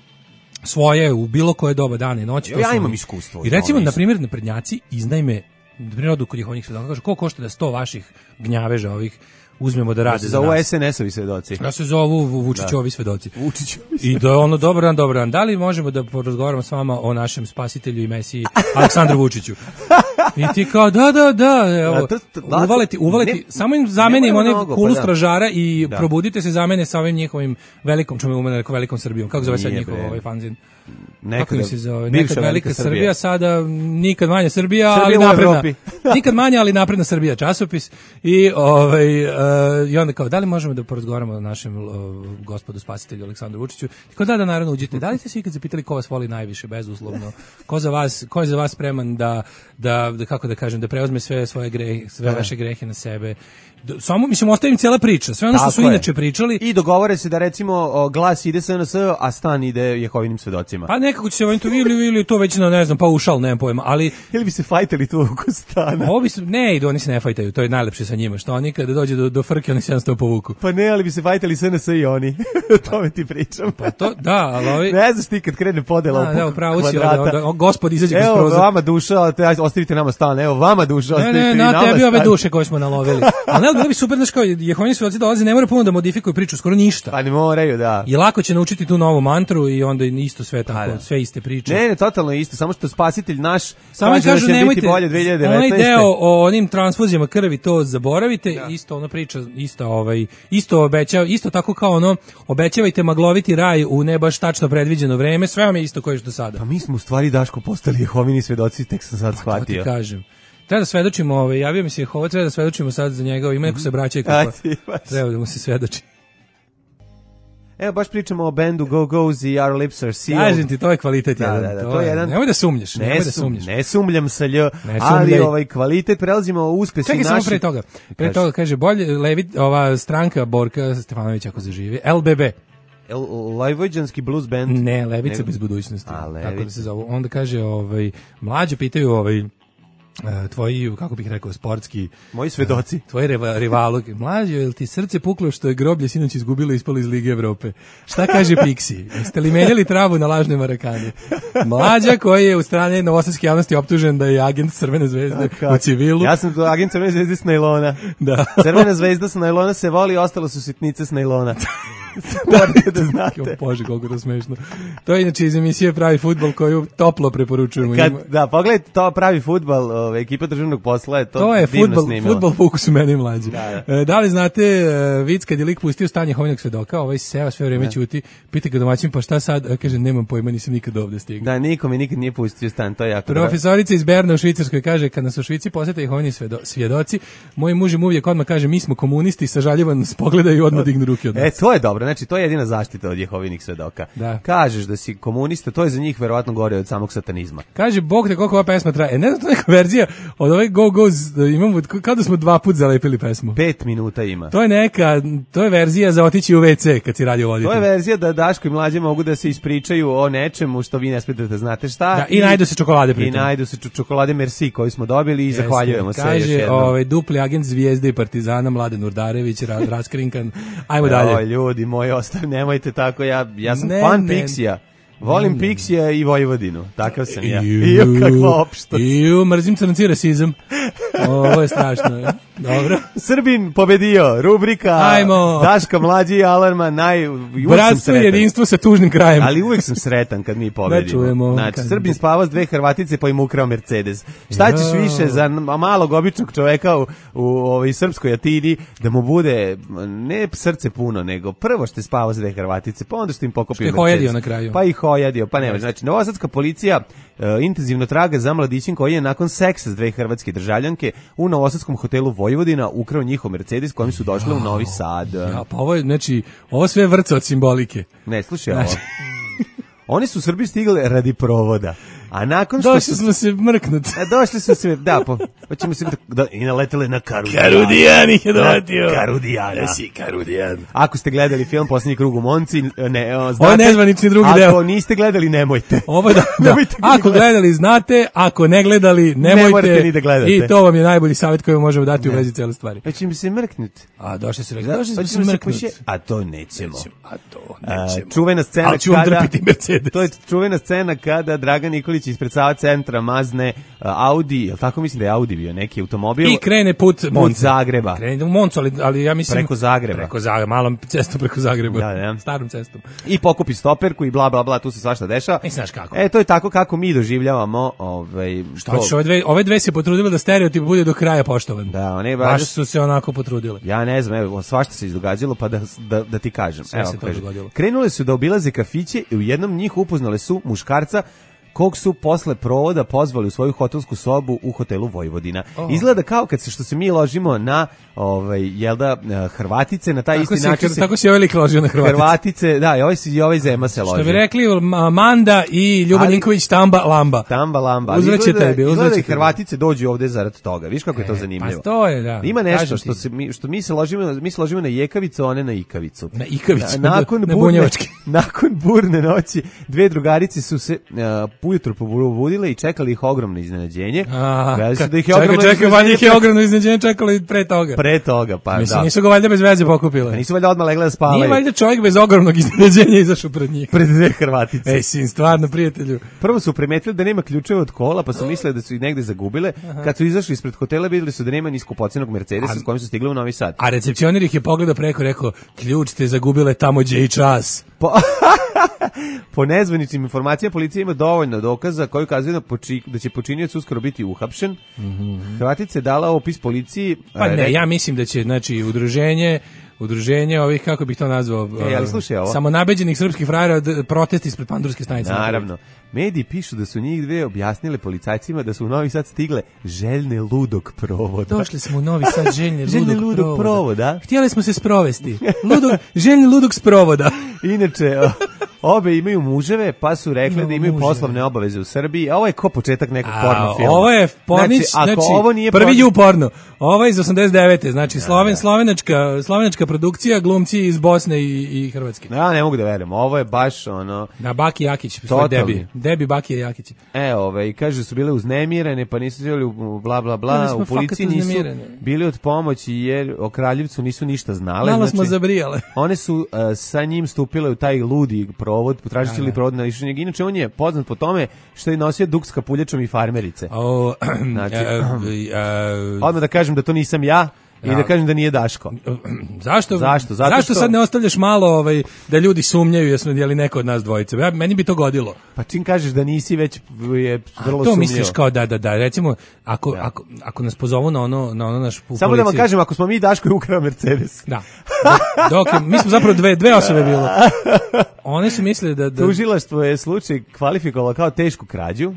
svoje u bilo koje doba dana i noći.
Ja imam iskustvo.
I recimo, na primjer, naprednjaci iznajme, na primjer, odu kod Jehovnih svedoka, kaže, koliko košta da 100 vaših gnjaveža ovih uzmemo da rade za nas.
Zovu SNS-ovi svedoci.
Ja se zovu Vučićovi svedoci. I da je ono, dobar dan. Da li možemo da porazgovaramo s vama o našem spasitelju i mesiji Aleksandru Vučiću? I ti kao, da. Evo, uvaleti, samo im zamenim onaj kulu stražara i probudite se zamene sa ovim njihovim velikom, čemu umene rekao velikom Srbijom. Kako zove sad njihov ovaj fanzin? Nekad velika Srbija, sada nikad manja Srbija, ali napredna. Nikad manja, ali napredna Srbija časopis. I onda kao, da li možemo da porazgovaramo o našem gospodu spasitelju Aleksandru Vučiću? Kao da naravno uđite. Da li ste se ikad zapitali ko vas voli najviše, bezuslovno? Ko je za vas spreman da kako da kažem, da preuzme sve svoje grehe, sve vaše grehe na sebe? Samo, mislim, ostavim cijela priča, sve ono što su inače pričali.
I dogovore se da recimo glas ide SNS, a stan ide Jehovinim svedocima.
Pa nekako će se ovim to ili to već na, ne znam, paušal, nemam pojma, ali...
Ili bi se fajtali tu oko stana?
Oni se ne fajtaju, to je najlepše sa njima, što oni kada dođe do frke, oni se jednostavno povuku.
Pa ne, ali bi se fajtali SNS i oni, to me ti pričam.
Pa to, da, ali ovi...
Ne znaš ti kad krene podela oko
kvadrata. Gospod izađe kroz prozor.
Evo vama duša, ostavite nama stan, evo vama duša, ostavite i nama stan.
Ne, na tebi ove duše koje smo nalovili. Ali bilo bi super, znaš kao, Jehovini svedoci dolaze, ne mora puno da modifikuju priču, skoro ništa.
Pa ne moraju, da.
I lako će naučiti tu novu mantru i onda isto sve tako, sve iste priče.
Ne, totalno isto, samo što spasitelj naš
samo
kažu nemojte, biti bolje 2019.
Onaj deo o onim transfuzijama krvi, to zaboravite, isto ona priča, isto obećava, isto tako kao ono, obećavajte magloviti raj u ne baš tačno predviđeno vreme, sve vam je isto koje što sada.
Pa mi smo u stvari, Daško, postali Jehovini svedoci, tek sam sad shvatio.
To ti kažem. Treba da svedočimo, javio mi se Jehova, treba da svedočimo sad za njega, ima neko se braća i kako. Treba da mu se svedoči.
Evo, baš pričamo o bendu Go-Go's i Our Lips Are Sealed.
Kažem ti, to je kvalitet jedan.
To je jedan.
Nemoj da sumnjaš.
Ne sumljam sa lj, ali kvalitet, prelazimo o uspesi naši.
Čekaj, samo pre toga, kaže, bolje ova stranka Borka Stefanović ako zaživi, LBB.
Levojđanski blues band.
Ne, Levica bez budućnosti. Tako da se zove. Onda kaže, mlađe pitaju tvoji, kako bih rekao, sportski...
Moji svedoci.
Tvoji rivalu. Mlađo, je li ti srce puklo što je groblje sinoć izgubilo i ispalo iz Lige Evrope? Šta kaže Pixi? Jeste li menjali travu na lažne Marakane? Mlađa koji je u strane novosadske javnosti optužen da je agent Crvene zvezde u civilu.
Ja sam agent Crvene zvezde s najlona.
Da.
Crvena zvezda s najlona se voli, ostalo su sitnice s najlona. Morate da znate.
Bože, koliko to smešno. To je inače iz emisije Pravi fudbal koju toplo preporučujemo.
Da, pogledajte to Pravi fudbal, ekipa državnog posla je to
je
divno snimila.
fudbal fokus u meni i mlađi.
Da.
Da li znate vic kad je lik pustio Stanje Jehovinog svedoka, ovaj seo sve vreme ćuti, pita ga domaćin pa šta sad, kaže nemam pojma, nisam nikad ovde stigao.
Da, nikome nikad nije pustio Stan, to je jako.
Profesorica iz Berna u Švicarskoj kaže kad nas u Švici posete Jehovini svjedoci, moj muž im uvijek odmah kaže mi smo komunisti, sažaljivo nas pogledaju i odmah dignu ruke od nas.
To je dobro, znači to je jedina zaštita od Jehovinih svedoka.
Da.
Kažeš da si komunista, to je za njih verovatno gore od samog satanizma.
Kaže, Bog te koliko ova pesma traje. Ne znam, to je neka verzija od ove Go Go's, imamo, kao da smo 2 puta zalepili pesmu.
5 minuta ima.
To je verzija za otići u WC kad si radio voditelj.
To je verzija da Daško i Mlađe mogu da se ispričaju o nečemu što vi ne smete da znate šta.
Da, i najdu se čokolade pritom.
I najdu se čokolade Merci koju smo dobili i zahvaljujemo se još jednom.
Kaže, dupli agent Zvijezde i Partizana, Mladen Urdarević, raskrinkan. Ajmo dalje.
Ljudi moji, nemojte tako, ja sam fan Pixija. Volim Pixija i Vojvodinu. Takav sam ja. Kakva opštost.
Mrzim crnci rasizam. Ovo je strašno. Dobro.
Srbin pobedio. Rubrika
Ajmo.
Daška, Mlađi i Alarma.
Bratstvo i jedinstvo sa tužnim krajem.
Ali uvijek sam sretan kad mi pobedimo.
Čujemo.
Znači, Srbin spava s 2 Hrvatice pa im ukrao Mercedes. Šta ćeš više za malog običnog čoveka u srpskoj Atini da mu bude ne srce puno, nego prvo što je spavao s 2 Hrvatice, pa onda što im pokopio Mercedes.
Hojadio na kraju.
Pa ih hojadio, pa nema. Znači, novosadska policija intenzivno traga za mladićem koji je nakon seksa s 2 hrvatske državljanke u novosadskom hotelu Vojvodina ukrao njihov Mercedes kojim su došli u Novi Sad.
Ja, pa ovo sve vrca od simbolike.
Ne, slušaj ovo. Oni su u Srbiji stigli radi provoda. A nakon što
došli smo se mrknuti.
Došli smo se, da, hoćemo se i naleteli na Karudijana.
Karudijan ih je dovatio.
Karudijana.
Si Karudijan.
Ako ste gledali film Posljednji krug u Monci, znate.
Ovo je nezvanični drugi deo.
Ako niste gledali, nemojte.
Ovo da. Ako gledali, znate. Ako ne gledali, nemojte.
Ne morate ni da gledate.
I to vam je najbolji savjet koji vam možemo dati u vezi cele stvari.
Hoćemo se mrknuti.
A došli se mrknuti.
A to nećemo.
Nećemo.
Čuvena scena
ali ću vam drpiti Mercedes.
To je čuvena scena kada Dragan Nikolić ispred Sava centra mazne Audi, jel tako, mislim da je Audi bio neki automobil.
I krene put
Zagreba.
Krene u Moncu, ali ja mislim...
Preko Zagreba.
Preko Zagreba, malom cestom preko Zagreba.
Da.
Starom cestom.
I pokupi stoperku i bla, bla, bla, tu se svašta dešava.
I znaš kako.
To je tako kako mi doživljavamo
Šta ćeš, ove dve se potrudile da stereotip bude do kraja poštovan.
Da, one
baš su se onako potrudile.
Ja ne znam, evo, svašta se izdogađalo, pa da ti kažem.
Sve se to dogodilo.
Krenule su da obilaze kafiće i u jednom njih upoznale su muškarca kog su posle provoda pozvali u svoju hotelsku sobu u hotelu Vojvodina. Izgleda kao kad što se mi ložimo na Hrvatice, na taj isti način se...
Tako se ovaj lik ložio na Hrvatice.
Hrvatice, da, i ovaj Zema se ložio.
Što bi rekli, Manda i Ljuba Ninković tamba lamba.
Tamba lamba.
Uzvraće tebi.
Izgleda i Hrvatice dođu ovde zarad toga. Viš kako je to zanimljivo.
Pa to je, da.
Ima nešto što mi se ložimo na jekavicu, a one na ikavicu.
Na ikavicu,
na bunjevački. Nakon burne noći, 2 drugarice su se ujutro probudile i čekali ih ogromno iznenađenje.
Čekaj, ogromno iznenađenje čekalo i pre toga.
Pre toga, pa
mislim, nisu ga valjda bez veze pokupile.
Pa nisu valjda odmah legle da spavaju.
Nije valjda čovjek bez ogromnog iznenađenja izašao pred njih.
Pred 2 Hrvatice.
Sin, stvarno, prijatelju.
Prvo su primetili da nema ključeva od kola, pa su mislili da su ih negde zagubile. Kad su izašli ispred hotela, videli su da nema ni skupocenog Mercedesa s kojim su stigli u Novi Sad.
A recepcioner ih je pogledao preko, rekao, ključ ste zagubile tamo gdje i čas.
Po nezvaničnim informacijama policija ima dovoljno dokaza koji ukazuju da će počinioc uskoro biti uhapšen. Hrvatica je dala opis policiji.
Pa ne, ja mislim da će, znači, udruženje ovih, kako bih to nazvao,
ali slušaj ovo.
Samonabeđenih srpskih frajera protesti ispred Pandurske stanice.
Naravno. Mediji pišu da su njih 2 objasnile policajcima da su u Novi Sad stigle željne ludog provoda.
Došli smo u Novi Sad željne ludog
provoda.
Htjeli smo se sprovesti. Željni ludog sprovoda.
Inače, Obe imaju muževe, pa su rekli da imaju poslovne obaveze u Srbiji. A ovo je ko početak nekog porno filma.
Ovo je pornić, znači
ovo nije
prvi ju porno. Ovo je iz 89. Znači slovenačka produkcija, glumci iz Bosne i Hrvatske.
Ja ne mogu da verujem. Ovo je baš ono...
Da, Baki Jakić, svoj Debi Baki Jakić.
I kaže su bile uznemirene, pa nisu želi bla bla bla, u policiji nisu bili od pomoći jer o Kraljevcu nisu ništa znale.
Malo smo zabrijale.
One su sa njim stupile u taj ludi provod, potražili provod na lišenje. Inače, on je poznat po tome što je nosio duk s kapuljačom i farmerice. Znači, odmah da kažem da to nisam ja. I da kažem da nije Daško.
Zašto sad ne ostavljaš malo da ljudi sumnjaju je li neko od nas dvojice? Meni bi to godilo.
Pa čim kažeš da nisi, već je vrlo
to
sumnjivo.
Misliš kao da. Recimo, ako nas pozovu na ono naš policiju.
Samo da vam kažem, ako smo mi Daško je ukrao Mercedes.
Da. Mi smo zapravo dve osobe bilo. One su mislili da...
Tužilaštvo je slučaj kvalifikovalo kao tešku krađu.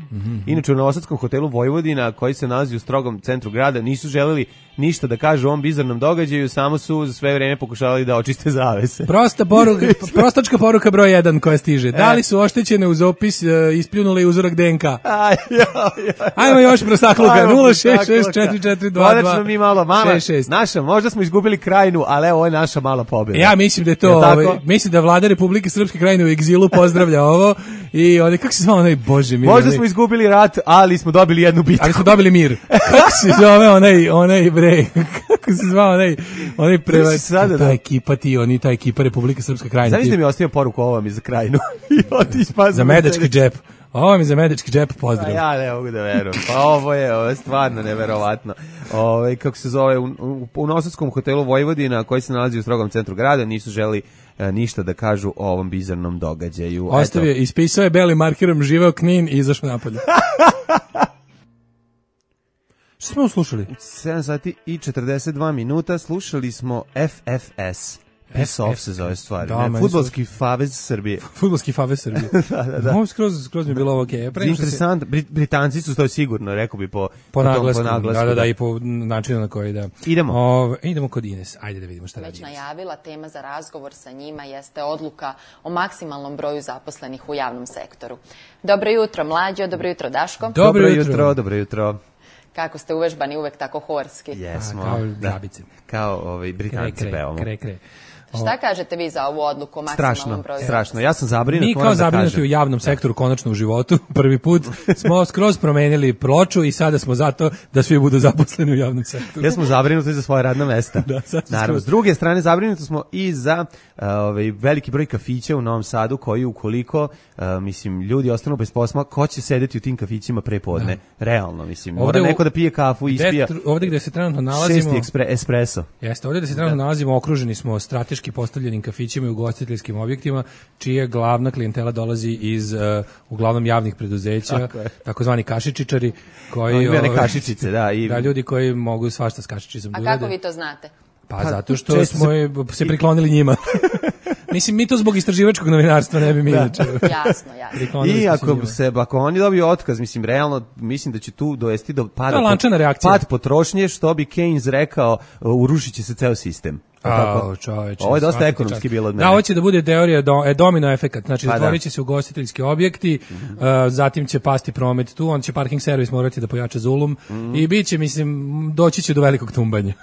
Inače u Novosadskom hotelu Vojvodina, koji se nalazi u strogom centru grada, nisu želeli ništa da kažu o ovom bizarnom događaju, samo su za sve vreme pokušavali da očiste zavese.
Prostačka poruka broj 1 koja stiže. Da li su oštećene uz opis ispljunuli uzorak DNK? Ajmo još prostakluka. 0664422.
Konačno mi malo, naša, možda smo izgubili Krajinu, ali evo, ovo je naša mala pobjeda.
Ja mislim da je to, mislim da vlada Republike Srpske Krajine u egzilu pozdravlja ovo i kako se zvao onaj, bože mi.
Možda smo izgubili rat, ali smo dobili jednu bitku.
Ali smo dobili mir. Kako se zove onaj bre, kako se zvao onaj prevač, ta ekipa ta ekipa Republike Srpske Krajine.
Znaš da mi je ostavio poruku ovo mi za Krajinu?
Za medački džep. Ovo mi za medički džep, pozdrav.
Ja ne mogu da verujem. Pa ovo je stvarno neverovatno. Kako se zove, u Novosadskom hotelu Vojvodina, koji se nalazi u strogom centru grada, nisu želi ništa da kažu o ovom bizarnom događaju.
Ostavio, ispisao je belim markerom, živeo Knin i izašao napolje. Što smo slušali?
7 sati i 42 minuta slušali smo FFS. Piss-off se zove stvari. Fudbalski favez Srbije.
Fudbalski favez Srbije. Da. Ovo skroz mi je bilo ok.
Interesant. Britanci su to sigurno, rekao bi po
naglasku. Da, i po načinu na koji da. Idemo kod Ines. Ajde da vidimo šta radi.
Već najavila, tema za razgovor sa njima jeste odluka o maksimalnom broju zaposlenih u javnom sektoru. Dobro jutro, Mlađo. Dobro jutro, Daško.
Dobro jutro.
Kako ste uvežbani, uvek tako horski.
Jesmo.
Kao grabice.
Kao Britanci pevamo.
Kre.
Šta kažete vi za ovu odluku o maksimalnom broju?
Strašno. Ja sam zabrinut.
Mi kao zabrinuti u javnom sektoru, konačno u životu, prvi put smo skroz promenili ploču i sada smo zato da svi budu zaposleni u javnom sektoru.
Ja smo zabrinuti za svoje radna mesta. Naravno, s druge strane zabrinuti smo i za veliki broj kafića u Novom Sadu koji ukoliko ljudi ostanu bez posla, ko će sedeti u tim kafićima pre podne? Realno, mora neko da pije kafu i ispija.
Ovdje gde se trenutno nalazimo,
6 espresso.
Jeste, ovdje gde se trenutno nalazimo, okruženi smo strateški postavljenim kafićima i ugostiteljskim objektima, čija glavna klijentela dolazi iz uglavnom javnih preduzeća, takozvani kašičičari, koji
kašičice, da,
ljudi koji mogu svašta s kašičicom.
A kako vi to znate?
Pa zato što smo se priklonili njima. Mislim, mi to zbog istraživačkog novinarstva ne bi mi inače.
Jasno.
I ako oni dobiju otkaz, realno, mislim da će tu dovesti do pad potrošnje, što bi Keynes rekao, urušit će se ceo sistem. Ovo je dosta ekonomski bilo od mene.
Da, ovo će da bude teorija domino efekat, znači zatvorit će se ugostiteljski objekti, zatim će pasti promet tu, on će parking servis morati da pojača zulum i bit će, doći će do velikog tumbanja.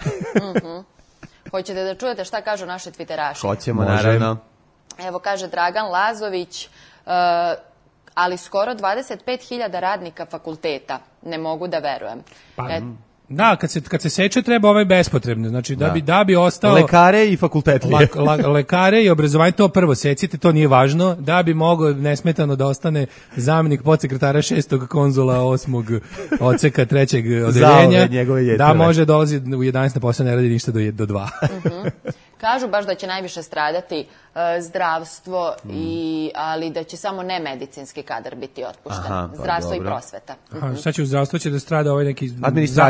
Hoćete da čujete šta kažu naše twitteraši?
Hoćemo, naravno.
Evo kaže Dragan Lazović, ali skoro 25.000 radnika fakulteta, ne mogu da verujem.
Da, kad se seče treba bespotrebno, znači da bi ostao
lekare i fakultetlije.
Lekare i obrazovanje, to prvo secite, to nije važno, da bi mogao nesmetano da ostane zamjenik podsekretara 6. konzula 8. odseka 3. odeljenja, da može dolazi u 11 na posao, ne radi ništa do 2.
Kažu baš da će najviše stradati zdravstvo, ali da će samo nemedicinski kadar biti otpušten. Zdravstvo i prosveta.
Šta će u zdravstvu? Će da strada neki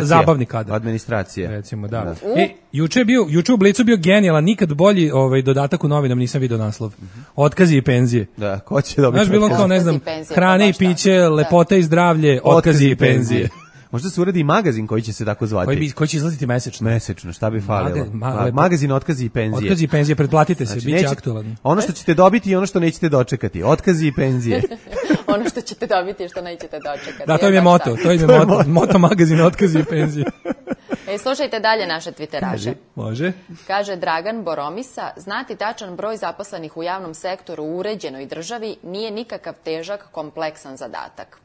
zabavni kadar.
Administracija.
Recimo, da. Juče u Blicu bio genijalan, nikad bolji dodatak u novinama, nisam vidio naslov. Otkazi i penzije.
Da, ko će dobiti?
Znaš, bilo kao, ne znam, hrane i piće, lepota i zdravlje, otkazi i penzije.
Možda se uradi i magazin koji će se tako zvati.
Koji će izlaziti mesečno.
Mesečno, šta bi falilo? Magazin otkazi i penzije.
Otkazi i penzije, pretplatite se,
znači,
bit će aktualan.
Ono što ćete dobiti i ono što nećete dočekati. Otkazi i penzije.
Ono što ćete dobiti i što nećete dočekati.
Da, to im je moto. To im je moto magazina Otkazi i penzije.
Slušajte dalje naše Twitteraše.
Može.
Kaže Dragan Boromisa, znati tačan broj zaposlenih u javnom sektoru u uređenoj državi nije nikakav težak, kompleksan zadatak.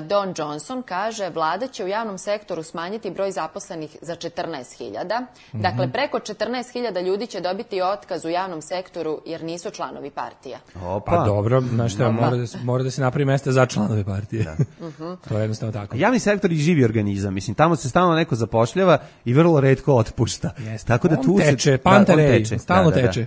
Don Johnson kaže, vlada će u javnom sektoru smanjiti broj zaposlenih za 14.000. Dakle, preko 14.000 ljudi će dobiti otkaz u javnom sektoru jer nisu članovi partija.
Pa dobro, znaš šta, mora da se napravi mesta za članove partije. To je jednostavno tako.
Javni sektor je živi organizam, mislim, tamo se stalno neko zapošljava i vrlo retko otpušta. Tako da tu
teče, pantarej, stalno teče.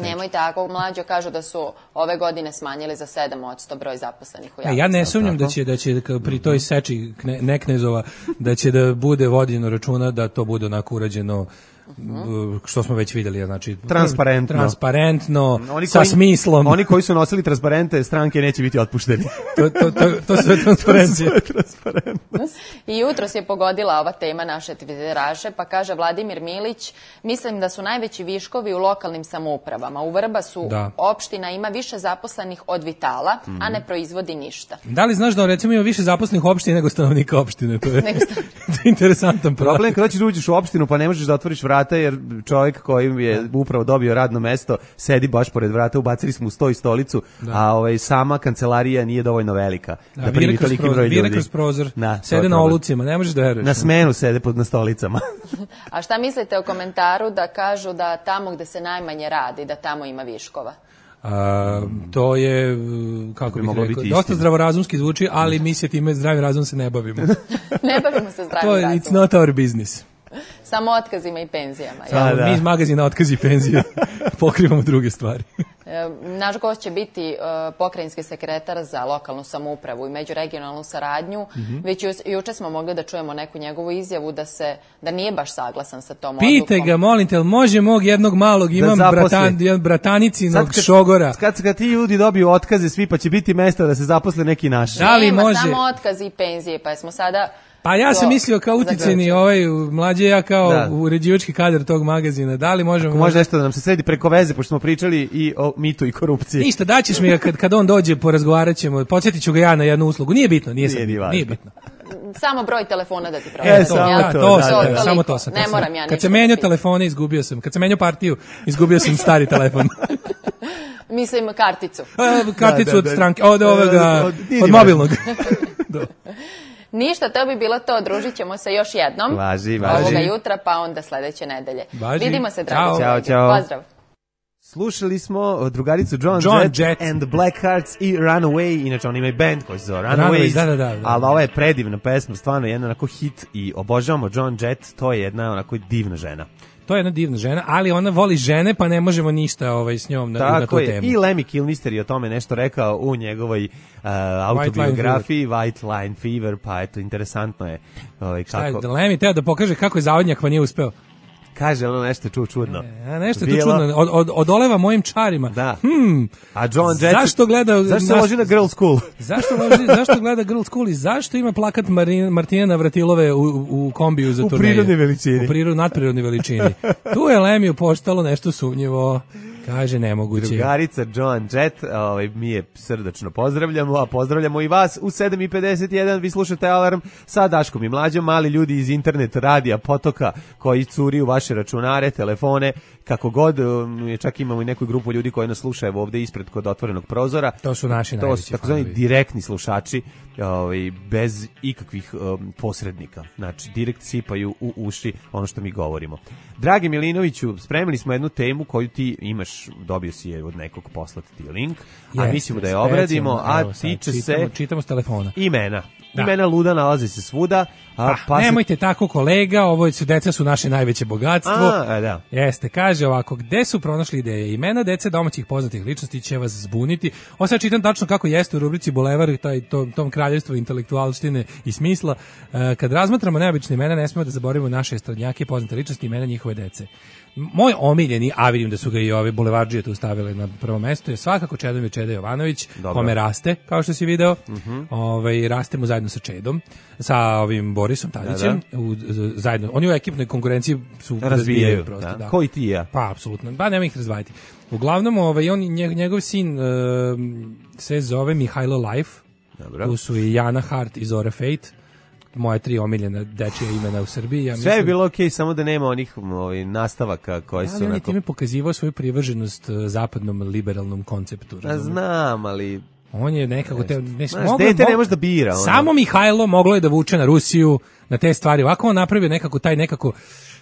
Nemoj tako, Mlađo kažu da su ove godine smanjili za 7% broj zaposlenih u javnom sektoru.
Ja ne sumnjam da će pri toj seči Neknezova da će da bude vođeno računa da to bude onako urađeno što smo već vidjeli, znači transparentno sa smislom.
Oni koji su nosili transparente stranke neće biti otpušteni.
To sve transparencije.
I jutros je pogodila ova tema naše Twitteraše, pa kaže Vladimir Milić, mislim da su najveći viškovi u lokalnim samoupravama. U Vrbasu opština ima više zaposlenih od Vitala, a ne proizvodi ništa.
Da li znaš da recimo ima više zaposlenih opština nego stanovnika opštine? To je interesantan
problem. Kada ćeš uđeš u opštinu pa ne možeš da otvoriš vrata jer čovjek koji je upravo dobio radno mesto sedi baš pored vrata, ubacili smo u sto i stolicu, a sama kancelarija nije dovoljno velika da primi toliki broj ljudi.
Vire kroz prozor, sede na olucima, ne možeš da veruješ.
Na smenu sede na stolicama.
A šta mislite o komentaru da kažu da tamo gde se najmanje radi, da tamo ima viškova?
To je, kako bih rekao, dosta zdravorazumski zvuči, ali mi se time zdravim razumom se ne bavimo.
Ne bavimo se zdravim razumom.
It's not our business.
Samo otkazima i penzijama.
Mi iz magazina Otkazi i penzije pokrivamo druge stvari.
Naš gost će biti pokrajinski sekretar za lokalnu samoupravu i međuregionalnu saradnju. Već juče smo mogli da čujemo neku njegovu izjavu da nije baš saglasan sa tom odlukom.
Pite ga, molim te, može mog jednog malog, imam bratanicinog šogora.
Kad ti ljudi dobiju otkaze svi, pa će biti mesta da se zaposle neki naši.
Nema samo otkazi i penzije, pa smo sada...
Pa ja sam mislio kao uticajni mlađe, ja kao uređivački kadar tog magazina. Da li možemo...
Može nešto da nam se sredi preko veze, pošto smo pričali i o mitu i korupciji.
Ništa, daćeš mi ga kad on dođe, porazgovarat ćemo, podsjetit ću ga ja na jednu uslugu. Nije bitno, nije bitno.
Samo broj telefona da ti proverim.
Samo to sam.
Ne moram ja ništa.
Kad se menjao telefone, izgubio sam. Kad se menjao partiju, izgubio sam stari telefon.
Mislim karticu.
Karticu od stranke, od mobilnog.
Ništa, to bi bilo to. Družit ćemo se još jednom.
Važi.
Ovoga jutra, pa onda sledeće nedelje. Vidimo se, dragi kolege.
Ćao.
Pozdrav.
Slušali smo drugaricu John Jett and Black Hearts i Runaway. Inače, oni imaju band koji se zove Runaways.
Da.
Ali ova je predivna pesma, stvarno jedna onako hit i obožavamo John Jett. To je jedna onako divna žena.
To je jedna divna žena, ali ona voli žene, pa ne možemo ništa s njom na tu temu.
I Lemmy Kilmister je o tome nešto rekao u njegovoj autobiografiji White Line Fever, pa eto, interesantno je.
Šta je, Lemmy teo da pokaže kako je zavodnjak, pa nije uspeo.
Kaže ono nešto čudno.
Nešto tu čudno. Odoleva mojim čarima.
Da. A John Jett...
Zašto
se loži na Girl School?
Zašto gleda Girl School i zašto ima plakat Martina Navratilove u kombiju za turneju?
U prirodnoj veličini.
Nadprirodnoj veličini. Tu je Lemiju postalo nešto sumnjivo. Kaže nemoguće.
Drugarica John Jett, mi je srdačno pozdravljamo, a pozdravljamo i vas u 7:51. Vi slušate Alarm sa Daškom i Mlađom, mali ljudi iz internet radija Potoka koji curi u vaše računare, telefone, kako god. Čak imamo i neku grupu ljudi koji nas slušaju ovde ispred kod otvorenog prozora.
To su naši najveći.
To su takozvani direktni slušači, bez ikakvih posrednika. Znači, direkt sipaju u uši ono što mi govorimo. Dragi Milinoviću, spremili smo jednu temu koju ti imaš, dobio si je od nekog, poslati ti link, a mislimo da je obradimo, a tiče se...
Čitamo s telefona.
Imena. Imena luda nalaze se svuda.
Nemojte tako, kolega, deca su naše najveće bogatstvo. Jeste, kaže ovako, gde su pronašli ideje? Imena dece domaćih poznatih ličnosti će vas zbuniti. Ovo sad čitam tačno kako jeste u rubrici Bulevar, tom kraljevstvu intelektualštine i smisla. Kad razmatramo neobične imena, ne smemo da zaboravimo naše estradnjake, poznate ličnosti, imena njihove dece. Moj omiljeni, a vidim da su ga i ove bulevardžije tu stavili na prvo mesto, je svakako Čedomir Čeda Jovanović, kome raste, kao što si video. Rastemo zajedno zajedno sa Čedom, sa ovim Borisom Tadićem, zajedno. Oni u ekipnoj konkurenciji su razvijaju prosto. Da.
Ko i ti ja.
Pa, apsolutno. Ba, nema ih razdvajati. Uglavnom, njegov sin se zove Mihajlo Life.
Dobro.
Tu su i Jana Hart i Zora Fate. Moje 3 omiljena dečija imena u Srbiji. Ja
sve je bilo okej, samo da nema onih nastavaka koji su...
Ali on je time pokazivao svoju privrženost zapadnom liberalnom konceptu.
Znam, ali...
On je nekako...
dete ne može da bira.
Samo Mihajlo moglo je da vuče na Rusiju, na te stvari. Ovako on napravio nekako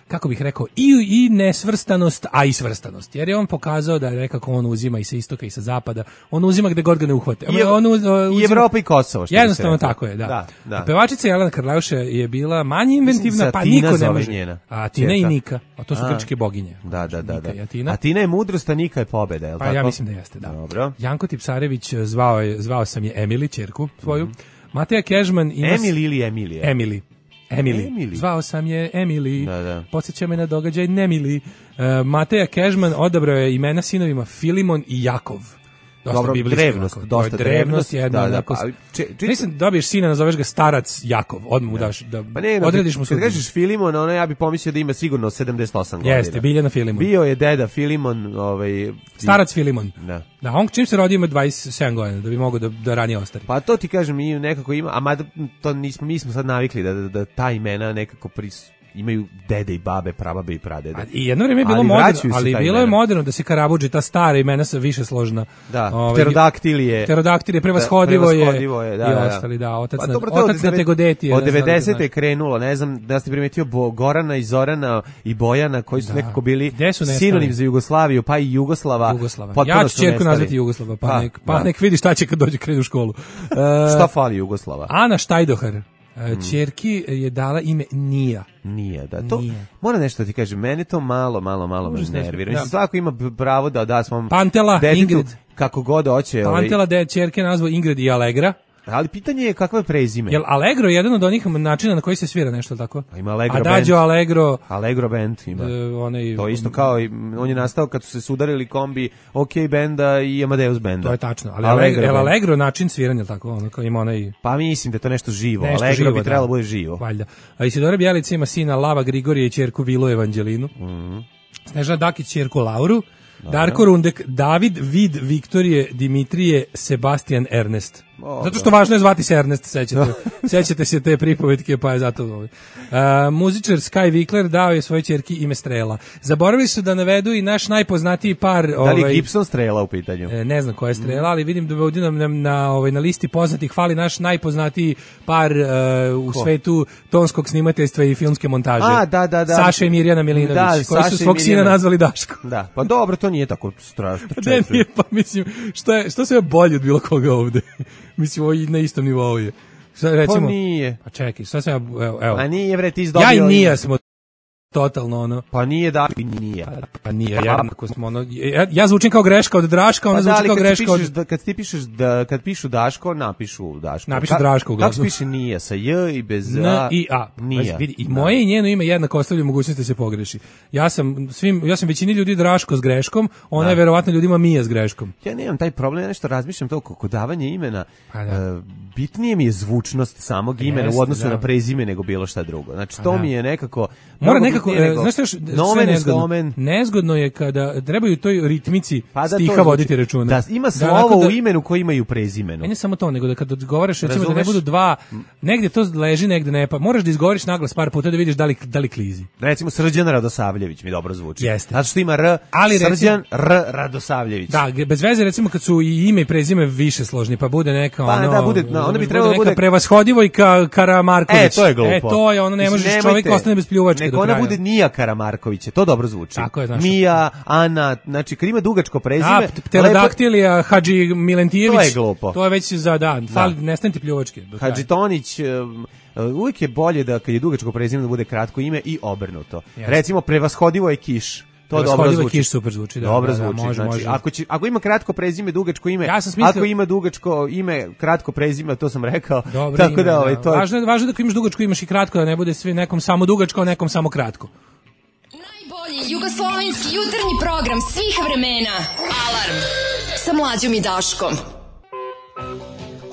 kako bih rekao, i nesvrstanost, a i svrstanost. Jer je on pokazao da nekako on uzima i sa istoka i sa zapada. On uzima gde god ga ne uhvate.
I Evropa i Kosovo.
Jednostavno tako je, da. A pevačica Jelena Karleuša je bila manje inventivna, pa niko ne može. A Tina i Nika, a to su grčke boginje.
Da. A Tina je mudrost, a Nika je pobeda, je li tako?
Pa ja mislim da jeste, da.
Dobro.
Janko Tipsarević zvao sam je Emily, ćerku svoju. Mateja Kežman ima...
Emily ili Emilija?
Emily. Zvao sam je Emily. Podsjeća me na događaj Nemili. Mateja Kežman odabrao je imena sinovima Filimon i Jakov.
Dobro, drevnost.
Mislim, dobiješ sina, nazoveš ga starac Jakov. Odmah mu daš, odrediš mu sudbinu.
Kad kažeš Filimon, ja bi pomislio da ima sigurno 78 godina.
Jeste, Biljana Filimon.
Bio je deda Filimon.
Starac Filimon. Da, on čim se rodi ima 27 godina, da bi mogao da ranije ostari.
Pa to ti kažem, i nekako ima, a mada to mi smo sad navikli da ta imena nekako imaju dede i babe, prababe i pradede.
I jedno vrijeme je bilo moderno, ali bilo je moderno da se Karabuđi, ta stara imena sa više složna.
Da, Pterodaktilije,
prevashodivo je i ostali, otac na Tegodeti.
Od 90. je krenulo, ne znam da ste primetio Gorana i Zorana i Bojana, koji su nekako bili sinonim za Jugoslaviju, pa i Jugoslava.
Ja ću ćerku nazvati Jugoslava, pa nek vidi šta će kad dođe krenu u školu.
Šta fali Jugoslava?
Ana Štajdohar. Ćerki je dala ime Nija.
Da. To mora nešto da ti kažem, meni to malo me nervira. Mislim, svako ima pravo da svom
Pantela,
detetu
Ingrid.
Kako god hoće.
Pantela da je ćerke nazvao Ingrid i Allegra.
Ali pitanje je kakvo je prezime.
Jel Allegro je jedan od onih načina na koji se svira nešto tako?
Ima Allegro
Adagio
band.
Allegro
band ima. To isto kao, on je nastao kad su se sudarili kombi OK benda i Amadeus benda.
To je tačno, ali Allegro način sviranja tako, ono kao ima onaj...
Pa mislim da je to nešto živo, Allegro bi trebalo bude živo.
Valjda. A Isidora Bjelica ima sina Lava Grigorije i ćerku Vilu Evanđelinu. Snežana Dakić ćerku Lauru. Darko Rundek, David, Vid, Viktorije, Dimitrije, Sebastian, Ernest. Zato što važno je zvati se Ernest, sećate se te pripovetke, pa je zato muzičar Sky Vikler dao je svojoj ćerki ime Strela. Zaboravili su da navedu i naš najpoznatiji par...
Da li je Gibson Strela u pitanju?
Ne znam koja je Strela, ali vidim da ovdje na listi poznatih hvali naš najpoznatiji par u svetu tonskog snimateljstva i filmske montaže.
Da.
Saša i Mirjana Milinović, koji su svog sina nazvali Daško.
Da, pa dobro, to nije tako strašno.
Nije, pa mislim, što se je bolje od bilo koga ovde? Mislim, ovo na istom nivou je. Recimo,
pa nije.
Pa čekaj, šta sam evo.
Pa nije, bre, ti izdobio...
Ja i Nija smo totalno ono.
Pa nije da nije.
Pa nije, jednako smo ono. Ja zvučim kao greška od Draška, ona zvuči kao greška od...
Kad ti pišeš, kad pišu Daško, napišu Daško.
Napišu Draško uglavnom.
Kako se piše Nija, sa J i bez A?
N i A. Nija. Vidi, i moje i njeno ime jednako ostavljaju mogućnost da se pogreši. Ja sam većini ljudi Draško s greškom, ona je verovatno ljudima Mija s greškom.
Ja nemam taj problem, ja nešto razmišljam to kod davanja imena. Bitnije mi je zvučnost samog imena u odnosu na prezime nego bilo šta drugo. Znači, to mi je nekako...
Mora nekako, znaš što još nezgodno je kada trebaju toj ritmici stiha voditi računa.
Da, ima slovo u imenu koji imaju prezimenu.
Ne samo to, nego da kad odgovaraš, recimo da ne budu dva, negdje to leži, negdje ne, pa moraš da izgovoriš naglas par puta da vidiš da li klizi.
Recimo Srđan Radosavljević mi dobro zvuči.
Jeste.
Zato što ima R, Srđan Radosavljević.
Da, bez veze recimo kad su i ime i prezime više složni, pa bude neka
onda bi trebalo
bude Prevashodivo i Karamarković.
To je glupo.
To je ono, ne možeš, čovjek ostane bez pljuvačke do kraja.
Ona bude Nija Karamarković, to dobro zvuči.
Tako je, znaš.
Mija, Ana, znači kad ima dugačko prezime...
Pterodaktilija, Hadži Milentijević.
To je glupo.
To je već za dan. Nestane ti pljuvačke.
Hadži Tonić... Uvijek je bolje da kad je dugačko prezime da bude kratko ime i obrnuto. Recimo Prevashodivo je Kiš. To dobro zvuči.
Kiš super zvuči, da.
Dobro zvuči. Znači, ako ima kratko prezime, dugačko ime, ako ima dugačko ime, kratko prezime, to sam rekao.
Dobro, tako da to važno je da ako imaš dugačko imaš i kratko, da ne bude svi nekom samo dugačko, a nekom samo kratko.
Najbolji jugoslovenski jutarnji program svih vremena. Alarm sa Mlađom i Daškom.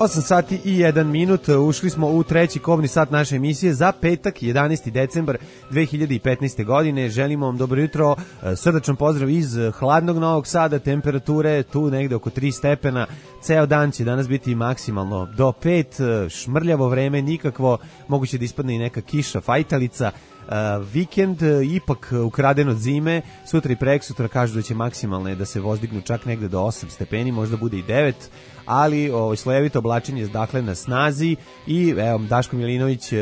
8 sati i 1 minut, ušli smo u treći kobni sat naše emisije za petak, 11. decembar 2015. godine. Želimo vam dobro jutro, srdačan pozdrav iz hladnog Novog Sada, temperature tu negde oko 3 stepena, ceo dan će danas biti maksimalno do 5, šmrljavo vreme, nikakvo, moguće da ispadne i neka kiša, fajtalica. Vikend ipak ukraden od zime, sutra i preksutra kažu da će maksimalne da se vozdignu čak negde do 8 stepeni, možda bude i 9, ali slojevito oblačenje dakle na snazi i evo Daško Milinović,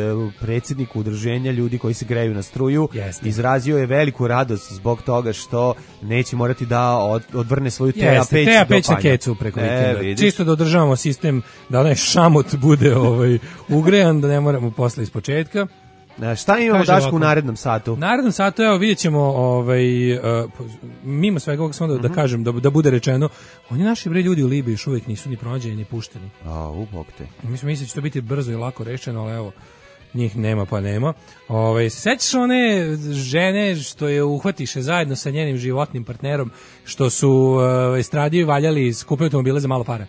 predsjednik udruženja ljudi koji se greju na struju, izrazio je veliku radost zbog toga što neće morati da odvrne svoju TA peć
na kecu preko vikenda. Čisto da održavamo sistem da onaj šamot bude ugrejan, da ne moramo posle iz početka.
Šta imamo Daško u narednom satu?
U narednom satu, evo, vidjet ćemo mimo svega ovog samo da kažem, da bude rečeno, oni naši ljudi u Libiji još uvijek nisu ni pronađeni ni pušteni.
Bog te.
Mislim da će to biti brzo i lako rešeno, ali evo, njih nema pa nema. Sećaš one žene što je uhvatiše zajedno sa njenim životnim partnerom, što su estradiju valjali, skupili automobile za malo para?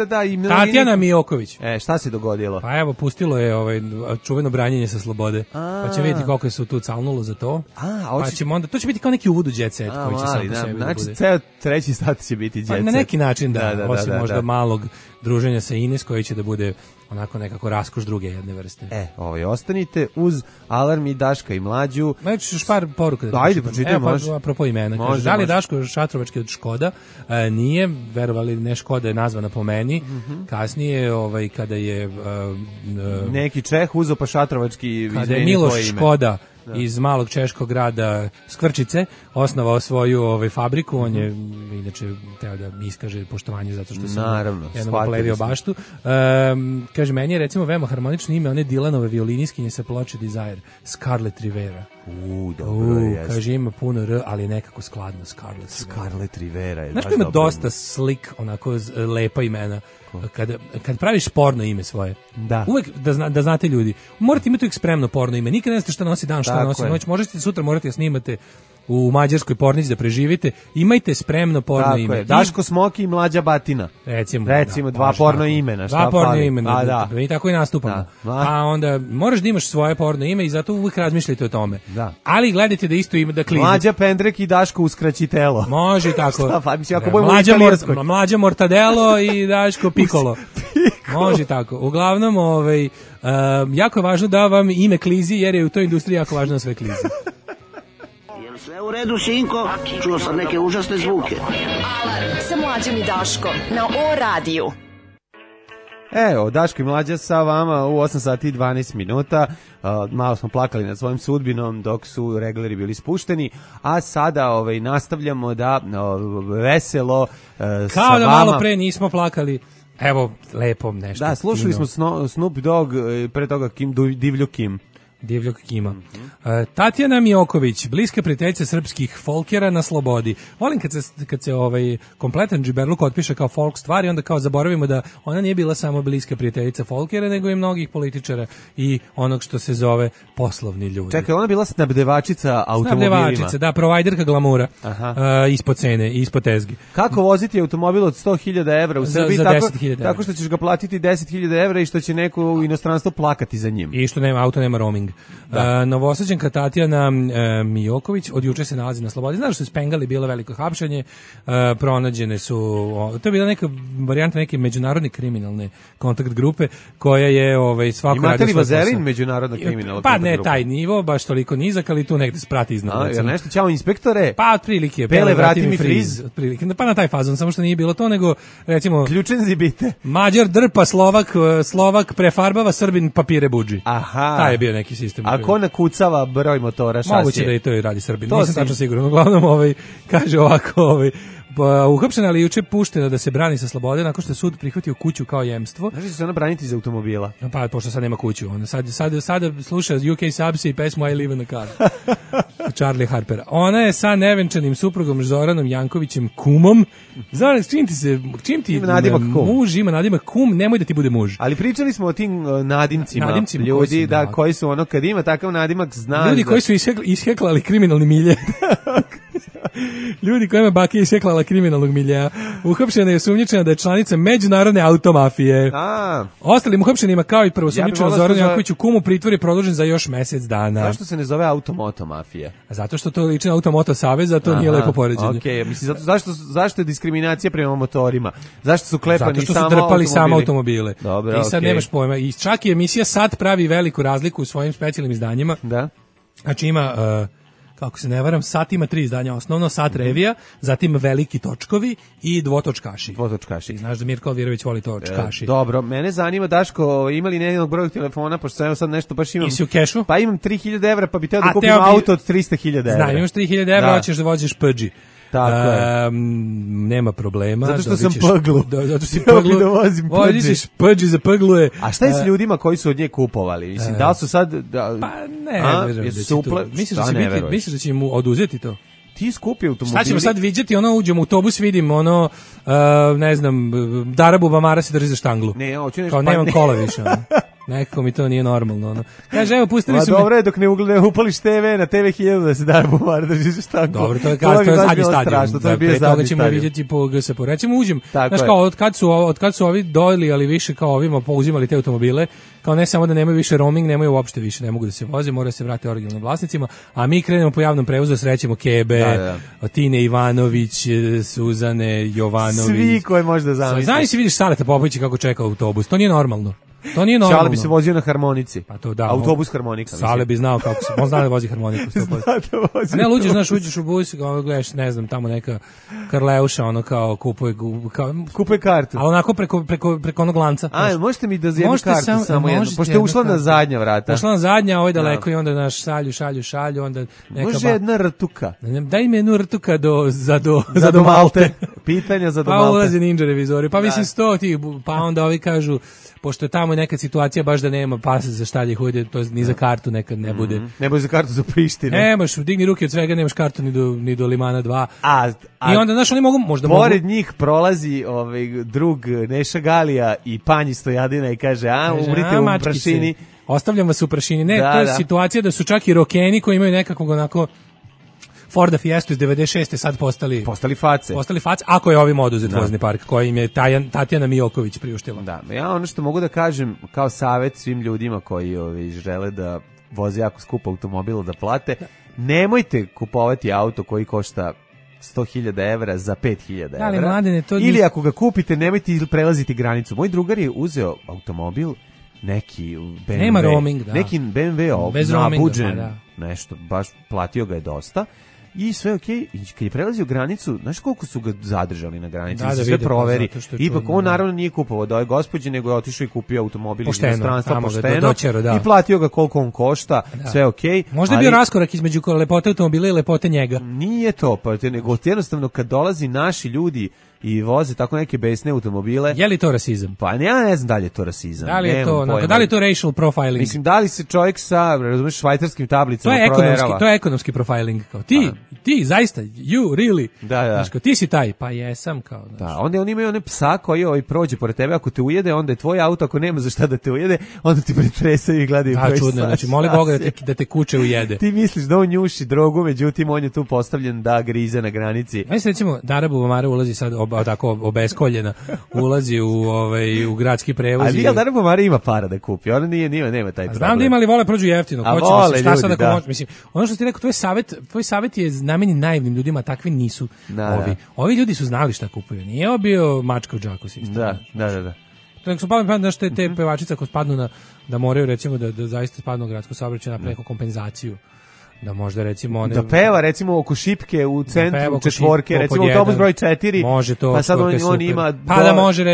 Da. I
Tatjana Mijoković.
Šta se dogodilo?
Pa evo, pustilo je čuveno branjenje sa slobode. Pa će vidjeti koliko je se tu calnulo za to. Pa ćemo onda, to će biti kao neki uvod u jet set koji će sam po sebi da bude.
Znači, ceo treći sat će biti jet set.
Na neki način, da. Osim možda malog druženja sa Ines koji će da bude onako nekako raskoš druge jedne vrste.
Ostanite uz Alarm i Daška i Mlađu.
Znači, još par poruka.
Ajde, počitaj, može.
Apropo imena. Kaže, da li Daško Šatrovački od Škoda? Nije, verovali ne, Škoda je nazvana po meni. Kasnije, kada je...
neki Čeh uzo pa Šatrovački
kada je Miloš Škoda iz malog češkog grada Skvrčice osnovao svoju fabriku, on je inače teo da mi iskaže poštovanje zato što sam jednom opalevio baštu. Kaže, meni je recimo veoma harmonično ime one Dylanove violiniskinje sa ploče Desire, Scarlett Rivera.
Dobro je.
Kaže, ima puno R, ali je nekako skladno
Scarlett Rivera je.
Znaš, ima dosta slik, onako lepa imena. Kad praviš porno ime svoje, uvek da znate ljudi, morate imati uvijek spremno porno ime, nikad ne znate šta nosi dan, šta nosi noć, možete sutra morate snimate u mađarskoj pornici da preživite, imajte spremno porno ime.
Je. Daško Smoki i Mlađa Batina. Recimo dva porno imena.
Dva porno imena, i tako i nastupamo. A onda moraš da imaš svoje porno ime i zato uvijek razmišljajte o tome. Ali gledajte da isto ima da klizite.
Mlađa Pendrek i Daško Uskraćitelo.
Može tako.
Mlađa
Mortadelo i Daško Piccolo. Može tako. Uglavnom, jako je važno da vam ime klizi, jer je u toj industriji jako važno da sve klizi.
Sve u redu, sinko? Čuo sam neke užasne zvuke.
Alarm sa Mlađom i Daškom na O-radiju.
Evo, Daško i Mlađa sa vama u 8 sati i 12 minuta. Malo smo plakali nad svojim sudbinom dok su regleri bili spušteni, a sada nastavljamo da veselo sa
kao da
vama...
malo pre nismo plakali. Evo, lepo nešto.
Da, slušali smo Snoop Dogg, pre toga Divlju Kim.
Divljog Kima. Tatjana Mijoković, bliska prijateljica srpskih folkera na slobodi. Volim kad se kompletan džiberluk otpiše kao folk stvari, onda kao zaboravimo da ona nije bila samo bliska prijateljica folkera, nego i mnogih političara i onog što se zove poslovni ljudi.
Čekaj, ona bila snabdevačica automobilima.
Snabdevačica, da, provajderka glamura. Ispod cene, ispod tezgi.
Kako voziti automobil od 100.000 evra u Srbiji?
Za 10.000 evra.
Tako što ćeš ga platiti 10.000 evra i što će neko u inostranstvu plakati za njim.
I što auto nema roaming. Novosađanka Tatjana Mijoković od juče se nalazi na slobodi. Znaš što su spengali, bilo veliko hapšenje, pronađene su, to je bila neka varijanta neke međunarodne kriminalne kontakt grupe koja je svako radio.
Imate li vazelin međunarodna kriminalna
kontakt grupa? Pa ne taj nivo, baš toliko nizak, ali tu negde sprati iznad.
Nešto, ćao inspektore?
Pa otprilike.
Pele, vrati mi friz.
Pa na taj fazon, samo što nije bilo to, nego recimo...
Ključen zibite.
Mađar drpa, Slovak prefarbava, Srbin papire budži.
Aha.
Taj je bio neki sistem.
A ko nakucava broj motora, šasije?
Moguće da i to radi Srbin. Nisam tačno siguran. Uglavnom, kaže ovako, uhapšena, ali juče puštena da se brani sa slobode nakon što je sud prihvatio kuću kao jemstvo.
Znaš da se ona braniti iz automobila?
Pa, pošto sad nema kuću. Ona sada sluša UK Subs i pesmu I Live in a Car. Charlie Harpera. Ona je sa nevenčanim suprugom Zoranom Jankovićem kumom. Zoran, čim ti muž ima nadimak kum, nemoj da ti bude muž.
Ali pričali smo o tim nadimcima ljudi, da, koji su kad ima takav nadimak zna...
Ljudi koji su isheklali kriminalni milje. Ljudi kojima baka iseklala kriminalnog miljeja. Uhapšena je osumnjičena da je članica međunarodne automafije. Ostalim uhapšenima kao i prvosumnjičena Zoranu Jankoviću kumu pritvor je produžen za još mesec dana.
Zašto se ne zove automoto mafija?
Zato što to liči na automoto savez, a to nije lepo poređenje.
Okej, mislim zašto je diskriminacija prema motorima? Zašto su klepani
samo automobili? Zato što su drpali samo automobile.
Dobro,
i sad nemaš pojma. I čak i emisija Sat pravi veliku razliku u svojim specijalnim izdanjima.
Da.
Znači ima kako se ne varam, Sat ima 3 izdanja, osnovno Sat revija, zatim veliki točkovi i dvotočkaši. I znaš da Mirko Alvirović voli točkaši.
Dobro, mene zanima, Daško, imali nejednog broja telefona, pošto sam sad nešto baš imam.
I si u kešu?
Pa imam 3000 evra, pa bi teo da kupim auto od 300.000 evra.
Znam, imaš 3000 evra, hoćeš da voziš Peugeot.
Tako je.
Nema problema.
Zato što sam pglu.
Zato što si pglu.
Da vozim
Peugeot za pgluje.
A šta je s ljudima koji su od nje kupovali? Mislim, da li su sad...
Pa ne, misliš da će mu oduzeti to?
Ti skupi automobili.
Šta ćemo sad viđati, uđemo u autobus, vidim ne znam, Darabu Bamara se drži za štanglu.
Ne, hoću nešto.
Kao nemam kola više. Nekako mi to nije normalno. Kaže, evo, pustili su mi...
Dobro je dok ne upališ TV na TV 1000 da se Darabu Bamara drži za štanglu.
Dobro, to je zadnji stadion. Pre toga ćemo vidjeti po GSP. Recimo uđem, znaš kao, od kad su ovi dojeli, ali više kao ovima pouzimali te automobile, kao ne samo da nemaju više roaming, nemaju uopšte više, ne mogu da se voze, mora se vratiti originalnim vlasnicima, a mi krenemo po javnom prevozu da srećemo Kebe, Tine Ivanović, Suzane Jovanović.
Svi koji možda zamisliš.
Znaš si vidiš Saleta Popovića kako čeka autobus, to nije normalno. To nije normalno.
Šale bi se vozio na harmonici.
Pa to da.
Autobus harmonika.
Sale bi znao kako se, on zna da vozi harmoniku. Ne, luđe, znaš, uđeš u bus, gledaš, ne znam, tamo neka Karleuša, kao kupuje
kartu.
Ali onako preko onog lanca.
A, možete mi da jednu kartu samo jednu, pošto je ušla na zadnja vrata.
Ušla na zadnja, ovo je daleko i onda naš šalju, onda neka...
Može jedna rtuka.
Daj mi jednu rtuka do Malte.
Pitanja za do Malte.
Pa ulazi ninja revizori, pa mislim 100 tih, pa onda ovi kažu, pošto je tamo neka situacija baš da nema pasa za štalje hude, to ni za kartu nekad ne bude.
Ne bude za kartu za Prištinu.
Nemaš, digni ruke od svega, nemaš kartu ni do Limana 2. I onda, znaš, oni mogu, možda mogu...
Pored njih prolazi drug Neša Galija i Panji Stojadina i kaže, umrite u prašini.
Ostavljam vas u prašini. Ne, to je situacija da su čak i rokeni koji imaju nekakvog onako... Forda Fiestu iz 96. sad postali
face.
Ako je ovim oduzet vozni park koji im je Tatjana Mijoković priuštila.
Da, ja ono što mogu da kažem kao savjet svim ljudima koji žele da voze jako skupo automobil da plate, nemojte kupovati auto koji košta 100.000 evra za 5.000 evra. Ili ako ga kupite, nemojte prelaziti granicu. Moj drugar je uzeo automobil, neki BMW,
nema roaming, da.
Neki BMW nabuđen, nešto, baš platio ga je dosta. I sve okej, i kad je prelazio granicu, znaš koliko su ga zadržali na granici, da se sve proveri. Ipak on naravno nije kupovao da je gospođe, nego je otišao i kupio automobil iz inostranstva pošteno i platio ga koliko on košta, sve okej.
Možda je bio raskorak između lepote automobila i lepote njega.
Nije to, nego jednostavno kad dolazi naši ljudi i voze tako neke besne automobile.
Je li to rasizam?
Pa ja ne znam da li je to rasizam.
Da li je to racial profiling?
Mislim, da li se čovjek sa, razumiješ, švajcarskim tablicama
proverava? To je ekonomski profiling. Kao, ti zaista, you really.
Da.
Znaš, kao, ti si taj, pa jesam. Kao,
da, onda oni imaju one psa koji prođe pored tebe, ako te ujede, onda je tvoj auto, ako nema za šta da te ujede, onda ti pretresaju i gledaju.
Da, čudno, znači, moli Boga da te kuće ujede.
Ti misliš da on njuši drogu, međutim, on je tu postavljen da grize na granici.
Znači, recimo, Darabu Bamara ulazi sad tako obeskoljena, ulazi u gradski prevoz.
Ali Darabu Bamara ima para da kupi, ona nema taj problem.
Znam da ima, ali vole prođu jeftino. Mislim, ono što ti rekao, tvoj savjet je namenjen naivnim ljudima, takvi nisu ovi. Ovi ljudi su znali šta kupuju. Nije ovo bio mačka u džaku sistem.
Da.
Tako su pali da što te pevačice ako spadnu da moraju recimo da zaista spadnu u gradsko saobraćaj na preko kompenzaciju. Da možda recimo one...
Da peva recimo oko šipke u centru četvorke, recimo autobus broj 4,
može to,
pa sad on ima,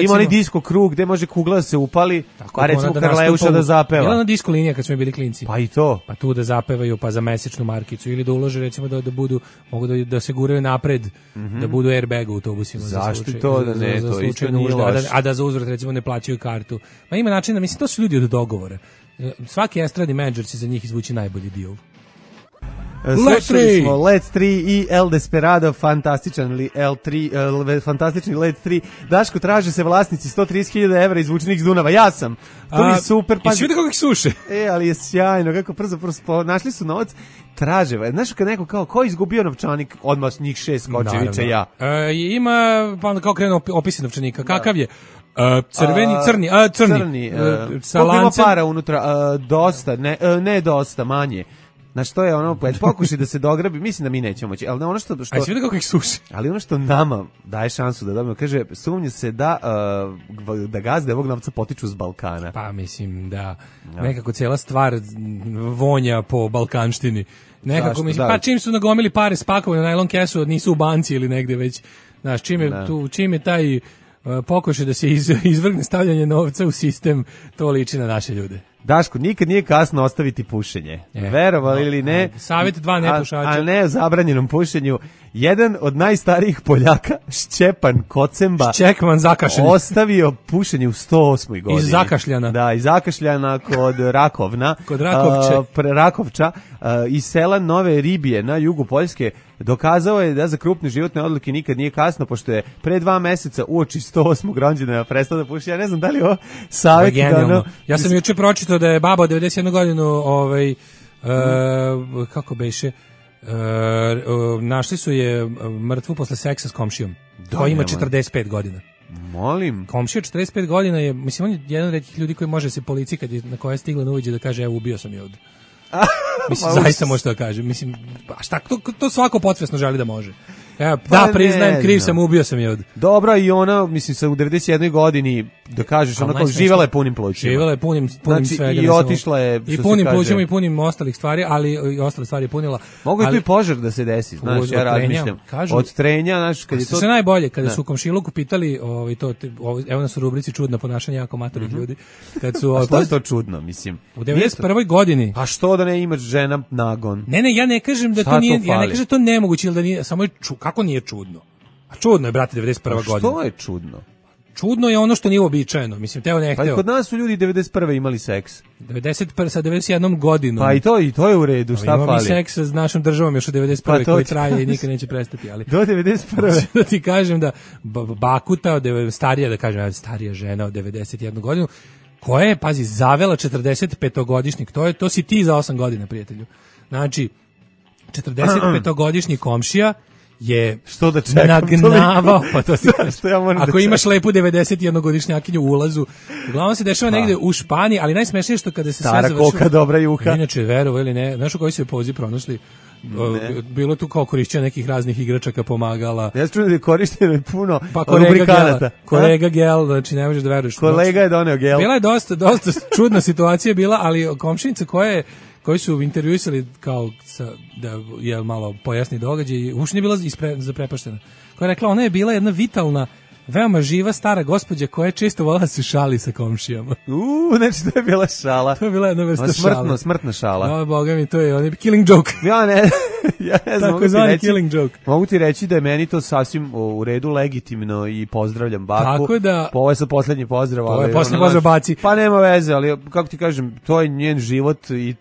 ima onaj disko krug gde može kugla da se upali, a recimo Karleuša da zapeva.
Ili ona disko linija kad smo bili klinci.
Pa i to.
Pa tu da zapevaju, pa za mesečnu markicu, ili da ulože recimo da budu, mogu da se guraju napred, da budu airbag u autobusima.
Zašto to da ne, to isto nije loš.
A da za uzvrat recimo ne plaćaju kartu. Ma ima načina, mislim, to su ljudi od dogovora. Svaki estradni menadžer će za njih izvući najbolji deal.
Slušali smo Let 3 i El Desperado, fantastični Let 3. Daško, traže se vlasnici 130.000 evra izvučenih iz Dunava. Ja sam. To mi je super.
I svi da kako ih suše.
Ali je sjajno, kako przo našli su novac, traže. Znaš kad neko kao, ko je izgubio novčanik, odmah njih 6 skoče, viče ja.
Ima, pa onda kao krenu opisi novčanika. Kakav je? Crni. Sa
lancem. Ima para unutra, dosta, ne dosta, manje. Znači, to je ono, pokušaj da se dograbi, mislim da mi nećemo moći, ali ono što...
A svi da kako ih suši.
Ali ono što nama daje šansu da dobijemo, kaže, sumnje se da gazde ovog novca potiču s Balkana.
Pa mislim da nekako cijela stvar vonja po balkanštini. Nekako
zašto?
Mislim, pa čim su nagomili pare spakovane na najlon kesu, nisu u banci ili negde već, znaš, čim je taj pokušaj da se izvrgne stavljanje novca u sistem, to liči na naše ljude.
Daško, nikad nije kasno ostaviti pušenje. Verovali ili ne?
Savjet 2 nepušača.
A ne o zabranjenom pušenju. Jedan od najstarijih Poljaka, Šćepan Kocemba, ostavio pušenje u 108. godini.
Iz Zakašljana.
Da, iz Zakašljana kod Rakovna.
Kod
Rakovča, iz sela Nove Ribije na jugu Poljske. Dokazao je da za krupne životne odluke nikad nije kasno, pošto je pre 2 meseca uoči 108. rođendana prestao da puši. Ja ne znam da li je ovo savjet.
Ja sam juče pročitao da je baba od 91 godinu, kako beše, našli su je mrtvu posle seksa s komšijom, koja ima 45 godina.
Molim.
Komšija 45 godina je, mislim, on je jedan od retkih ljudi koji može se policiji na koja je stigla na uviđe da kaže, evo, ubio sam je ovdje. Mislim, zaista može da kaže. Mislim, šta, to svako podsvesno želi da može. Evo, da, priznajem, kriv sam, ubio sam je od...
Dobro, i ona, mislim, sa u 91. godini, da kažeš, ona kao živala je punim plućima.
Živala je punim
znači,
svega.
I otišla je,
i punim plućima i punim ostalih stvari, ali i ostale stvari je punila.
Mogu je tu i požar da se desi, znaš, ja razmišljam. Od trenja, znaš, kad je to...
Sve najbolje, kada su u komšiluku pitali, evo nas u rubrici čudna ponašanja jako matorih ljudi.
A što je to čudno, mislim?
U 91. godini.
A što da ne imaš žena nagon?
Ne, ja ne kažem da to nije, ja ne kažem da to nemoguće, ili da nije, samo je kako nije čudno? A čudno je, brate, 91. godina.
Što je čudno?
Čudno je ono što nije uobičajeno. Mislim, teo ne hteo.
Pa i kod nas su ljudi 91. imali seks.
91. sa 91. godinom.
Pa i to je u redu, šta fali?
Imamo seks s našom državom još u 91. koji traje i nikad neće prestati. Ali
do 91.
Da ti kažem da bakuta, starija žena od 91 godinu, koja je, pazi, zavela 45-godišnjik. To si ti za 8 godina, prijatelju. Znači, 45-godišnji komšija je
što da čekam,
nagnavao, pa to si
ako
imaš lepu 91-godišnjakinju u ulazu, uglavnom se dešava negde u Španiji, ali najsmešnije što kada se
stara
sve završilo,
koka, dobra juha.
Inače, verovo ili ne, znaš u koji su je poziv pronašli? Bilo tu kao korišćenje nekih raznih igračaka, pomagala.
Ja čujem da je korišteno puno
lubrikanata. Kolega gel, znači ne možeš da veruješ.
Kolega je doneo gel.
Bila je dosta čudna situacija bila, ali komšinica koji su intervjuisali kao da je malo pojasni događaj, uopšte nije bila zaprepaštena. Koja je rekla, ona je bila jedna vitalna, veoma živa stara gospođa koja je često volala da se šali sa komšijama.
Znači to je bila šala.
To je bila jedna vrsta šala.
Smrtna šala.
Boga mi, to je on je killing joke.
Ja ne znam,
tako zvani killing joke.
Mogu ti reći da je meni to sasvim u redu, legitimno i pozdravljam baku.
Tako da...
Ovo je sa posljednji pozdrav.
Ovo je posljednji pozdrav baci.
Pa nema veze, ali kako ti kažem, to je njen život i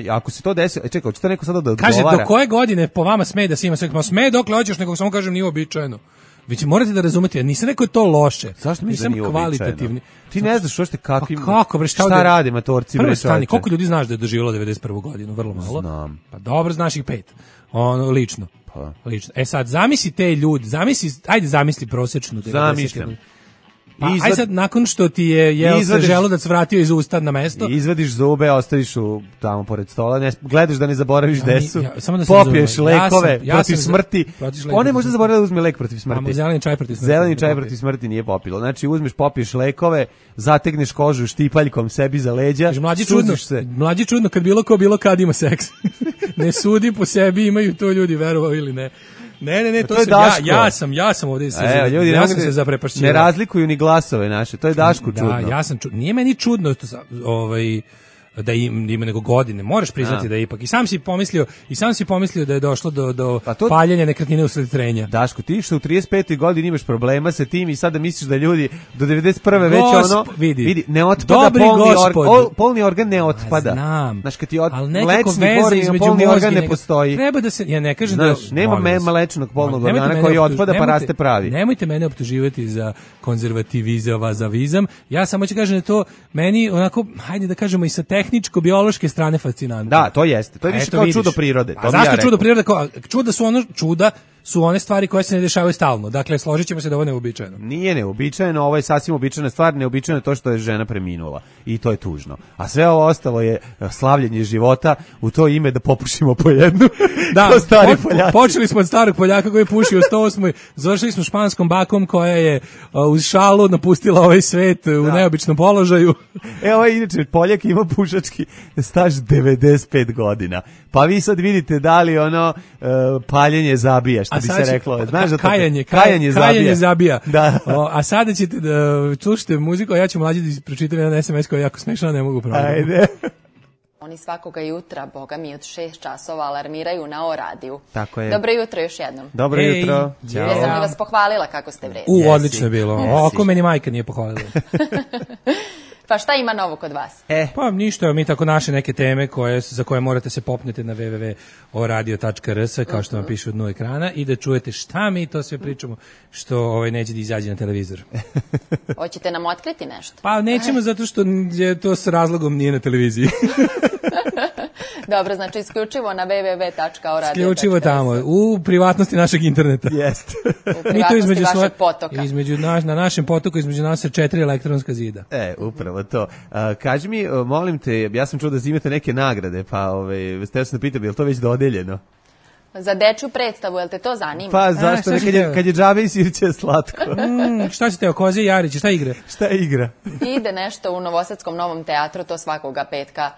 ako se to desi... Čekaj, hoće to neko sada da odgovara?
Kaže, do koje godine po vama sme da se ima sve? Sme dokle hoćeš, nego samo kažem nije običajno. Vi će morate da razumete, ja nisam rekao to loše.
Zašto mi
nisam kvalitativni?
Ti ne znaš uopšte kakvim...
Kako bre,
šta rade matorci bre?
Koliko ljudi znaš da je doživjelo 91. godinu? Vrlo malo.
Znam.
Pa dobro, znaš ih 5. Ono lično. Lično. Sad zamisli te ljudi, zamisli prosječnu 91.
Zamišljam.
Aj sad, nakon što ti je se želudac vratio iz usta na mesto,
izvadiš zube, ostaviš tamo pored stola, gledaš da ne zaboraviš desu, popiješ lekove protiv smrti. On ne može zaboraviti da uzme lek protiv smrti.
Zeleni čaj protiv smrti.
Zeleni čaj protiv smrti nije popilo. Znači uzmeš, popiješ lekove, zategneš kožu štipaljkom sebi za leđa, suziš se.
Mlađi čudno kad bilo kad ima seks. Ne sudi po sebi, imaju to ljudi, verovali ili ne. Ne, to sam ja sam ovdje
ljudi,
ja sam se zaprepašćivao.
Ne razlikuju ni glasove naše, to je Daško čudno.
Da, nije meni čudno da ima nego godine. Moraš priznati da je ipak. I sam si pomislio da je došlo do paljenja nekretnine usled trenja.
Daško, ti što u 35. godini imaš problema sa tim i sada misliš da ljudi do 91. već ono vidi ne otpada polni organ ne otpada.
Znam.
Znaš, kad ti polni organ ne postoji.
Treba da se, ja ne kažem da
nema mlečnog polnog organa koji otpada pa raste pravi.
Nemojte mene optuživati za konzervativizam. Ja samo ću kažem da to meni onako, hajde da kažemo i sa tehničko-biološke strane fascinantno.
Da, to jeste. To je više kao čudo prirode.
A zašto čudo prirode? Čuda su one stvari koje se ne dešavaju stalno. Dakle, složit ćemo se da ovo neuobičajeno.
Nije neuobičajeno, ovo je sasvim uobičajena stvar, neuobičajeno je to što je žena preminula. I to je tužno. A sve ovo ostalo je slavljenje života u to ime da popušimo po jednu.
Da, počeli smo od starog Poljaka koji je pušio u 108. Završili smo španskom bakom koja je uz šalu napustila ovaj svet u neobičnom položaju.
Evo je inače, Poljak ima pušački staž 95 godina. Pa vi sad vidite da li ono paljenje zabija, što bi se reklo. Znaš da
kajanje zabija.
Da.
A sada ćete da slušate muziku, a ja ću mlađi da pročitam jedan SMS koji je jako smešan, ne mogu proći.
Ajde.
Oni svakoga jutra, boga mi, od 6 časova alarmiraju na O radiju.
Tako je.
Dobro jutro još jednom.
Dobro jutro.
Ja sam li vas pohvalila kako ste vredni?
Odlično je bilo. Oko meni majka nije pohvalila.
Pa šta ima novo kod vas?
Pa ništa, mi tako naše neke teme za koje morate se popnete na www.oradio.rs, kao što vam piše od dnu ekrana, i da čujete šta mi to sve pričamo, što neće da izađe na televizor.
Hoćete nam otkriti nešto?
Pa nećemo, zato što je to s razlogom nije na televiziji.
Dobro, znači isključivo na www.oradio.rs.
Isključivo tamo, u privatnosti našeg interneta.
Jeste.
U privatnosti vašeg potoka.
Na našem potoku između nas se 4 elektronska zida.
Upravo to. Kaži mi, molim te, ja sam čuo da imate neke nagrade, pa htio sam da pitam, je li to već dodeljeno?
Za dečju predstavu, jel te to zanima?
Pa zašto ne, kad je džabe i sirće slatko.
Šta si teo, Koze i Jarić, šta igra?
Šta igra?
Ide nešto u Novosadskom Novom teatru, to svakoga petka.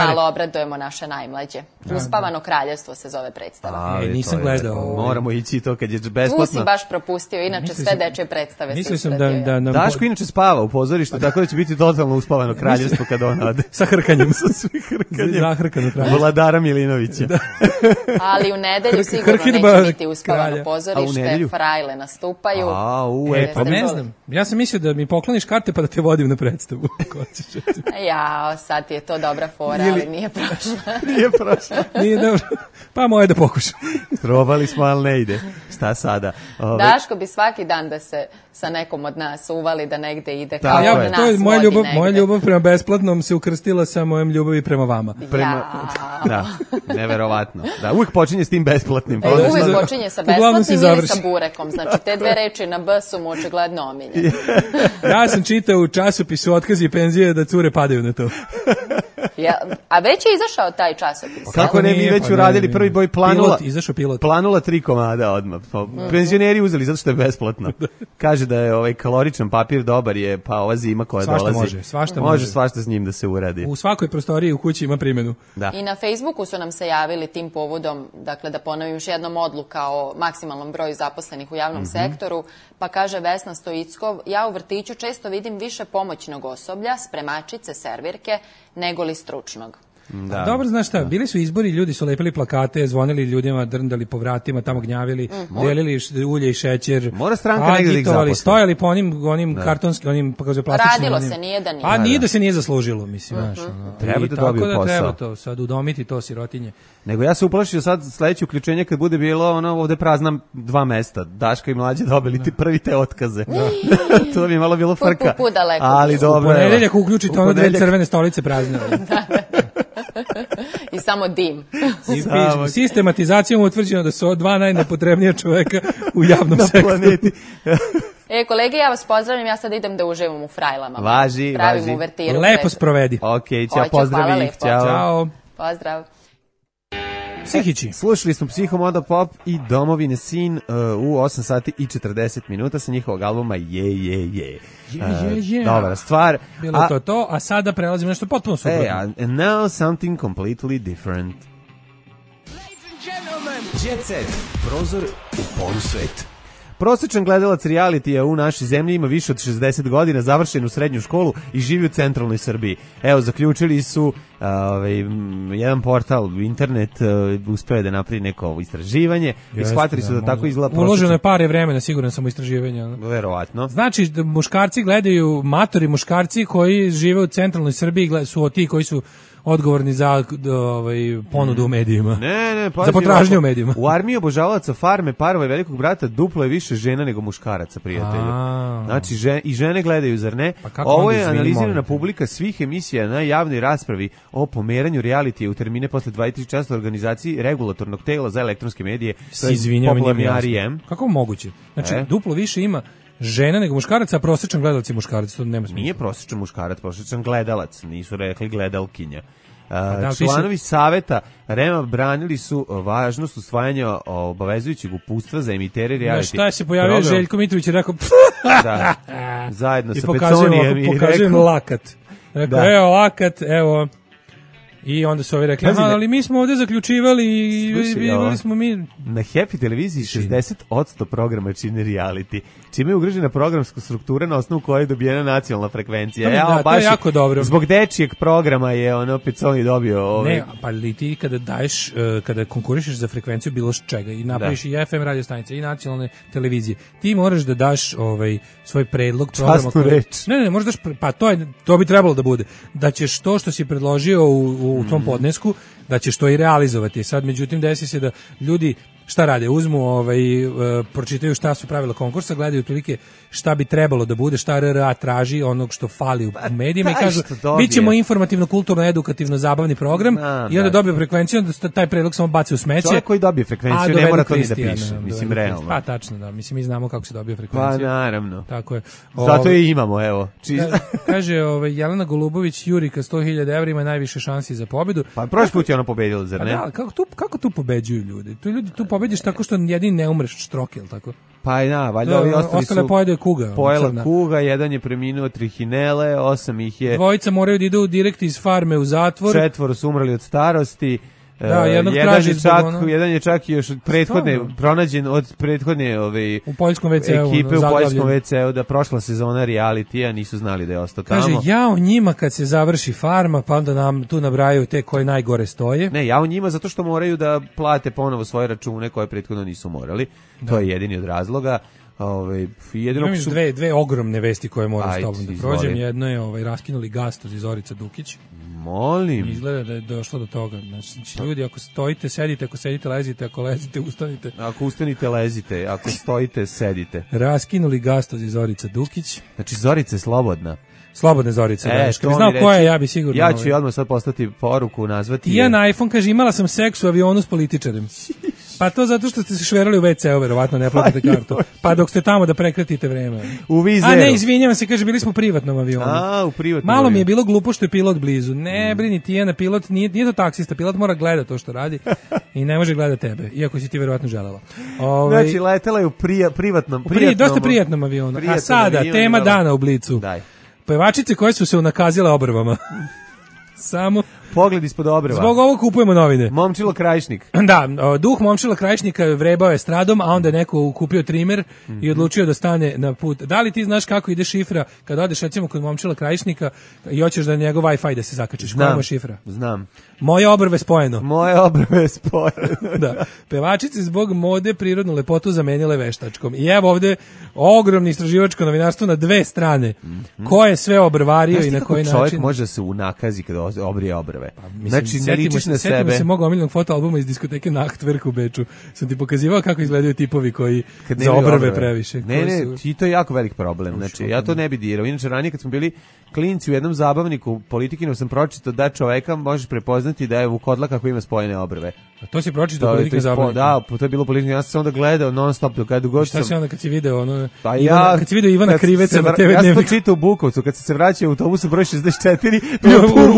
Malo obradujemo naše najmlađe. Uspavano kraljevstvo se zove predstava.
Nisam gledao.
Moramo ići to kad je besplatno.
Tu si baš propustio, inače sve dečje predstave se
ispratio.
Daško inače spava u pozorištu, tako da će biti totalno uspavano kraljevstvo kad on ode.
Sa hrkanjem.
Sa svih hrkanjem.
Zahrkano kraljevstvo.
Vladara Milinovića.
Ali u nedelju sigurno neće biti uspavano pozorište, frajle nastupaju.
Pa ne znam, ja sam mislio da mi pokloniš karte pa da te vodim na predstavu.
Sad ti je to dobra fora, ali nije prošla.
Nije
dobro, pa moje da pokušam.
Probali smo, ali ne ide. Šta sada?
Daško bi svaki dan da se sa nekom od nas uvali da negde ide, kao da nas vodi negde.
Moja ljubav prema besplatnom se ukrstila sa mojom ljubavi prema vama.
Da, neverovatno. Da, uvijek počinje s tim besplatnim.
Uvijek počinje sa besplatnim ili sa burekom. Znači, te dve reči na B su mu očigledno omiljene.
Ja sam čitao u časopisu Otkazi i penzije da cure padaju na to.
A već je izašao taj časopis.
Kako ne, mi već uradili prvi boj Planula.
Izašao pilot.
Planula 3 komada odmah. Penzioneri uzeli zato što je besplatno. Kaže da je kaloričan papir dobar je, pa ova zima koja dolazi. Može svašta s njim da se uradi.
U svakoj prostoriji u kući ima primjenu.
I na Facebooku su nam se javili tim povodom, dakle da ponovim još jednom odluka o maksimalnom broju zaposlenih u javnom sektoru, pa kaže Vesna Stojickov, ja u vrtiću često vidim više pomoćnog osoblja, spremačice, servirke, nego li stručnog.
Dobro, znaš šta, bili su izbori, ljudi su lepili plakate, zvonili ljudima, drndali po vratima, tamo gnjavili, delili ulje i šećer,
mora stranka negdje da ih zaposle.
Stojali po onim kartonskim, onim plastičnim.
Radilo se, nije da nije.
Pa nije da se nije zaslužilo, mislim, znaš.
Treba da dobiju posao.
Treba to, sad udomiti to sirotinje.
Nego ja se uplašio sad sledeće uključenje kad bude bilo ovde prazna 2 mesta. Daška i Mlađe dobili ti prvi te otkaze. To bi malo bilo frka. Ali dobro.
U ponedeljak uključite ono 2 crvene stolice prazne.
I samo dim.
Sistematizacijom utvrđeno da su 2 najnepotrebnija čoveka u javnom sektoru.
Kolege, ja vas pozdravljam, ja sad idem da uživam u frajlama.
Važi.
Pravim uvertiru.
Lepo sprovedi.
Ok, ćao, pozdrav ih.
Ćao.
Pozdrav.
Psihići.
Slušali smo Psihomoda Pop i Domovine sin u 8 sati i 40 minuta sa njihovog albuma Je. Dobra stvar.
Bilo to, a sada prelazimo nešto potpuno suprotno.
And now something completely different.
Jet Set, prozor u polusvet.
Prosječan gledalac realitija u našoj zemlji ima više od 60 godina, završenu srednju školu i živi u centralnoj Srbiji. Evo, zaključili su jedan portal, internet, uspeo da napravi neko istraživanje i shvatili su da tako izgleda prosječan.
Uloženo je pare vremena, siguran sam, u istraživanje.
Verovatno.
Znači, muškarci gledaju, matori muškarci koji žive u centralnoj Srbiji su ti koji su odgovorni za ponudu u medijima.
Ne,
za potražnju u medijima.
U armiji obožavalaca Farme, Parova i Velikog brata duplo je više žena nego muškaraca, prijatelju. Znači, i žene gledaju, zar ne? Ovo je analizirana publika svih emisija na javnoj raspravi o pomeranju realitija u termine posle 23 časa organizaciji regulatornog tela za elektronske medije.
Izvinjavam, kako moguće? Znači, duplo više ima žena nego muškaraca, a prosječan gledalac je muškarac, to nema smisla.
Nije prosječan muškarac, prosječan gledalac, nisu rekli gledalkinja. Članovi saveta REM-a branili su važnost usvajanja obavezujućeg uputstva za emitere reality.
Šta se pojavio Željko Mitrović i rekao
da, zajedno sa Peconijem i
pokazujem lakat. Rekao, evo lakat, evo. I onda su ovi rekli, ali mi smo ovdje zaključivali i vidjeli smo mi.
Na Happy televiziji 60% programa čine reality, čime je ugrožena programska struktura na osnovu koje je dobijena nacionalna frekvencija.
Da, to je jako dobro.
Zbog dečijeg programa je opet Sony dobio
Ne, pa li ti kada daješ, kada konkurišeš za frekvenciju bilo čega i napraviš i FM radio stanice i nacionalne televizije, ti moraš da daš svoj predlog programa. Ne, možeš daš, pa to bi trebalo da bude. Da ćeš to što si predložio u tom podnesku, da ćeš to i realizovati. Sad, međutim, desi se da ljudi šta rade? Uzmu, pročitaju šta su pravila konkursa, gledaju otprilike šta bi trebalo da bude, šta RRA traži, onog što fali u medijima i kažu, bit ćemo informativno, kulturno, edukativno, zabavni program i onda dobiju frekvenciju, onda taj predlog samo baci u smeće.
Čovjek koji dobije frekvenciju ne mora to ni da piše, mislim, realno.
Pa, tačno, da, mislim, mi znamo kako se dobije frekvenciju.
Pa, naravno.
Tako je.
Zato i imamo, evo.
Kaže, Jelena Golubović, Jurika 100.000 evra ima najviše šansi za pobedu.
Pa, prošli put je ona pobedila, zar ne?
Da, kako tu pobeđuju ljudi? Tu pobediš tako što jedin ne umreš štroke, ili tako?
Pa da, valjda ovi
ostale pojede kuga.
Pojela kuga, jedan je preminuo trihinele, 8 ih je...
Dvojica moraju da idu direkt iz farme u zatvor.
4 su umrli od starosti.
Da,
jedan je čak još od pronađen od prethodne
u poljskom WC-u,
ekipe u poljskom WC-u, da prošla sezona realitija nisu znali da je ostao tamo.
Kaže, jao njima kad se završi farma, pa onda nam tu nabrajaju te koje najgore stoje.
Ne, jao njima zato što moraju da plate ponovo svoje račune koje prethodno nisu morali. To je jedini od razloga.
Imam još dve ogromne vesti koje moram s tobom da prođem. Jedno je raskinuli gastoz iz Zorica Dukić.
Molim.
Izgleda da je došlo do toga. Znači, ljudi, ako stojite, sedite, ako sedite, lezite, ako lezite, ustanite.
Ako ustanite, lezite, ako stojite, sedite.
Raskinuli gastoz iz Zorica Dukić.
Znači, Zorica je slobodna.
Slobodne Zorice, da. Kad bi znao koja je, ja bi sigurno...
Ja ću odmah sad postati poruku, nazvati...
Ja na iPhone, kaže, imala sam seks u avionu s političarem. Pa to zato što ste se šverali u WC-u, verovatno ne platite kartu. Pa dok ste tamo da prekratite vreme.
U Vizeru.
A ne, izvinjavam se, kaže, bili smo u privatnom avionu.
U privatnom
Malo mi je bilo glupo što je pilot blizu. Ne, brini, Tijana, pilot nije to taksista, pilot mora gledati to što radi i ne može gledati tebe, iako si ti verovatno želela.
Znači, letela je u privatnom
dosta prijatnom avionu. A sada, tema dana u Blicu.
Daj.
Pevačice koje su se unakazile obrvama. Samo
pogled ispod obrva.
Zbog ovog kupujemo novine.
Momčilo Krajišnik.
Da, duh Momčila Krajišnika vrebao je stradom, a onda je neko kupio trimer i odlučio da stane na put. Da li ti znaš kako ide šifra kad odeš recimo kod Momčila Krajišnika i hoćeš da njegov Wi-Fi da se zakačiš? Koja je šifra?
Znam.
Moje obrve spojeno.
Moje obrve spojeno.
Da. Pevačice zbog mode prirodnu lepotu zamenile veštačkom. I evo ovde ogromni istraživačko novinarstvo na dve strane. Ko je sve obrvario i na koji način?
Čovjek može da se unakazi kada obrije obrve. Znači, ne ličiš na sebe.
Setimo se mog omiljenog fotoalbuma iz diskoteke Nachtwerk u Beču. Sam ti pokazivao kako izgledaju tipovi koji za obrve previše.
Ne, i to je jako velik problem. Znači, ja to ne bi dirao. Inače, ranije kad smo bili klinci u jednom zabavniku Politikinu sam pročitao da čoveka možeš prepoznati da je vukodlak ako ima spojene obrve.
A to si pročitao Politikinu zabavniku?
Da, to je bilo Politikinu. Ja sam se onda gledao non stop do kada god sam...
Šta si onda kad si video kad si video Ivana Kriveca na TV Dnevnik?
Ja sam to čitao u Bukovcu, kad se vraćao u autobusu broj 64,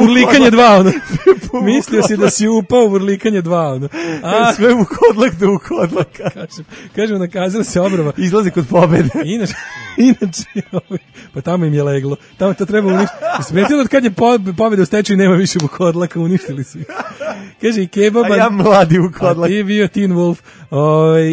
urlikanje 2, ono. Mislio si da si upao u urlikanje 2, ono.
Sve vukodlak do vukodlaka.
Kažem, nakazala se obrva.
Izlazi kod pobede.
Inače, pa tamo im je leglo. Tamo to treba uništiti. Smetilo od kad je pobeda u stečaju nema više vukodlaka, uništili su ih. Kaže i kebaba.
A ja mladi vukodlak.
A ti bio Teen Wolf.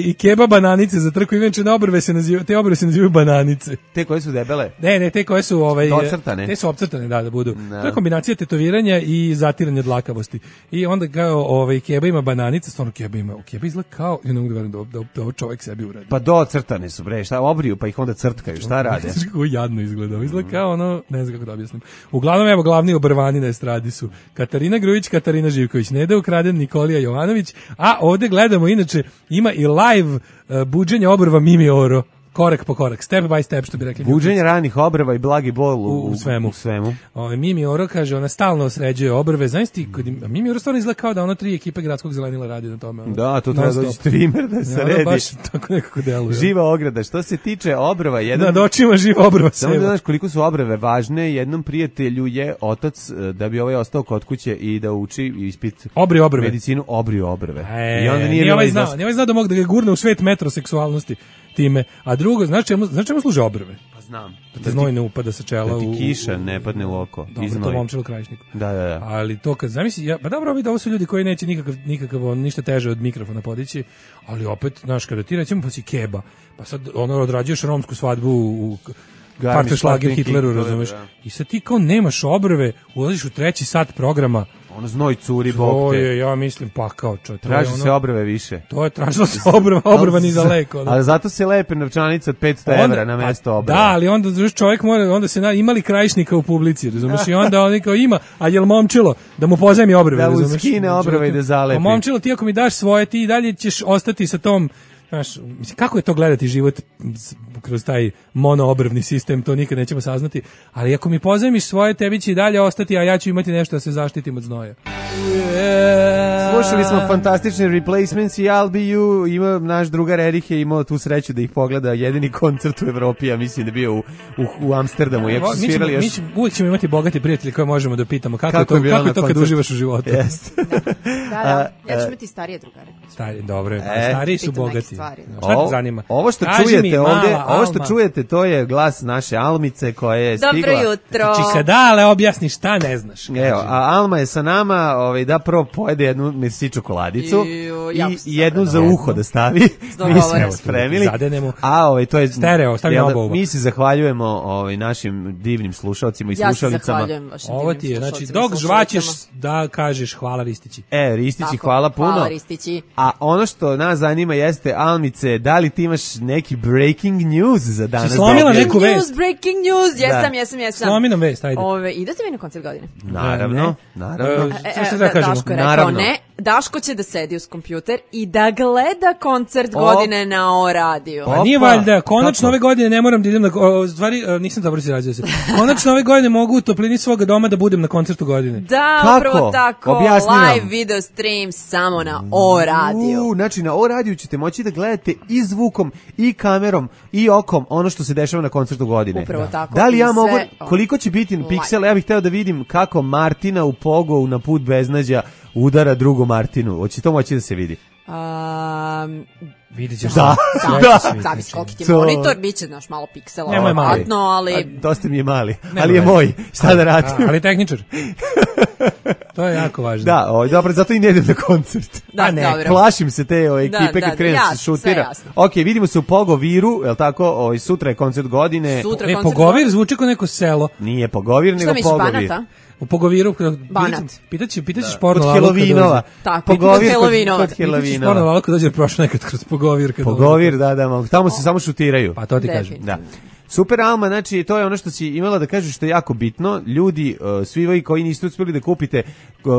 I keba bananice za trku, inače na obrve se nazivaju, te obrve se nazivaju bananice.
Te koje su debele?
Ne, te koje su
docrtane.
Te su opcrtane, da budu. No. To je kombinacija tetoviranja i zatiranja dlakavosti. I onda kao keba ima bananice, stvarno keba izgleda kao, ja ne mogu da verujem da ovo čovjek sebi uradi.
Pa docrtane su, bre, šta obriju, pa ih onda crtkaju, šta rade?
Kako jadno izgleda, izgleda kao ono, ne znam kako da objasnim. Uglavnom, evo, glavni obrvani na estradi su Katarina Grujić, Katarina Živković, Neda Ukraden, Nikolija Jovanović, a ovde gledamo, inače, ima i live buđenje obrva Mimi Oro. Korak po korak, step by step, što bi rekli.
Buđenje ranih obrva i blagi bol u svemu.
Mimi Oro kaže, ona stalno sređuje obrve. Znaš ti, Mimi Oro stvarno izgleda kao da ono 3 ekipe gradskog zelenila radi na tome.
Da, to treba doći trimer da se redi.
Baš tako nekako deluje.
Živa ograda. Što se tiče obrva,
nad očima živa obrva.
Samo da znaš koliko su obrve važne. Jednom prijatelju je otac, da bi ostao kod kuće i da uči ispit medicinu, obrio obrve.
I onda nije znao da mogu da ga gurne u svet metroseksualnosti time. A drugo, znaš čemu služe obrve?
Pa znam.
Da ti znoj ne upada sa čela
da ti kiša ne padne u oko.
Dobro, to momčilo Krajišniku.
Da.
Ali to kad zamisli, pa dobro, ovo su ljudi koji neće nikakav ništa teže od mikrofona podići, ali opet, znaš, kada ti recimo pa si keba, pa sad odrađuješ romsku svadbu u Parteršlager Hitleru, razumeš? I sad ti kao nemaš obrve, ulaziš u 3. sat programa,
ono znoj curi bok te.
To je, ja mislim, pakao čovjek.
Traži se obrve više.
To je tražilo se obrva ni za leko.
Ali zato se lepe novčanica od 500 evra na mesto obrva.
Da, ali onda čovjek mora, onda se imali Krajišnika u publici, razumiješ? I onda on kao ima, a jel momčilo da mu pozajmi obrve, razumiješ?
Da mu skine obrve i da zalepi.
Momčilo, ti ako mi daš svoje, ti i dalje ćeš ostati sa tom. Znaš, mislim, kako je to gledati život kroz taj monoobrvni sistem, to nikad nećemo saznati, ali ako mi pozajmiš svoje, tebi će i dalje ostati, a ja ću imati nešto da se zaštitim od znoja.
Slušali smo fantastične Replacements i I'll Be You, ima naš drugar Erih je imao tu sreću da ih pogleda, jedini koncert u Evropi, ja mislim da bio u Amsterdamu, iako su svirali još...
Uvijek ćemo imati bogati prijatelji koje možemo da pitamo kako je to kad uživaš u životu.
Da, ja ću imati starije drugare.
Dobro, stariji su bogati. Šta te zanima?
Ovo što čujete ovdje, ovo što čujete, to je glas naše Almice koja je stigla.
Dobro jutro.
Či kada ale objasni šta ne znaš.
Evo, a Alma je sa nama, da prvo pojede jednu mesi čokoladicu i jednu za uho da stavi. Mi smo spremili. A to je
stereo, stavi na oba.
Mi se zahvaljujemo našim divnim slušalcima i slušalicama.
Ja se zahvaljujem vašim
ovo ti je, znači dok žvaćeš da kažeš hvala Ristići.
Ristići, hvala puno.
Hvala Ristići.
A ono što nas zanima jeste, Almice, da li ti imaš neki breaking news za danas?
Si slomila neku vest?
Breaking news, jesam.
Slomi nam vest, ajde.
Idete vi na koncert godine?
Naravno.
Što da kažemo?
Daško je rekao ne. Daško će da sedi uz kompjuter i da gleda koncert godine na O radiju.
Pa nije valjda, konačno ove godine ne moram da idem na... Stvari, nisam dobro si razio se. Konačno ove godine mogu u toplini svoga doma da budem na koncertu godine.
Da, upravo tako. Live video stream samo na O radiju.
Znači, na O radiju ćete moći da gledate i zvukom, i kamerom, i okom ono što se dešava na koncertu godine.
Upravo tako.
Da li ja mogu... Koliko će biti piksela? Ja bih hteo da vidim kako Martina u Pogovu na Put beznađa udara drugu Martinu. Hoće to moći da se vidi?
Vidit ćeš.
Da.
Zavis koliki ti monitor, bit će naš malo piksela.
Nemoj mali.
Ali...
Dosta mi je mali, ali je moj. Šta da radim?
Ali tehničar. To je jako važno.
Da, dobro, zato i ne idem na koncert.
Da, dobro.
Plašim se te ekipe kad krene se šutira. Ok, vidimo se u Pogoviru, je li tako? Sutra je koncert godine.
Pogovir zvuči kao neko selo.
Nije Pogovir, nego Pogovir.
U Pogoviru,
Banat.
Pitaćeš porno
kod Helovinova.
Tako,
kod
Helovinova.
Pitaćeš porno lako dođe prošlo nekad kroz Pogovir.
Pogovir, da, tamo se samo šutiraju.
Pa to ti kažem.
Da. Super Alma, znači to je ono što si imala da kažeš što je jako bitno. Ljudi, svi vi koji niste uspjeli da kupite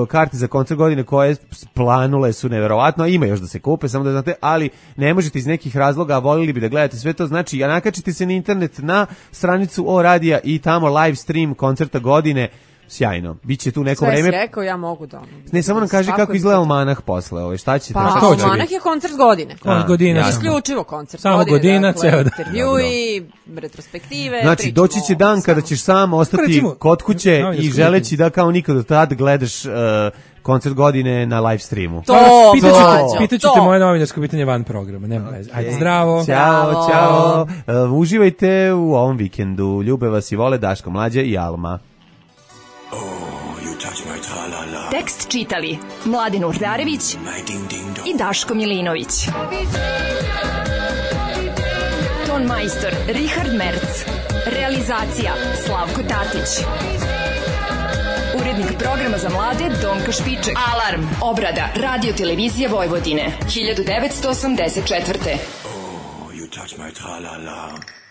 karte za koncert godine koje planule su neverovatno, a ima još da se kupe, samo da znate, ali ne možete iz nekih razloga, a volili bi da gledate sve to, znači nakačite se na internet na stranicu O radija i tamo live stream koncerta godine. Sjajno. Biće tu neko vreme.
Sve si rekao, ja mogu da.
Ne, samo nam kaži kako izgleda Almanah posle. Šta će?
Pa, Almanah je koncert godine.
Godina.
Isključivo koncert
samo
godine.
Godina, ceo dan.
Intervjui, retrospektive.
Znači, doći će dan kada ćeš sam ostati kod kuće i želeći da kao nikad do tad gledaš koncert godine na live streamu.
Pitaćete moje novinarsko pitanje van programa. Nema veze. Ajde, zdravo.
Ćao. Uživajte u ovom vikendu. Ljube vas i vole Daško Mlađa i Alma.
Tek
Tekst čitali Mladen Urdarević i Daško Milinović. Ton majstor Richard Merc. Realizacija Slavko Tatić. Urednik programa za mlade Donka Špiček. Alarm! Obrada Radio Televizije Vojvodine 1984.
Oh, you touch my tra-la-la.